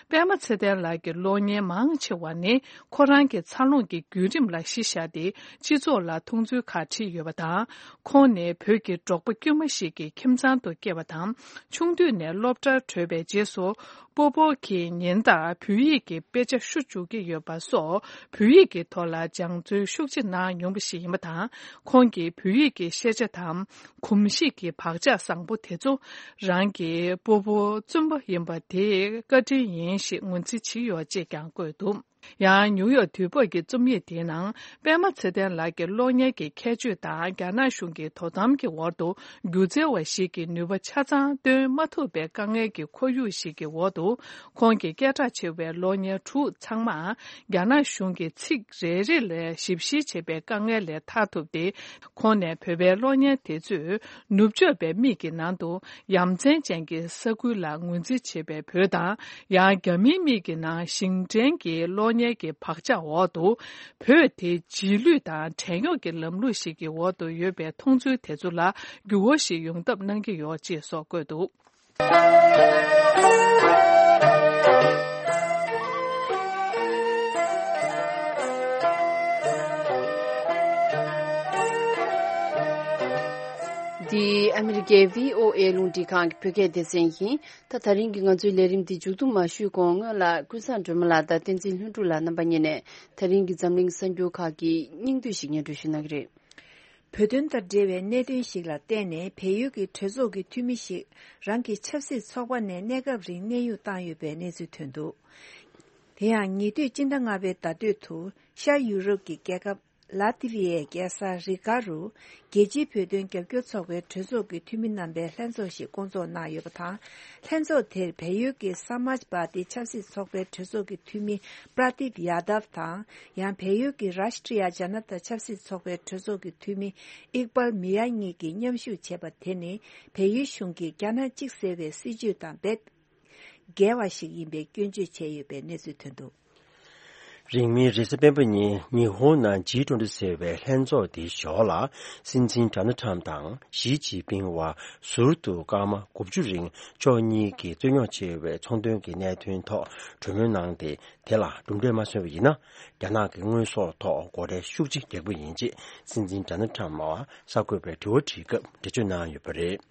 པད་མ་ཚེ་བརྟན་ལགས་ཀྱི་གློག་བརྙན་མང་ཆེ་བ་ནི། ཁོ་རང་གི་འཚར་ལོངས་ཀྱི་བརྒྱུད་རིམ་ལ་གཞི་བཞག་སྟེ། སྤྱི་ཚོགས་ལ་མཐོང་ཚུལ་ཁག་བྲིས་ཡོད་པ་དང་། ཁོང་ནི་བོད་ཀྱི་འབྲོག་པ་དཀྱུས་མ་ཞིག་གི་ཁྱིམ་ཚང་དུ་སྐྱེས་པ་དང་། ཆུང་དུས་ནས་སློབ་གྲྭར་བྲོས་པའི་རྗེས་སུ། སྤོ་བོ་གིས་ཉིན་ལྟར་བོད་ཡིག་གི་དཔེ་ཆ་བཤུ་བཅུག་གི་ཡོད་པ་སོགས། བོད་ཡིག་གི་ཐོག་ལ་སྦྱང་བརྩོན་ཤུགས་ཆེ་གནང་མྱོང་བ་ཞིག་ཡིན་པ་དང་། ཁོང་གིས་བོད་ཡིག་གི་ཤེས་བྱ་དང་། གོམས་གཤིས་ཀྱི་བག་ཆགས་བཟང་པོ་དེ་ཚོ། རང་གི་སྤོ་བོ་བཙུན་པ་ཡིན་པ་དེའི་བཀའ་དྲིན་ཡིན་ཞེས་ངོས་འཛིན་བྱས་ཡོད་ཅེས་ཀྱང་བཀོད་འདུག་ཡང་ནིའུ་ཡོག་དུས་བབ་ཀྱི་རྩོམ་ཡིག་དེའི་ནང་། པད་མ་ཚེ་བརྟན་ལགས་ཀྱི་གློག་བརྙན་གྱི་ཁྱད་ཆོས་དང་། རྒྱ་ནག་གཞུང་གི་དོ་དམ་གྱི་འོག་ཏུ་སྒྱུ་རྩལ་བ་ཞིག་གི་ནུས་པ་ཆ་ཚང་སྟོན་མ་ཐུབ་པའི་དཀའ་ངལ་གྱི་ཁོར་ཡུག་ཞིག་གི་འོག་ཏུ། ཁོང་གི་སྐད་གྲགས་ཆེ་བའི་གློག་བརྙན་དྲུག་ཚང་མ། རྒྱ་ནག་གཞུང་གིས་ཚིག་རེ་རེ་ལ་ཞིབ་བཤེར་བྱེད་པའི་དཀའ་ངལ་ལས་ཐར་ཐུབ་སྟེ། ཁོང་ནས་བོད་པའི་གློག་བརྙན་དེ་ཚོས་ནུབ་ཕྱོགས་པའི་མིག་གི་ནང་དུ་ཡ་མཚན་ཅན་གྱི་ས་ཁུལ་ལ་ངོས་འཛིན་བྱེད་པའི་བོད་དང་། ཡང་རྒྱ་མིའི་མིག་གི་ནང་ཞིང་བྲན་གྱི་གློག་བརྙན་གྱི་བག་ཆགས་འོག་ཏུ། བོད་དེ་རྗེས་ལུས་དང་བྲན་གཡོག་གི་ལམ་ལུགས་ཤིག་གི་འོག་ཏུ་ཡོད་པའི་མཐོང་ཚུལ་དེ་ཚོ་ལ་འགྱུར་བ་ཞིག་ཡོང་ཐབས་གནང་གི་ཡོད་ཅེས་སོགས་བཀོད་འདུག་འདི་ཨ་མི་རི་ཀའི་བྷི་ཨོ་ཨེ་རླུང་འཕྲིན་ཁང་གི་བོད་སྐད་སྡེ་ཚན་ཡིན། ད་ད་རིང་གི་ང་ཚོའི་ལས་རིམ་འདི་མཇུག་བསྡོམས་མ་ཞུས་གོང་སྔོན་ལ་ཀུན་བཟང་སྒྲོལ་མ་ལགས་དང་བསྟན་འཛིན་ལྷུན་གྲུབ་ལགས་རྣམ་པ་གཉིས་ནས་ད་རིང་གི་འཛམ་གླིང་གསར་འགྱུར་ཁག་གི་སྙིང་བསྡུས་ཤིག་སྙན་སྒྲོན་ཞུ་གནང་གི་རེད། བོད་དོན་དང་འབྲེལ་བའི་གནད་དོན་ཞིག་ལ་བརྟེན་ནས་བལ་ཡུལ་གྱི་གྲོས་ཚོགས་ཀྱི་འཐུས་མི་ཞིག་རང་གི་ཆབ་སྲིད་ཚོགས་པ་ནས་གནས་སྐབས་རིང་གནས་དབྱུང་བཏང་ཡོད་པའི་གནས་ཚུལ་ཐོན་འདུག་དེ་ཡང་ཉེ་དུས་སྤྱི་ཟླ་ལྔ་པའི་ཟླ་སྟོད་དུ་ཤར་ཡུ་རོབ་ཀྱི་རྒྱལ་ཁབ་ལ་ཏི་བི་ཡའི་རྒྱལ་ས་རི་ག་རུ་རྒྱལ་སྤྱིའི་བོད་དོན་རྒྱབ་སྐྱོར་ཚོགས་པའི་གྲོས་ཚོགས་ཀྱི་འཐུས་མི་རྣམ་པའི་ལྷན་ཚོགས་ཤིག་བསྐོང་ཚོགས་གནང་ཡོད་པ་དང་། ལྷན་ཚོགས་དེར་བལ་ཡུལ་གྱི་ས་མཱཇ་པཱ་ཏི་ཆབ་སྲིད་ཚོགས་པའི་གྲོས་ཚོགས་ཀྱི་འཐུས་མི་པྲ་དིབ་ཡ་དབ་དང་། ཡང་བལ་ཡུལ་གྱི་རཱཤ་ཏྲི་ཡ་ཇ་ན་ཏ་ཆབ་སྲིད་ཚོགས་པའི་གྲོས་ཚོགས་ཀྱི་འཐུས་མི་ཨིག་པལ་མི་ཡ་གཉིས་ཀྱིས་མཉམ་ཞུགས་བྱས་པ་དེ་ནི། བལ་ཡུལ་གཞུང་གིས་རྒྱ་ནག་གཅིག་ཟེར་བའི་སྲིད་བྱུས་དང་རྦད་འགལ་བ་ཞིག་ཡིན་པའི་སྐྱོན་བརྗོད་བྱས་ཡོད་པའི་གནས་ཚུལ་ཐོན་འདུག་རིང་མིན་རེས་གཟའ་སྤེན་པ་ཉིན་ཉི་ཧོང་ནང་ཇི་ཊུ་ཝེན་ཊི་ཟེར་བའི་ལྷན་ཚོགས་དེའི་ཞོར་ལ། སྲིད་འཛིན་ཌོ་ནལ་ཊམ་དང་ཞི་ཅིན་ཕིང་བར་ཟུར་དུ་སྐར་མ་དགུ་བཅུ་རིང་ཕྱོགས་གཉིས་ཀྱི་རྩོད་རྙོག་ཆེ་བའི་ཚོང་དོན་གྱི་གནད་དོན་ཐོག་གྲོས་མོལ་གནང་སྟེ། དེ་ལ་གྲུབ་འབྲས་མ་སོན་པ་ཡིན་ན། རྒྱ་ནག་གི་དངོས་ཟོག་ཐོག་སྒོ་ཁྲལ་ཤུགས་ཆེ་རྒྱག་པ་ཡིན་ཅེས་སྲིད་འཛིན་ཌོ་ནལ་ཊམ་ལ་གསར་འགོད་པས་དྲི་བ་དྲིས་སྐབས་འགྲེལ་བརྗོད་གནང་ཡོད་པ་རེད།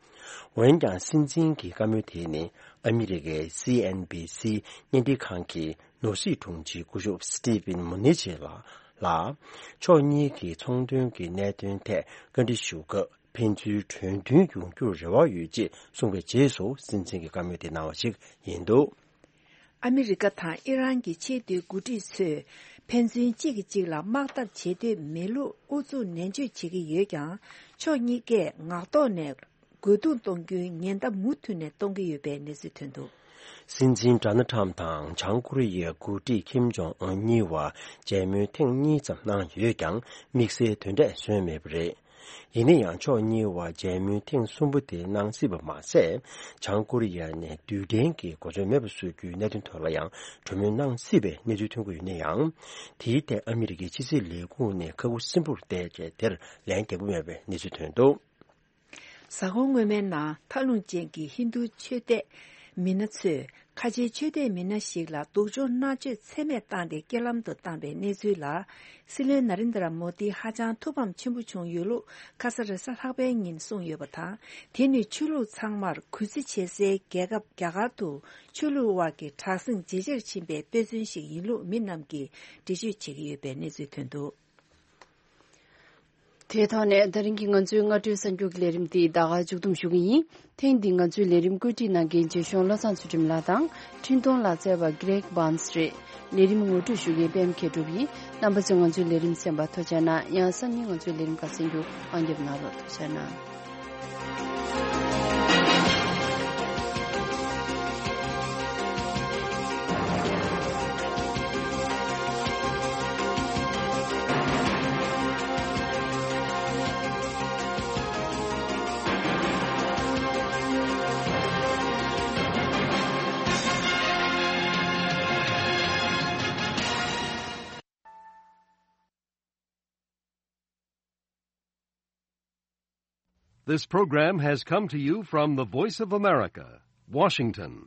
འོན་ཀྱང་སྲིད་འཛིན་གྱི་བཀའ་མོལ་དེ་ནི་ཨ་མི་རི་ཀའི་སི་ཨེན་བྷི་སི་བརྙན་འཕྲིན་ཁང་གི་ནོར་སྲིད་དྲུང་ཆེ་སྐུ་ཞབས་སི་ཊི་ཝེན་མུ་ནི་ཆེ་ལགས་ལ། ཕྱོགས་གཉིས་ཀྱི་ཚོང་དོན་གྱི་གནད་དོན་ཐད་བཀའ་འདྲི་ཞུ་སྐབས། ཕན་ཚུན་གྲོས་མཐུན་ཡོང་རྒྱུར་རེ་བ་ཡོད་ཅེས་གསུངས་པའི་རྗེས་སུ་སྲིད་འཛིན་གྱི་བཀའ་མོལ་དེ་གནང་བ་ཞིག་ཡིན་འདུག་ཨ་མི་རི་ཀ་དང་ཨི་རན་གྱི་ཆེས་མཐོའི་འགོ་ཁྲིད་ཚོས་ཕན་ཚུན་གཅིག་གིས་གཅིག་ལ་དམག་འཐབ་བྱེད་འདོད་མེད་ལུགས་ཨུ་ཚུགས་ནན་བརྗོད་བྱེད་ཀྱི་ཡོད་ཀྱང་། ཕྱོགས་གཉིས་ཀས་ངག་ཐོག་ནས་རྒོལ་རྡུང་གཏོང་རྒྱུའི་ཉེན་བརྡ་མུ་མཐུད་ནས་གཏོང་གི་ཡོད་པའི་གནས་ཚུལ་ཐོན་འདུག་སྲིད་འཛིན་ཌོ་ནལ་ཊམ་དང་བྱང་ཀོ་རི་ཡའི་འགོ་ཁྲིད་ཁིམ་ཇོང་ཨུན་གཉིས་བར་མཇལ་མོལ་ཐེངས་གཉིས་ཙམ་གནང་ཡོད་ཀྱང་། དམིགས་བསལ་དོན་འབྲས་སོན་མེད་པ་རེད། ཡིན་ན་ཡང་ཕྱོགས་གཉིས་བར་མཇལ་མོལ་ཐེངས་གསུམ་པོ་དེ་གནང་སྲིད་པ་མ་ཟད། བྱང་ཀོ་རི་ཡ་ནས་རྡུལ་ཕྲན་གྱི་གོ་མཚོན་མེད་པ་བཟོ་རྒྱུའི་གནད་དོན་ཐོག་ལ་ཡང་གྲོས་མོལ་གནང་སྲིད་པའི་གནས་ཚུལ་ཐོན་གྱི་ཡོད་ན་ཡང་། དེའི་ཐད་ཨ་མི་རི་ཀའི་ཕྱི་སྲིད་ལས་ཁུངས་ནས་ཁ་ཁུ་སིམ་པོར་བལྟས་རྗེས་དེར་ལན་རྒྱག་གི་མེད་པའི་གནས་ཚུལ་ཐོན་འདུག། གཟའ་འཁོར་སྔོན་མའི་ནང་ཐབས་ལུང་ཅན་གྱི་ཧིན་རྡུ་ཆོས་དད་མི་སྣ་ཚོས་ཁ་ཆེའི་ཆོས་དད་མི་སྣ་ཞིག་ལ་སྡུག་སྦྱོང་མནར་གཅོད་ཚད་མེད་བཏང་སྟེ་རྐྱེན་ལམ་དུ་བཏང་པའི་གནས་ཚུལ་ལ། སྲིད་བློན་ན་རེན་དྲ་མོ་དི་ཧ་ཅང་ཐུགས་ཕམ་ཆེན་པོ་བྱུང་ཡོད་ལུགས་ཁ་ས་རེས་གཟའ་ལྷག་པའི་ཉིན་གསུངས་ཡོད་པ་དང་། དེ་ནི་ཆོས་ལུགས་ཚང་མར་གུས་བརྩི་བྱེད་སའི་རྒྱལ་ཁབ་རྒྱ་གར་དུ་ཆོས་ལུགས་དབར་གྱི་དྲག་ཟིང་ཇེ་ཆེར་ཕྱིན་པའི་དཔེ་མཚོན་ཞིག་ཡིན་ལུགས་མི་རྣམས་ཀྱིས་འགྲེལ་བརྗོད་བྱེད་ཀྱི་ཡོད་པའི་གནས་ཚུལ་ཐོན་འདུག། དེའི་ཐོག་ནས་ད་རིང་གི་ང་ཚོའི་སྔ་དྲོའི་གསར་འགྱུར་གྱི་ལས་རིམ་འདི་ད་ག་མཇུག་བསྡོམས་ཞུ་གི་ཡིན། ཐེངས་འདིའི་ང་ཚོའི་ལས་རིམ་བཀོད་སྒྲིག་གནང་མཁན་རྗེ་གཞུང་བློ་བཟང་ཚུལ་ཁྲིམས་ལགས་དང་འཕྲིན་གཏོང་ལག་རྩལ་བ་Greg Barnes རེད། ལས་རིམ་ངོ་སྤྲོད་ཞུ་མཁན་པད་མ་མཁས་གྲུབ་ཡིན། རྣམ་པ་ཚོས་ང་ཚོའི་ལས་རིམ་གསན་པར་ཐུགས་རྗེ་གནང་། ཡང་སང་ཉིན་ང་ཚོའི་ལས་རིམ་ཁག་གསན་རྒྱུ་དབང་བསྒྱུར་གནང་རོགས། ཐུགས་རྗེ་གནང་། This program has come to you from the Voice of America, Washington.